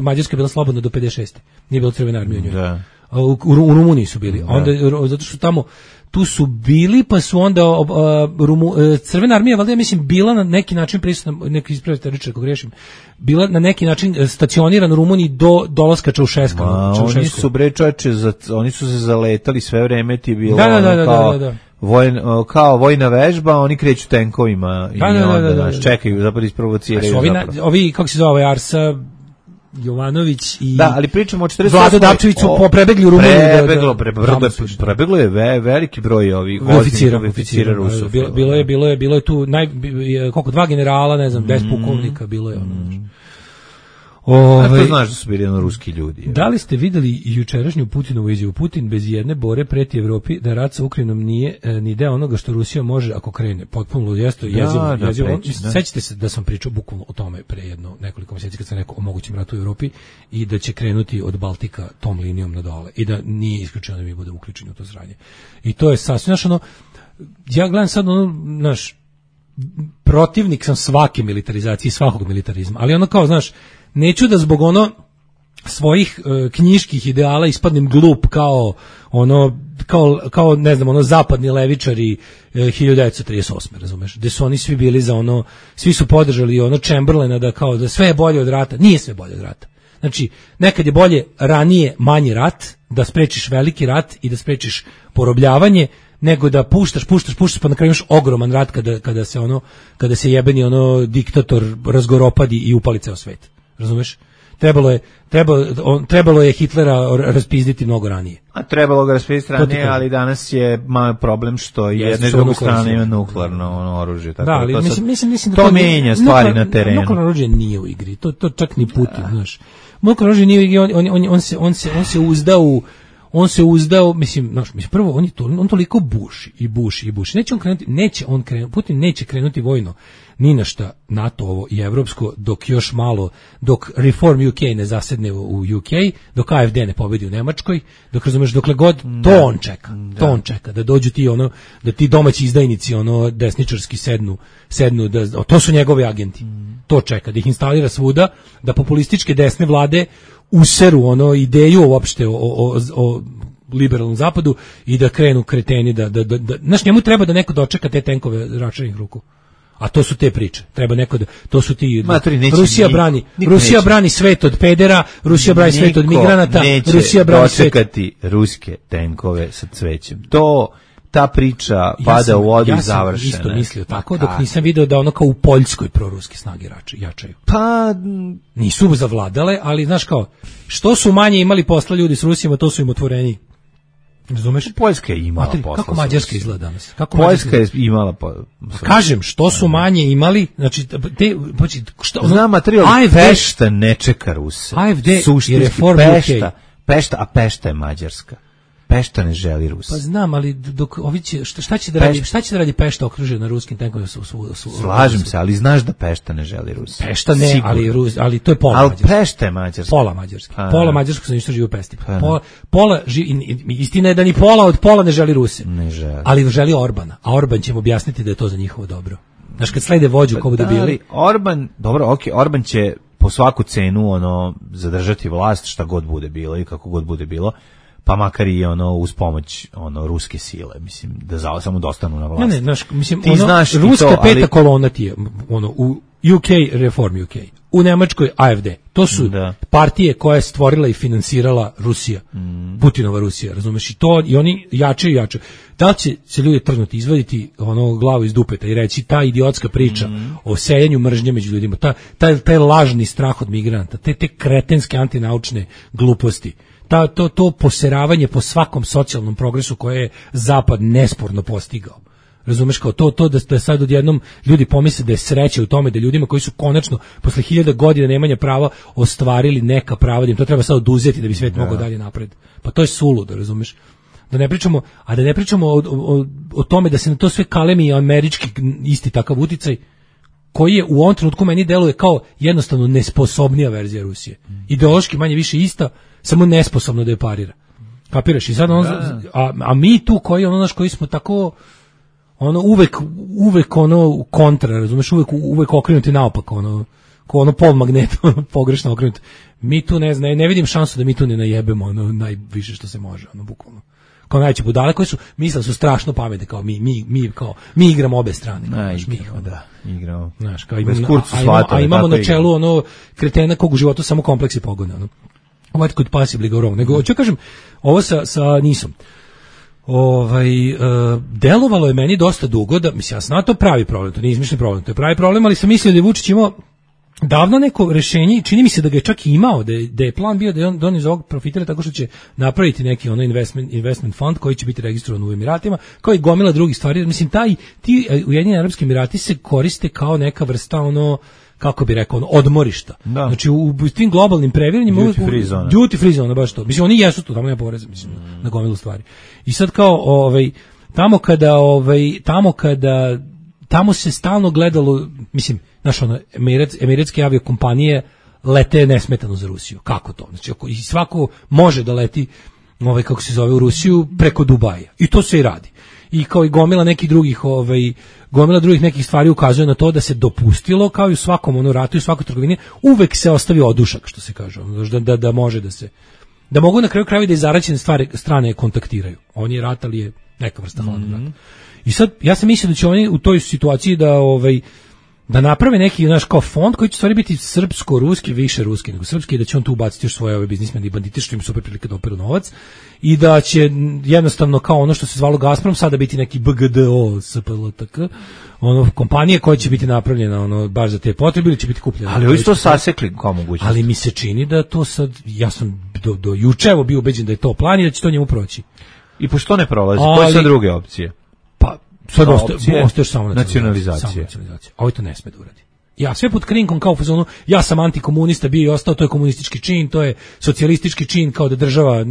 Mađarska je bila slobodna do 56. Nije bilo Crvena armija u njoj. Da. U Rumuniji su bili. Onda, zato što tamo tu su bili, pa su onda Crvena armija, valjda, mislim, bila na neki način prisutna, neki ispravite riječ ako griješim, bila na neki način stacionirana u Rumuniji do dolaska Čaušeska. Oni su oni su se zaletali sve vreme, ti bilo kao vojna vežba, oni kreću tenkovima i onda čekaju, zapravo isprovociraju. Ovi, kako se zove, Arsa Jovanović i ali pričamo o 48. Vlado Dapčević su prebegli u Rumuniju. Prebeglo je veliki broj ovih oficira Rusov. Bilo je tu koliko 2 generala, ne znam, 10 pukovnika, bilo je to znaš da su bili ruski ljudi. Da li ste videli jučerašnju Putinovu izjavu? Putin bez jedne bore preti Evropi da rat sa Ukrajinom nije ni deo onoga što Rusija može ako krene. Potpuno jezivo. Sećate se da sam pričao bukvalno o tome pre nekoliko mjeseci kad sam rekao o mogućem ratu u Evropi i da će krenuti od Baltika tom linijom na dole i da nije isključeno da mi bude uključeni u to sranje. I to je sasvim, ja gledam sad protivnik sam svake militarizacije, svakog militarizma, ali kao, neću da zbog svojih knjiških ideala ispadnem glup kao ne znam, zapadni levičari 1938. razumeš, gde su oni svi bili za svi su podržali Chamberlaina da sve je bolje od rata. Nije sve bolje od rata. Znači, nekad je bolje ranije manji rat, da sprečiš veliki rat i da sprečiš porobljavanje, nego da puštaš, pa na kraju imaš ogroman rat kada se jebeni diktator razgoropadi i upali ceo svet. Razumeš? Trebalo je Hitlera raspizditi mnogo ranije. A trebalo ga raspizditi ranije, ali danas je malo problem što jedna i druga strana ima nuklearno oružje. Da, ali mislim da to menja stvari na terenu. Nuklearno oružje nije u igri, to čak ni Putin, znaš. Nuklearno oružje nije u igri, on se uzda on se uzdao, mislim prvo on toliko buši. Neće on krenuti, Putin neće krenuti vojno ni na šta NATO-ovo i evropsko dok još malo, dok Reform UK ne zasedne u UK, dok AfD ne pobedi u Nemačkoj, dok razumeš, dokle god to on čeka, da dođu ti da ti domaći izdajnici desničarski sednu da to su njegovi agenti. To čeka, da ih instalira svuda, da populističke desne vlade useru ideju uopšte o liberalnom zapadu i da krenu kreteni znaš, njemu treba da neko dočeka te tenkove račanih ruku. A to su te priče. Treba neko da to su ti Rusija brani svet od pedera, Rusija brani svet od migranata, Rusija brani svet ruske tenkove sa cvećem. Ta priča pada u vodu i završena. Ja sam isto mislio tako, dok nisam video da kao u Poljskoj proruske snage jačaju. Pa nisu zavladale, ali znaš kao, što su manje imali posla ljudi s Rusijama, to su im otvoreniji. Razumeš? Poljska je imala posla. Kako Mađarska izgleda danas? Poljska je imala kažem, što su manje imali, znači znam materijal, Pešta ne čeka Ruse. AfD i Reform Pešta, a Pešta je Mađarska. Pešta ne želi Rus. Pa znam, ali dok ovi će, šta će da radi Pešta okružena na ruskim tenkovima? Slažem se, ali znaš da Pešta ne želi Rus. Pešta ne, ali to je pola Mađarska. Ali Pešta je Mađarska. Pola Mađarska. Pola Mađarska se ništa živi u Pesti. Istina je da ni pola od pola ne želi Ruse. Ne želi. Ali želi Orbana. A Orban će mu objasniti da je to za njihovo dobro. Znaš, kad slede vođu ko bude bili. Orban će po svaku cenu zadržati vlast šta god bude bilo i kako god bude bilo. Pa makar i uz pomoć ruske sile, mislim, da samo dostanu na vlast. Ne, mislim, ruska peta kolona ti je, u UK, Reform UK, u Nemačkoj AfD. To su partije koje je stvorila i finansirala Rusija, Putinova Rusija, razumeš, i oni jačaju. Da li će se ljudi trgnuti, izvaditi glavu iz dupeta i reći ta idiotska priča o sejanju mržnje među ljudima, taj lažni strah od migranta, te kretenske antinaučne gluposti, to poseravanje po svakom socijalnom progresu koje je Zapad nesporno postigao. Razumeš, kao to da sad odjednom ljudi pomisle da je sreća u tome da ljudima koji su konačno posle 1000 godina nemanja prava ostvarili neka prava, da im to treba sad oduzeti da bi svet mogao dalje napred. Pa to je suludo, razumeš? Da ne pričamo o tome da se na to sve kalemi američki isti takav uticaj koji je u ovom trenutku meni deluje kao jednostavno nesposobnija verzija Rusije. Ideološki manje više ista, samo nesposobno da je parira. Kapiraš? I sad a mi tu koji smo tako uvek kontra, razumeš, uvek okrenuti naopak, ko pol magneta, pogrešno okrenuti. Mi tu ne vidim šansu da mi tu ne najebemo najviše što se može, bukvalno. Kao najveće budale koji su mislili su strašno pametni, kao mi igramo obe strane. Igramo. Znaš, kao imamo na čelu kretena kog u životu samo kompleksi pogone, What could possibly go wrong? Nego, ću kažem, ovo sa Nisom. Delovalo je meni dosta dugo da, mislim, ja sam na to pravi problem, to nije izmišljen problem, to je pravi problem, ali sam mislio da je Vučić imao davno neko rešenje i čini mi se da ga je čak i imao, da je plan bio da on iz ovog profitira tako što će napraviti neki investment fund koji će biti registrovan u Emiratima, kao i gomila drugih stvari. Mislim, ti Ujedinjeni Arapski Emirati se koriste kao neka vrsta kako bi rekao, odmorišta. Da. Znači u tim globalnim previranjima duty free zona, baš to. Mislim, oni jesu tu, tamo nema poreza, mislim, na gomilu stvari. I sad kao tamo se stalno gledalo, mislim, znaš, emiratske aviokompanije lete nesmetano za Rusiju. Kako to? Znači, i svako može da leti kako se zove u Rusiju preko Dubaja. I to se i radi. I kao i gomila nekih drugih nekih stvari ukazuje na to da se dopustilo, kao i u svakom ratu i u svakoj trgovini, uvek se ostavi odušak, što se kaže, da može da mogu na kraju krajeva da izaračene strane kontaktiraju. On je rat, ali je neka vrsta hladnog rata. I sad, ja sam mislio da će oni u toj situaciji da naprave neki kao fond koji će stvari biti srpsko-ruski, više ruski nego srpski, i da će on tu ubaciti još svoje biznismene i bandite što im super prilike da operu novac, i da će jednostavno kao ono što se zvalo Gazprom sada biti neki BGDO SPLTK, kompanije koja će biti napravljena baš za te potrebe ili će biti kupljena. Ali ovi to sasekli kao mogućnost. Ali mi se čini da to sad, ja sam do juče bio ubeđen da je to plan i da će to njemu proći. I pošto ne prolazi, koje su druge opcije? Pa sad ostaje samo nacionalizacija. A ovo to ne sme da uradi. Ja sve pod krinkom kao u fazonu, ja sam antikomunista, bio i ostao, to je komunistički čin, to je socijalistički čin, kao da država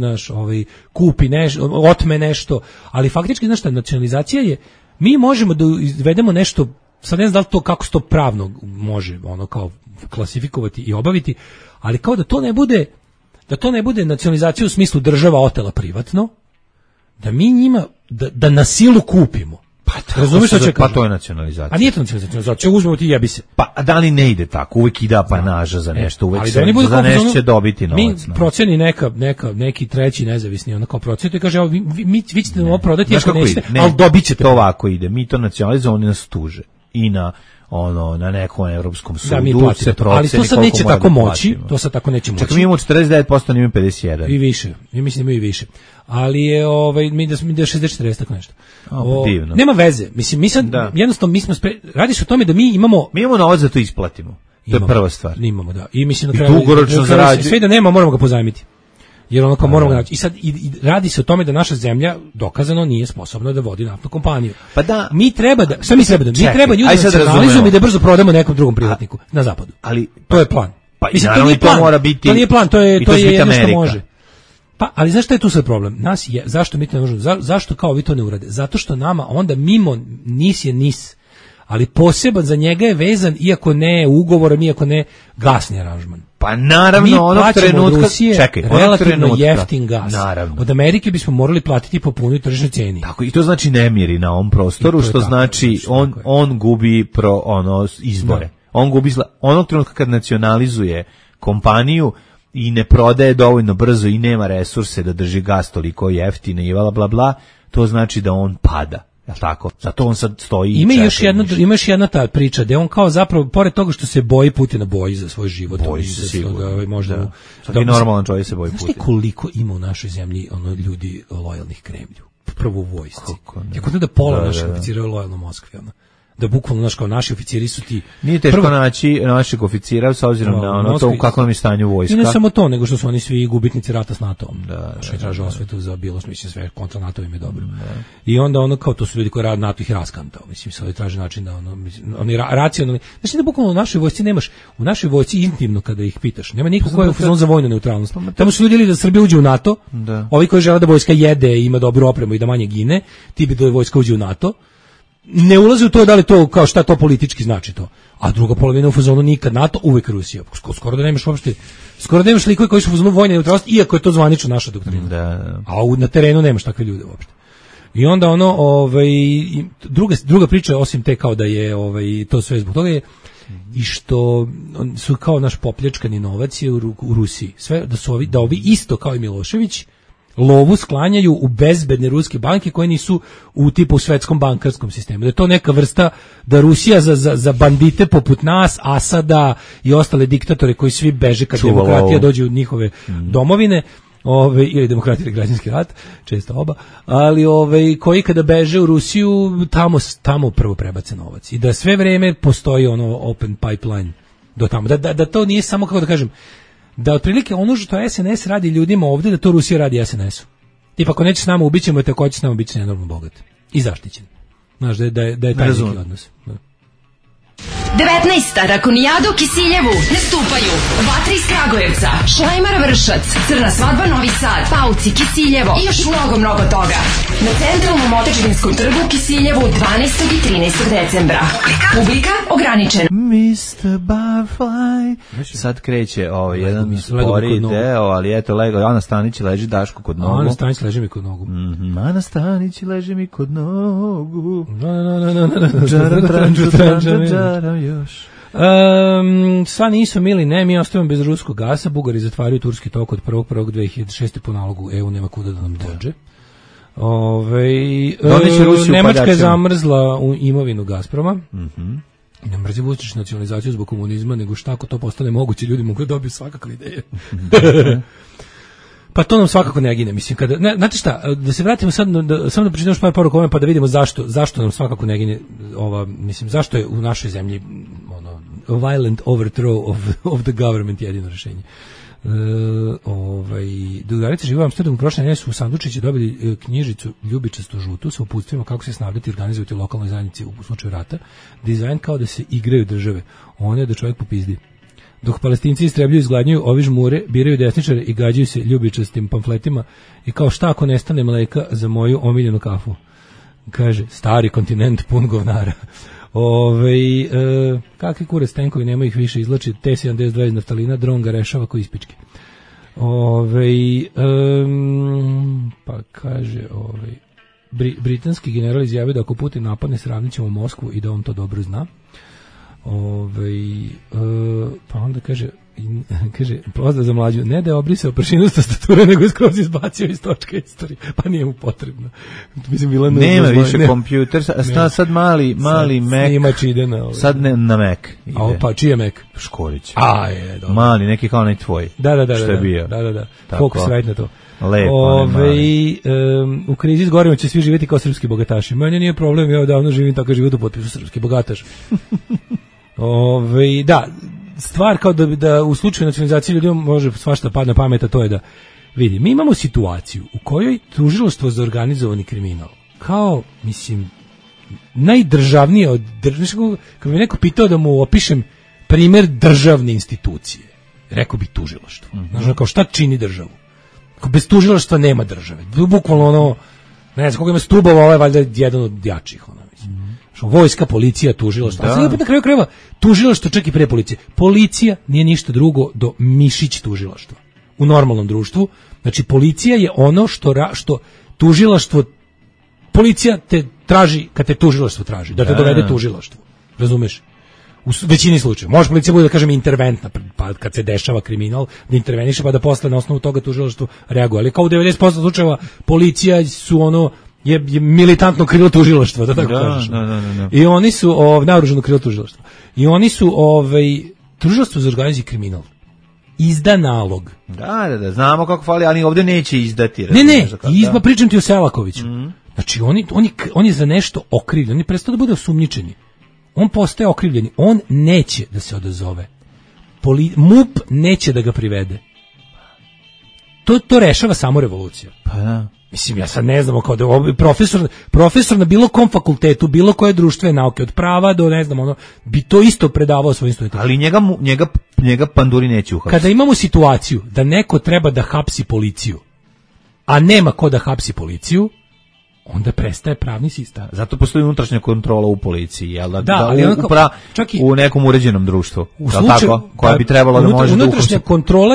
kupi nešto, otme nešto, ali faktički, znaš šta, nacionalizacija je, mi možemo da izvedemo nešto, sad ne znam da li to kako se to pravno može kao klasifikovati i obaviti, ali kao da to ne bude nacionalizacija u smislu država otela privatno, da mi njima, da na silu kupimo. Razumiješ što će kažem? Pa to je nacionalizacija. A nije to nacionalizacija, uzmemo ti jebi se. Pa da li ne ide tako? Uvijek ide apanaža za nešto, uvijek se za nešto će dobiti novac. Mi proceni neki treći nezavisni, ono kao proceni, i kaže, vi ćete nam ovo prodati, ako nećete, ali dobit ćete. To ovako ide, mi to nacionalizujemo, oni nas tuže. I na nekom evropskom sudu se proceni. Ali to sad neće tako moći, to sad tako neće moći. Čak mi imamo 49%, oni imamo 51%. I više, mi mislim da imaju i više. Ali je, mi da 60-40, tako nešto. Divno. Nema veze, mislim, mi sad, jednostavno, radi se o tome da mi imamo novac da to isplatimo. To je prva stvar. Imamo, da. I mislim, dugoročno zarađuje. Sve da nema, moramo ga pozajmiti. Jer ono kao moramo ga naći. I sad radi se o tome da naša zemlja dokazano nije sposobna da vodi naftnu kompaniju. Pa da, mi treba da ljudi nacionalizujemo i da brzo prodamo nekom drugom privatniku na zapadu. Ali to je plan. Pa mislim, to nije plan. Mora biti, to nije plan, to je jedno što može. Pa, ali zašto je tu sad problem? Zašto mi to ne možemo? Zašto kao vi to ne urade? Zato što nama onda mimo NIS je NIS, ali poseban za njega je vezan, iako ne ugovorom, iako ne gasni aranžman. Pa naravno, onog trenutka, čekaj, relativno jeftin gas. Naravno. Od Amerike bismo morali platiti po punoj tržišnoj cijeni. Tako, i to znači nemiri na ovom prostoru, što znači on gubi izbore. On gubi onog trenutka kad nacionalizuje kompaniju i ne prodaje dovoljno brzo i nema resurse da drži gas toliko jeftine i bla bla, to znači da on pada. Jel tako? Zato on sad stoji i čeka. Ima još jedna ta priča da on kao zapravo, pored toga što se boji Putina, boji za svoj život. Boji se sigurno. Možda svaki normalan čovjek se boji Putina. Znaš koliko ima u našoj zemlji ljudi lojalnih Kremlju? Prvo u vojsci. Kako da pola naših oficira je lojalno Moskvi, da bukvalno naši oficiri su ti... Nije teško naći našeg oficira s obzirom na to u kakvom je stanju vojska. I ne samo to, nego što su oni svi gubitnici rata s NATO-om. Što traže osvetu za bilost, mislim, sve kontra NATO im je dobro. I onda kao to su ljudi koji rade NATO ih raskantao. Mislim, sad traže način da oni racionalni... Znači da bukvalno u našoj vojsci nemaš, u našoj vojsci intimno kada ih pitaš, nema niko ko je u fazonu za vojnu neutralnost. Tamo su ljudi da Srbija uđe u NATO, ovi koji žele da vojska jede i ima dobru opremu i da manje gine, ti bi da vojska uđe u NATO. Ne ulazi u to da li to kao šta to politički znači to. A druga polovina u fazonu nikad NATO, uvek Rusija. Skoro da nemaš likove koji su u fazonu vojne neutralnosti, iako je to zvanično naša doktrina. A na terenu nemaš takve ljude uopšte. I onda druga priča osim te kao da je to sve zbog toga je i što su kao naš popljačkani novac je u Rusiji. Sve da ovi isto kao i Milošević lovu sklanjaju u bezbedne ruske banke koje nisu u tipu svetskom bankarskom sistemu. Da je to neka vrsta da Rusija za bandite poput nas, Asada i ostale diktatore koji svi beže kad demokratija dođe u njihove domovine, ili demokratija ili građanski rat, često oba, ali koji kada beže u Rusiju, tamo prvo prebace novac. I da sve vreme postoji open pipeline do tamo. Da to nije samo, kako da kažem, da otprilike ono što SNS radi ljudima ovdje, da to Rusija radi SNS-u. Tipa, ako neće s nama ubićemo, i tako će s nama biti nenormalno bogat. I zaštićen. Znaš, da je taj neki odnos. 19. Rakonijada u Kisiljevu nastupaju Vatra iz Kragujevca, Šlajmar Vršac, Crna svadba Novi Sad, Pauci Kisiljevo i još mnogo toga. Na centralnom Otečevinskom trgu u Kisiljevu 12. i 13. decembra. Publika ograničena. Mr. Barfly. Sad kreće jedan spori deo, ali eto, Ana Stanić leži Daško kod nogu. Ana Stanić leži mi kod nogu. Ana Stanić leži mi kod nogu. Još. Sva nisu mili, ne, mi ostavimo bez ruskog gasa, Bugari zatvaraju turski tok od 1.1.2006. po nalogu EU, nema kuda da nam dođe. Nemačka je zamrzla u imovinu Gazproma. Ne mrzi Vučić nacionalizaciju zbog komunizma, nego šta ako to postane moguće, ljudi mogu dobiti svakakve ideje. Pa to nam svakako ne gine, mislim, znate šta, da se vratimo samo da pročitamo par poruka ovome pa da vidimo zašto nam svakako ne gine mislim, zašto je u našoj zemlji violent overthrow of the government jedino rješenje. Drugarice žive u Amsterdamu, prošle nedelje su u sandučići dobili knjižicu ljubičastu žutu sa uputstvima kako se snabdeti i organizovati u lokalnoj zajednici u slučaju rata. Dizajn kao da se igraju države. On je da čovjek popizdi. Dok Palestinci istrebljuju, izgladnjuju ovi žmure, biraju desničare i gađaju se ljubičastim pamfletima i kao šta ako nestane mleka za moju omiljenu kafu. Kaže, stari kontinent pun govnara. Kakvi kurac tenkovi, nema ih više, izlači T-72 iz naftalina, dron ga rešava ko ispičke. Pa kaže, britanski general izjavio da ako Putin napadne, sravnit ćemo Moskvu i da on to dobro zna. Pa onda kaže, pozdrav za mlađu, ne da je obrisao pršinu sa stature, nego je skroz izbacio iz točka istorije, pa nije mu potrebno. Mislim, bila nema više kompjuter, sad mali Mac, snimač ide na sad na Mac ide. A pa čiji je Mac? Škorić. Dobro. Mali, neki kao onaj tvoj. Da. Što je bio. Da. Fokus right na to. Lepo. U krizi s gorima će svi živjeti kao srpski bogataši. Meni nije problem, ja odavno živim tako život u potpisu srpski bogataš. Da, stvar kao da u slučaju nacionalizacije ljudima može svašta padne na pamet, a to je da vidi, mi imamo situaciju u kojoj tužilaštvo za organizovani kriminal kao, mislim, najdržavnije od kad bi neko pitao da mu opišem primjer državne institucije, rekao bi tužilaštvo. Znači, kao šta čini državu? Bez tužilaštva nema države. Bukvalno ono, ne znam koga ima stubova, ovo je valjda jedan od jačih, ono, mislim. Vojska, policija, tužilaštvo. A sad na kraju krajeva tužilaštvo čak i pre policije. Policija nije ništa drugo do mišić tužilaštva. U normalnom društvu, znači policija je ono što tužilaštvo, policija te traži kad te tužilaštvo traži, da te dovede tužilaštvo. Razumeš? U većini slučajeva. Može policija bude, da kažem, interventna, pa kad se dešava kriminal, da interveniše, pa da posle na osnovu toga tužilaštvo reaguje. Ali kao u 90% slučajeva policija su ono, je militantno krilo tužilaštva, da tako kažeš. Da. I oni su naoružano krilo tužilaštva. I oni su tužilaštvo za organizirani kriminal izda nalog. Da, znamo kako fali, ali ovdje neće izdati. Ne, pričam ti o Selakoviću. Znači, on je za nešto okrivljen, on je prestao da bude osumnjičeni. On postaje okrivljeni, on neće da se odazove. MUP neće da ga privede. To rešava samo revolucija. Pa da. Mislim, ja sad ne znamo kao da profesor na bilo kom fakultetu, bilo koje društvene nauke, od prava do ne znam, ono, bi to isto predavao svojim studentima. Ali njega panduri neće uhapsiti. Kada imamo situaciju da neko treba da hapsi policiju, a nema ko da hapsi policiju, onda prestaje pravni sistem. Zato postoji unutrašnja kontrola u policiji, jel da čak i u nekom uređenom društvu. Tako, koja bi trebala da može da uhapsi.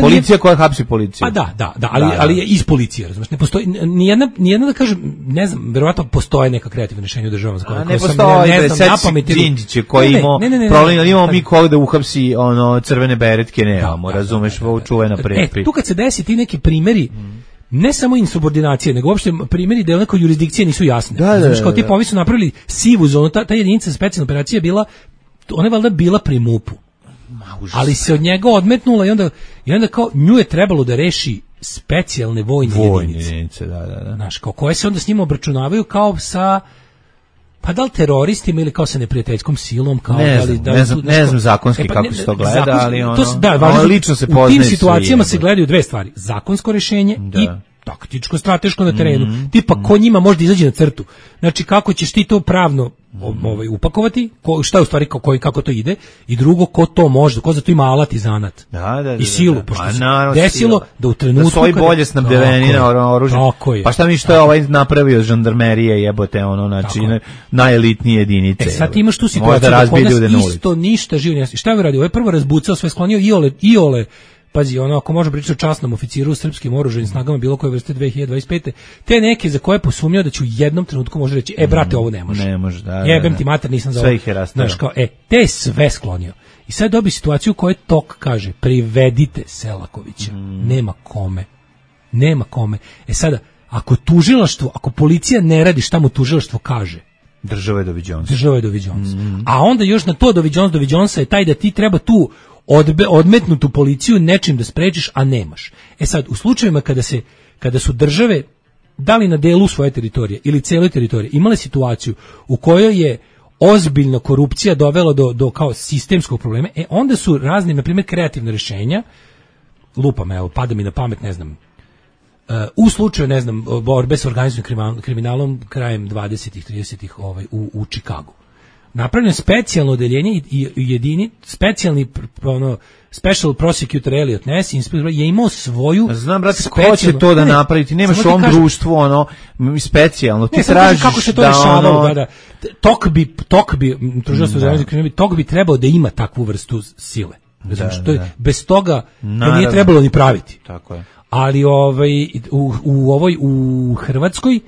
Policija koja hapsi policiju. Pa da, ali je iz policije, razumiješ, ne postoji nijedna da kažem, ne znam, verovatno postoje neka kreativna rješenja u državama za koje ne postoji, ne znam, napameti Đinđiće koji imao problem, imamo mi koga da uhapsi ono crvene beretke, nemamo, razumeš, čuvena prepi. Tu kad se desi ti neki primjeri, ne samo insubordinacije, nego uopšte primjeri da neke jurisdikcije nisu jasne. Znači, kao tipa, ovi su napravili sivu zonu, ta jedinica specijalne operacije bila, ona je valjda bila pri MUP-u. Ali se od njega odmetnula i onda kao nju je trebalo da reši specijalne vojne jedinice. Da. Znaš, kao koje se onda s njima obračunavaju kao sa, pa da li teroristima ili kao sa neprijateljskom silom, kao ne znam zakonski kako se to gleda, ali ono lično se poznaje. U tim situacijama se gledaju dve stvari: zakonsko rješenje i taktičko, strateško na terenu. Tipa ko njima može da izađe na crtu. Znači kako ćeš ti to pravno upakovati, šta je u stvari kako to ide, i drugo ko to može, ko za to ima alat i zanat. I silu, pošto se desilo da u trenutku da svoji bolje snabdeveni na oružje. Pa šta mi što je ovaj napravio žandarmerije, jebote, ono, znači najelitnije jedinice. Sad ti imaš tu situaciju da kod nas isto ništa živo ne. Šta je uradio? Ovo je prvo razbucao, sve sklonio iole. Pazi, ono, ako možemo pričati o časnom oficiru u srpskim oružanim snagama bilo koje vrste 2025. Te neke za koje posumnjao da će u jednom trenutku može reći, brate, ovo ne može. Ne može, da. Jebem ti mater, nisam za ovo. Sve ih je rastavio. Znaš, kao, te je sve sklonio. I sad dobi situaciju u kojoj Tok kaže, privedite Selakovića. Nema kome. Sada, ako policija ne radi šta mu tužilaštvo kaže, država je Dovi Jones. A onda još na to Dovi Jonesa je taj da ti treba tu odmetnutu policiju nečim da sprečiš, a nemaš. Sad, u slučajevima kada su države, da li na delu svoje teritorije ili cijeloj teritoriji, imale situaciju u kojoj je ozbiljna korupcija dovela do kao sistemskog problema, onda su razne, na primjer, kreativne rješenja lupam, evo, pada mi na pamet, ne znam, u slučaju, ne znam, borbe s organizovanim kriminalom krajem 20-ih, 30-ih u Čikagu. Napravljeno je specijalno odeljenje i specijalni special prosecutor Elliot Ness je imao svoju. Znam, brate, ko će to da napraviti? Nemaš u ovom društvu specijalno. Ti tražiš kako se to rešavalo, da. Tok bi trebao da ima takvu vrstu sile. Bez toga to nije trebalo ni praviti. Tako je. Ali u Hrvatskoj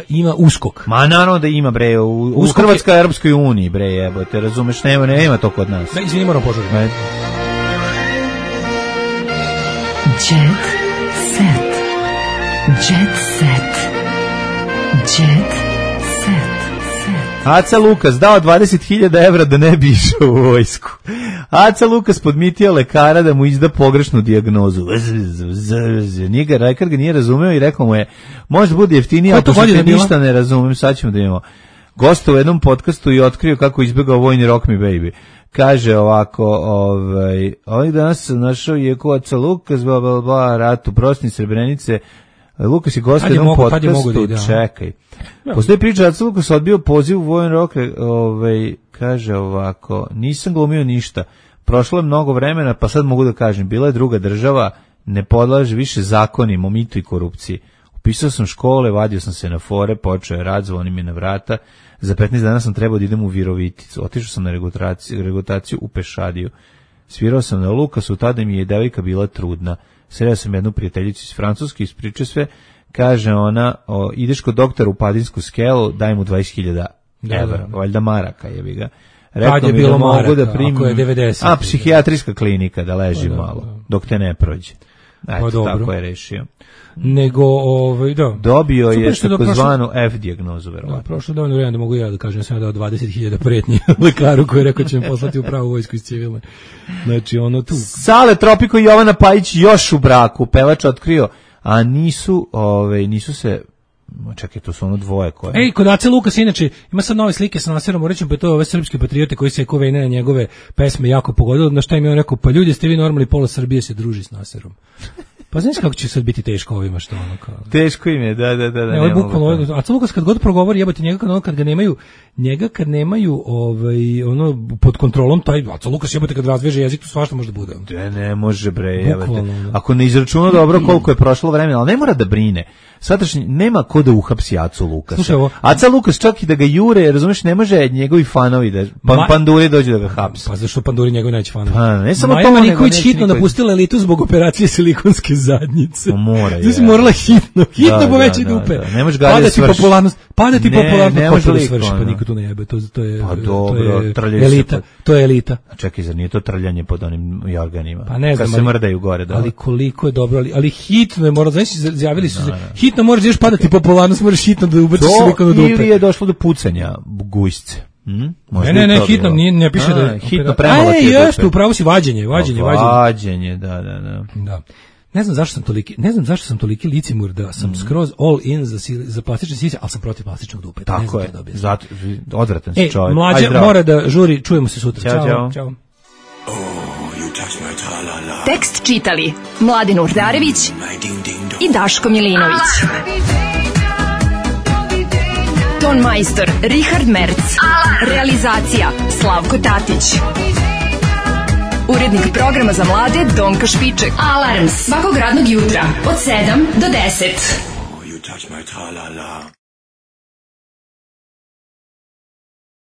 ima USKOK. Ma naravno da ima, bre, u Hrvatskoj Europskoj uniji, bre, jebote, razumeš, nema to kod nas. Da, izvini, moram požuriti. Jet set. Jet set. Jet set. Aca Lukas dao 20.000 evra da ne bi išao u vojsku. Aca Lukas podmitio lekara da mu izda pogrešnu dijagnozu. Lekar ga nije razumeo i rekao mu je, možda bude jeftinije, ako što ništa ne razumem, sad ćemo da imamo. Gosta u jednom podcastu i otkrio kako izbjegao vojni Rock Me Baby. Kaže ovako, ovih danas sam našao jeku Aca Lukas, rat u Prosni Srebrenice. Lukas je gost u jednom podcastu, čekaj. Postoji priča, Aca Lukas odbio poziv u vojni Rock, kaže ovako, nisam glumio ništa, prošlo je mnogo vremena, pa sad mogu da kažem, bila je druga država, ne podlaže više zakonima o mitu i korupciji. Upisao sam škole, vadio sam se na fore, počeo je rad, zvoni mi na vrata, za 15 dana sam trebao da idem u Viroviticu, otišao sam na regrutaciju u Pešadiju, svirao sam na Lukasu, tada mi je devojka bila trudna, sreo sam jednu prijateljicu iz Francuske, ispričao sve, kaže ona, ideš kod doktora u Padinsku skelu, daj mu 20.000 evra, valjda maraka jebi ga. Rekao mi da mogu da primim, ako je 90. Psihijatrijska klinika da leži malo, dok te ne prođe. Eto, tako je rešio. Nego, da. Dobio je takozvanu F dijagnozu, verovatno. Da, prošlo dovoljno vremena da mogu ja da kažem, sam ja dao 20.000 pretnji lekaru koji je rekao će me poslati u pravu vojsku iz civilne. Znači, ono tu. Sale Tropiko i Jovana Pajić još u braku, pevač otkrio, a nisu se. Čekaj, to su ono dvoje koje. Ej, kod Ace Lukas inače ima sad nove slike sa Naserom Orićem, pa to je ove srpski patriote koji se Kovejne na njegove pesme jako pogodilo, na šta im je on rekao, pa ljudi ste vi normalni, pola Srbije se druži s Naserom. Pa znaš kako će sad biti teško ovima što ono kao. Teško im je, da. Ne, ovo je bukvalno, Aca Lukas kad god progovori, jebote njega kad nemaju ono pod kontrolom, taj Aca Lukas jebote kad razveže jezik, to svašta može da bude. Ne može bre, jebote. Ako ne izračuna dobro koliko je prošlo vremena, ali ne mora da brine. Sadašnji nema ko da uhapsi Acu Lukasa. Aca Lukas čak i da ga jure, razumeš, ne može njegovi fanovi da Panduri dođe da ga hapse. Pa zašto Panduri njegovi neće fanovi? Pa ne samo Maja Marinković hitno napustila elitu zbog operacije silikonske zadnjice. Mora je. Znači morala hitno poveći dupe. Ne može ga padati popularnost, kako da svrši, pa niko tu ne jebe. To je elita. To je elita. A čekaj, zar nije to trljanje pod onim jorganima? Pa ne znam, kad se mrdaju gore, da. Ali koliko je dobro, ali hitno je moralo, znači izjavili su se, hitno moraš još padati popularnost, moraš hitno da ubaciš silikon u dupe. Ili je došlo do pucanja gujsce. Ne, hitno, ne piše da je hitno premalo ti je. Jeste, upravo si vađenje, da. Ne znam zašto sam toliki licimur da sam skroz all in za plastične sise, ali sam protiv plastičnog dupe. Tako je, zato odvratan si čovjek. Mlađa mora da žuri, čujemo se sutra. Ćao. Tekst čitali Mladin Urdarević i Daško Milinović. Ton majstor Richard Merc. Realizacija Slavko Tatić. Urednik programa za mlade Donka Špiček. Alarms svakog radnog jutra od 7 do 10.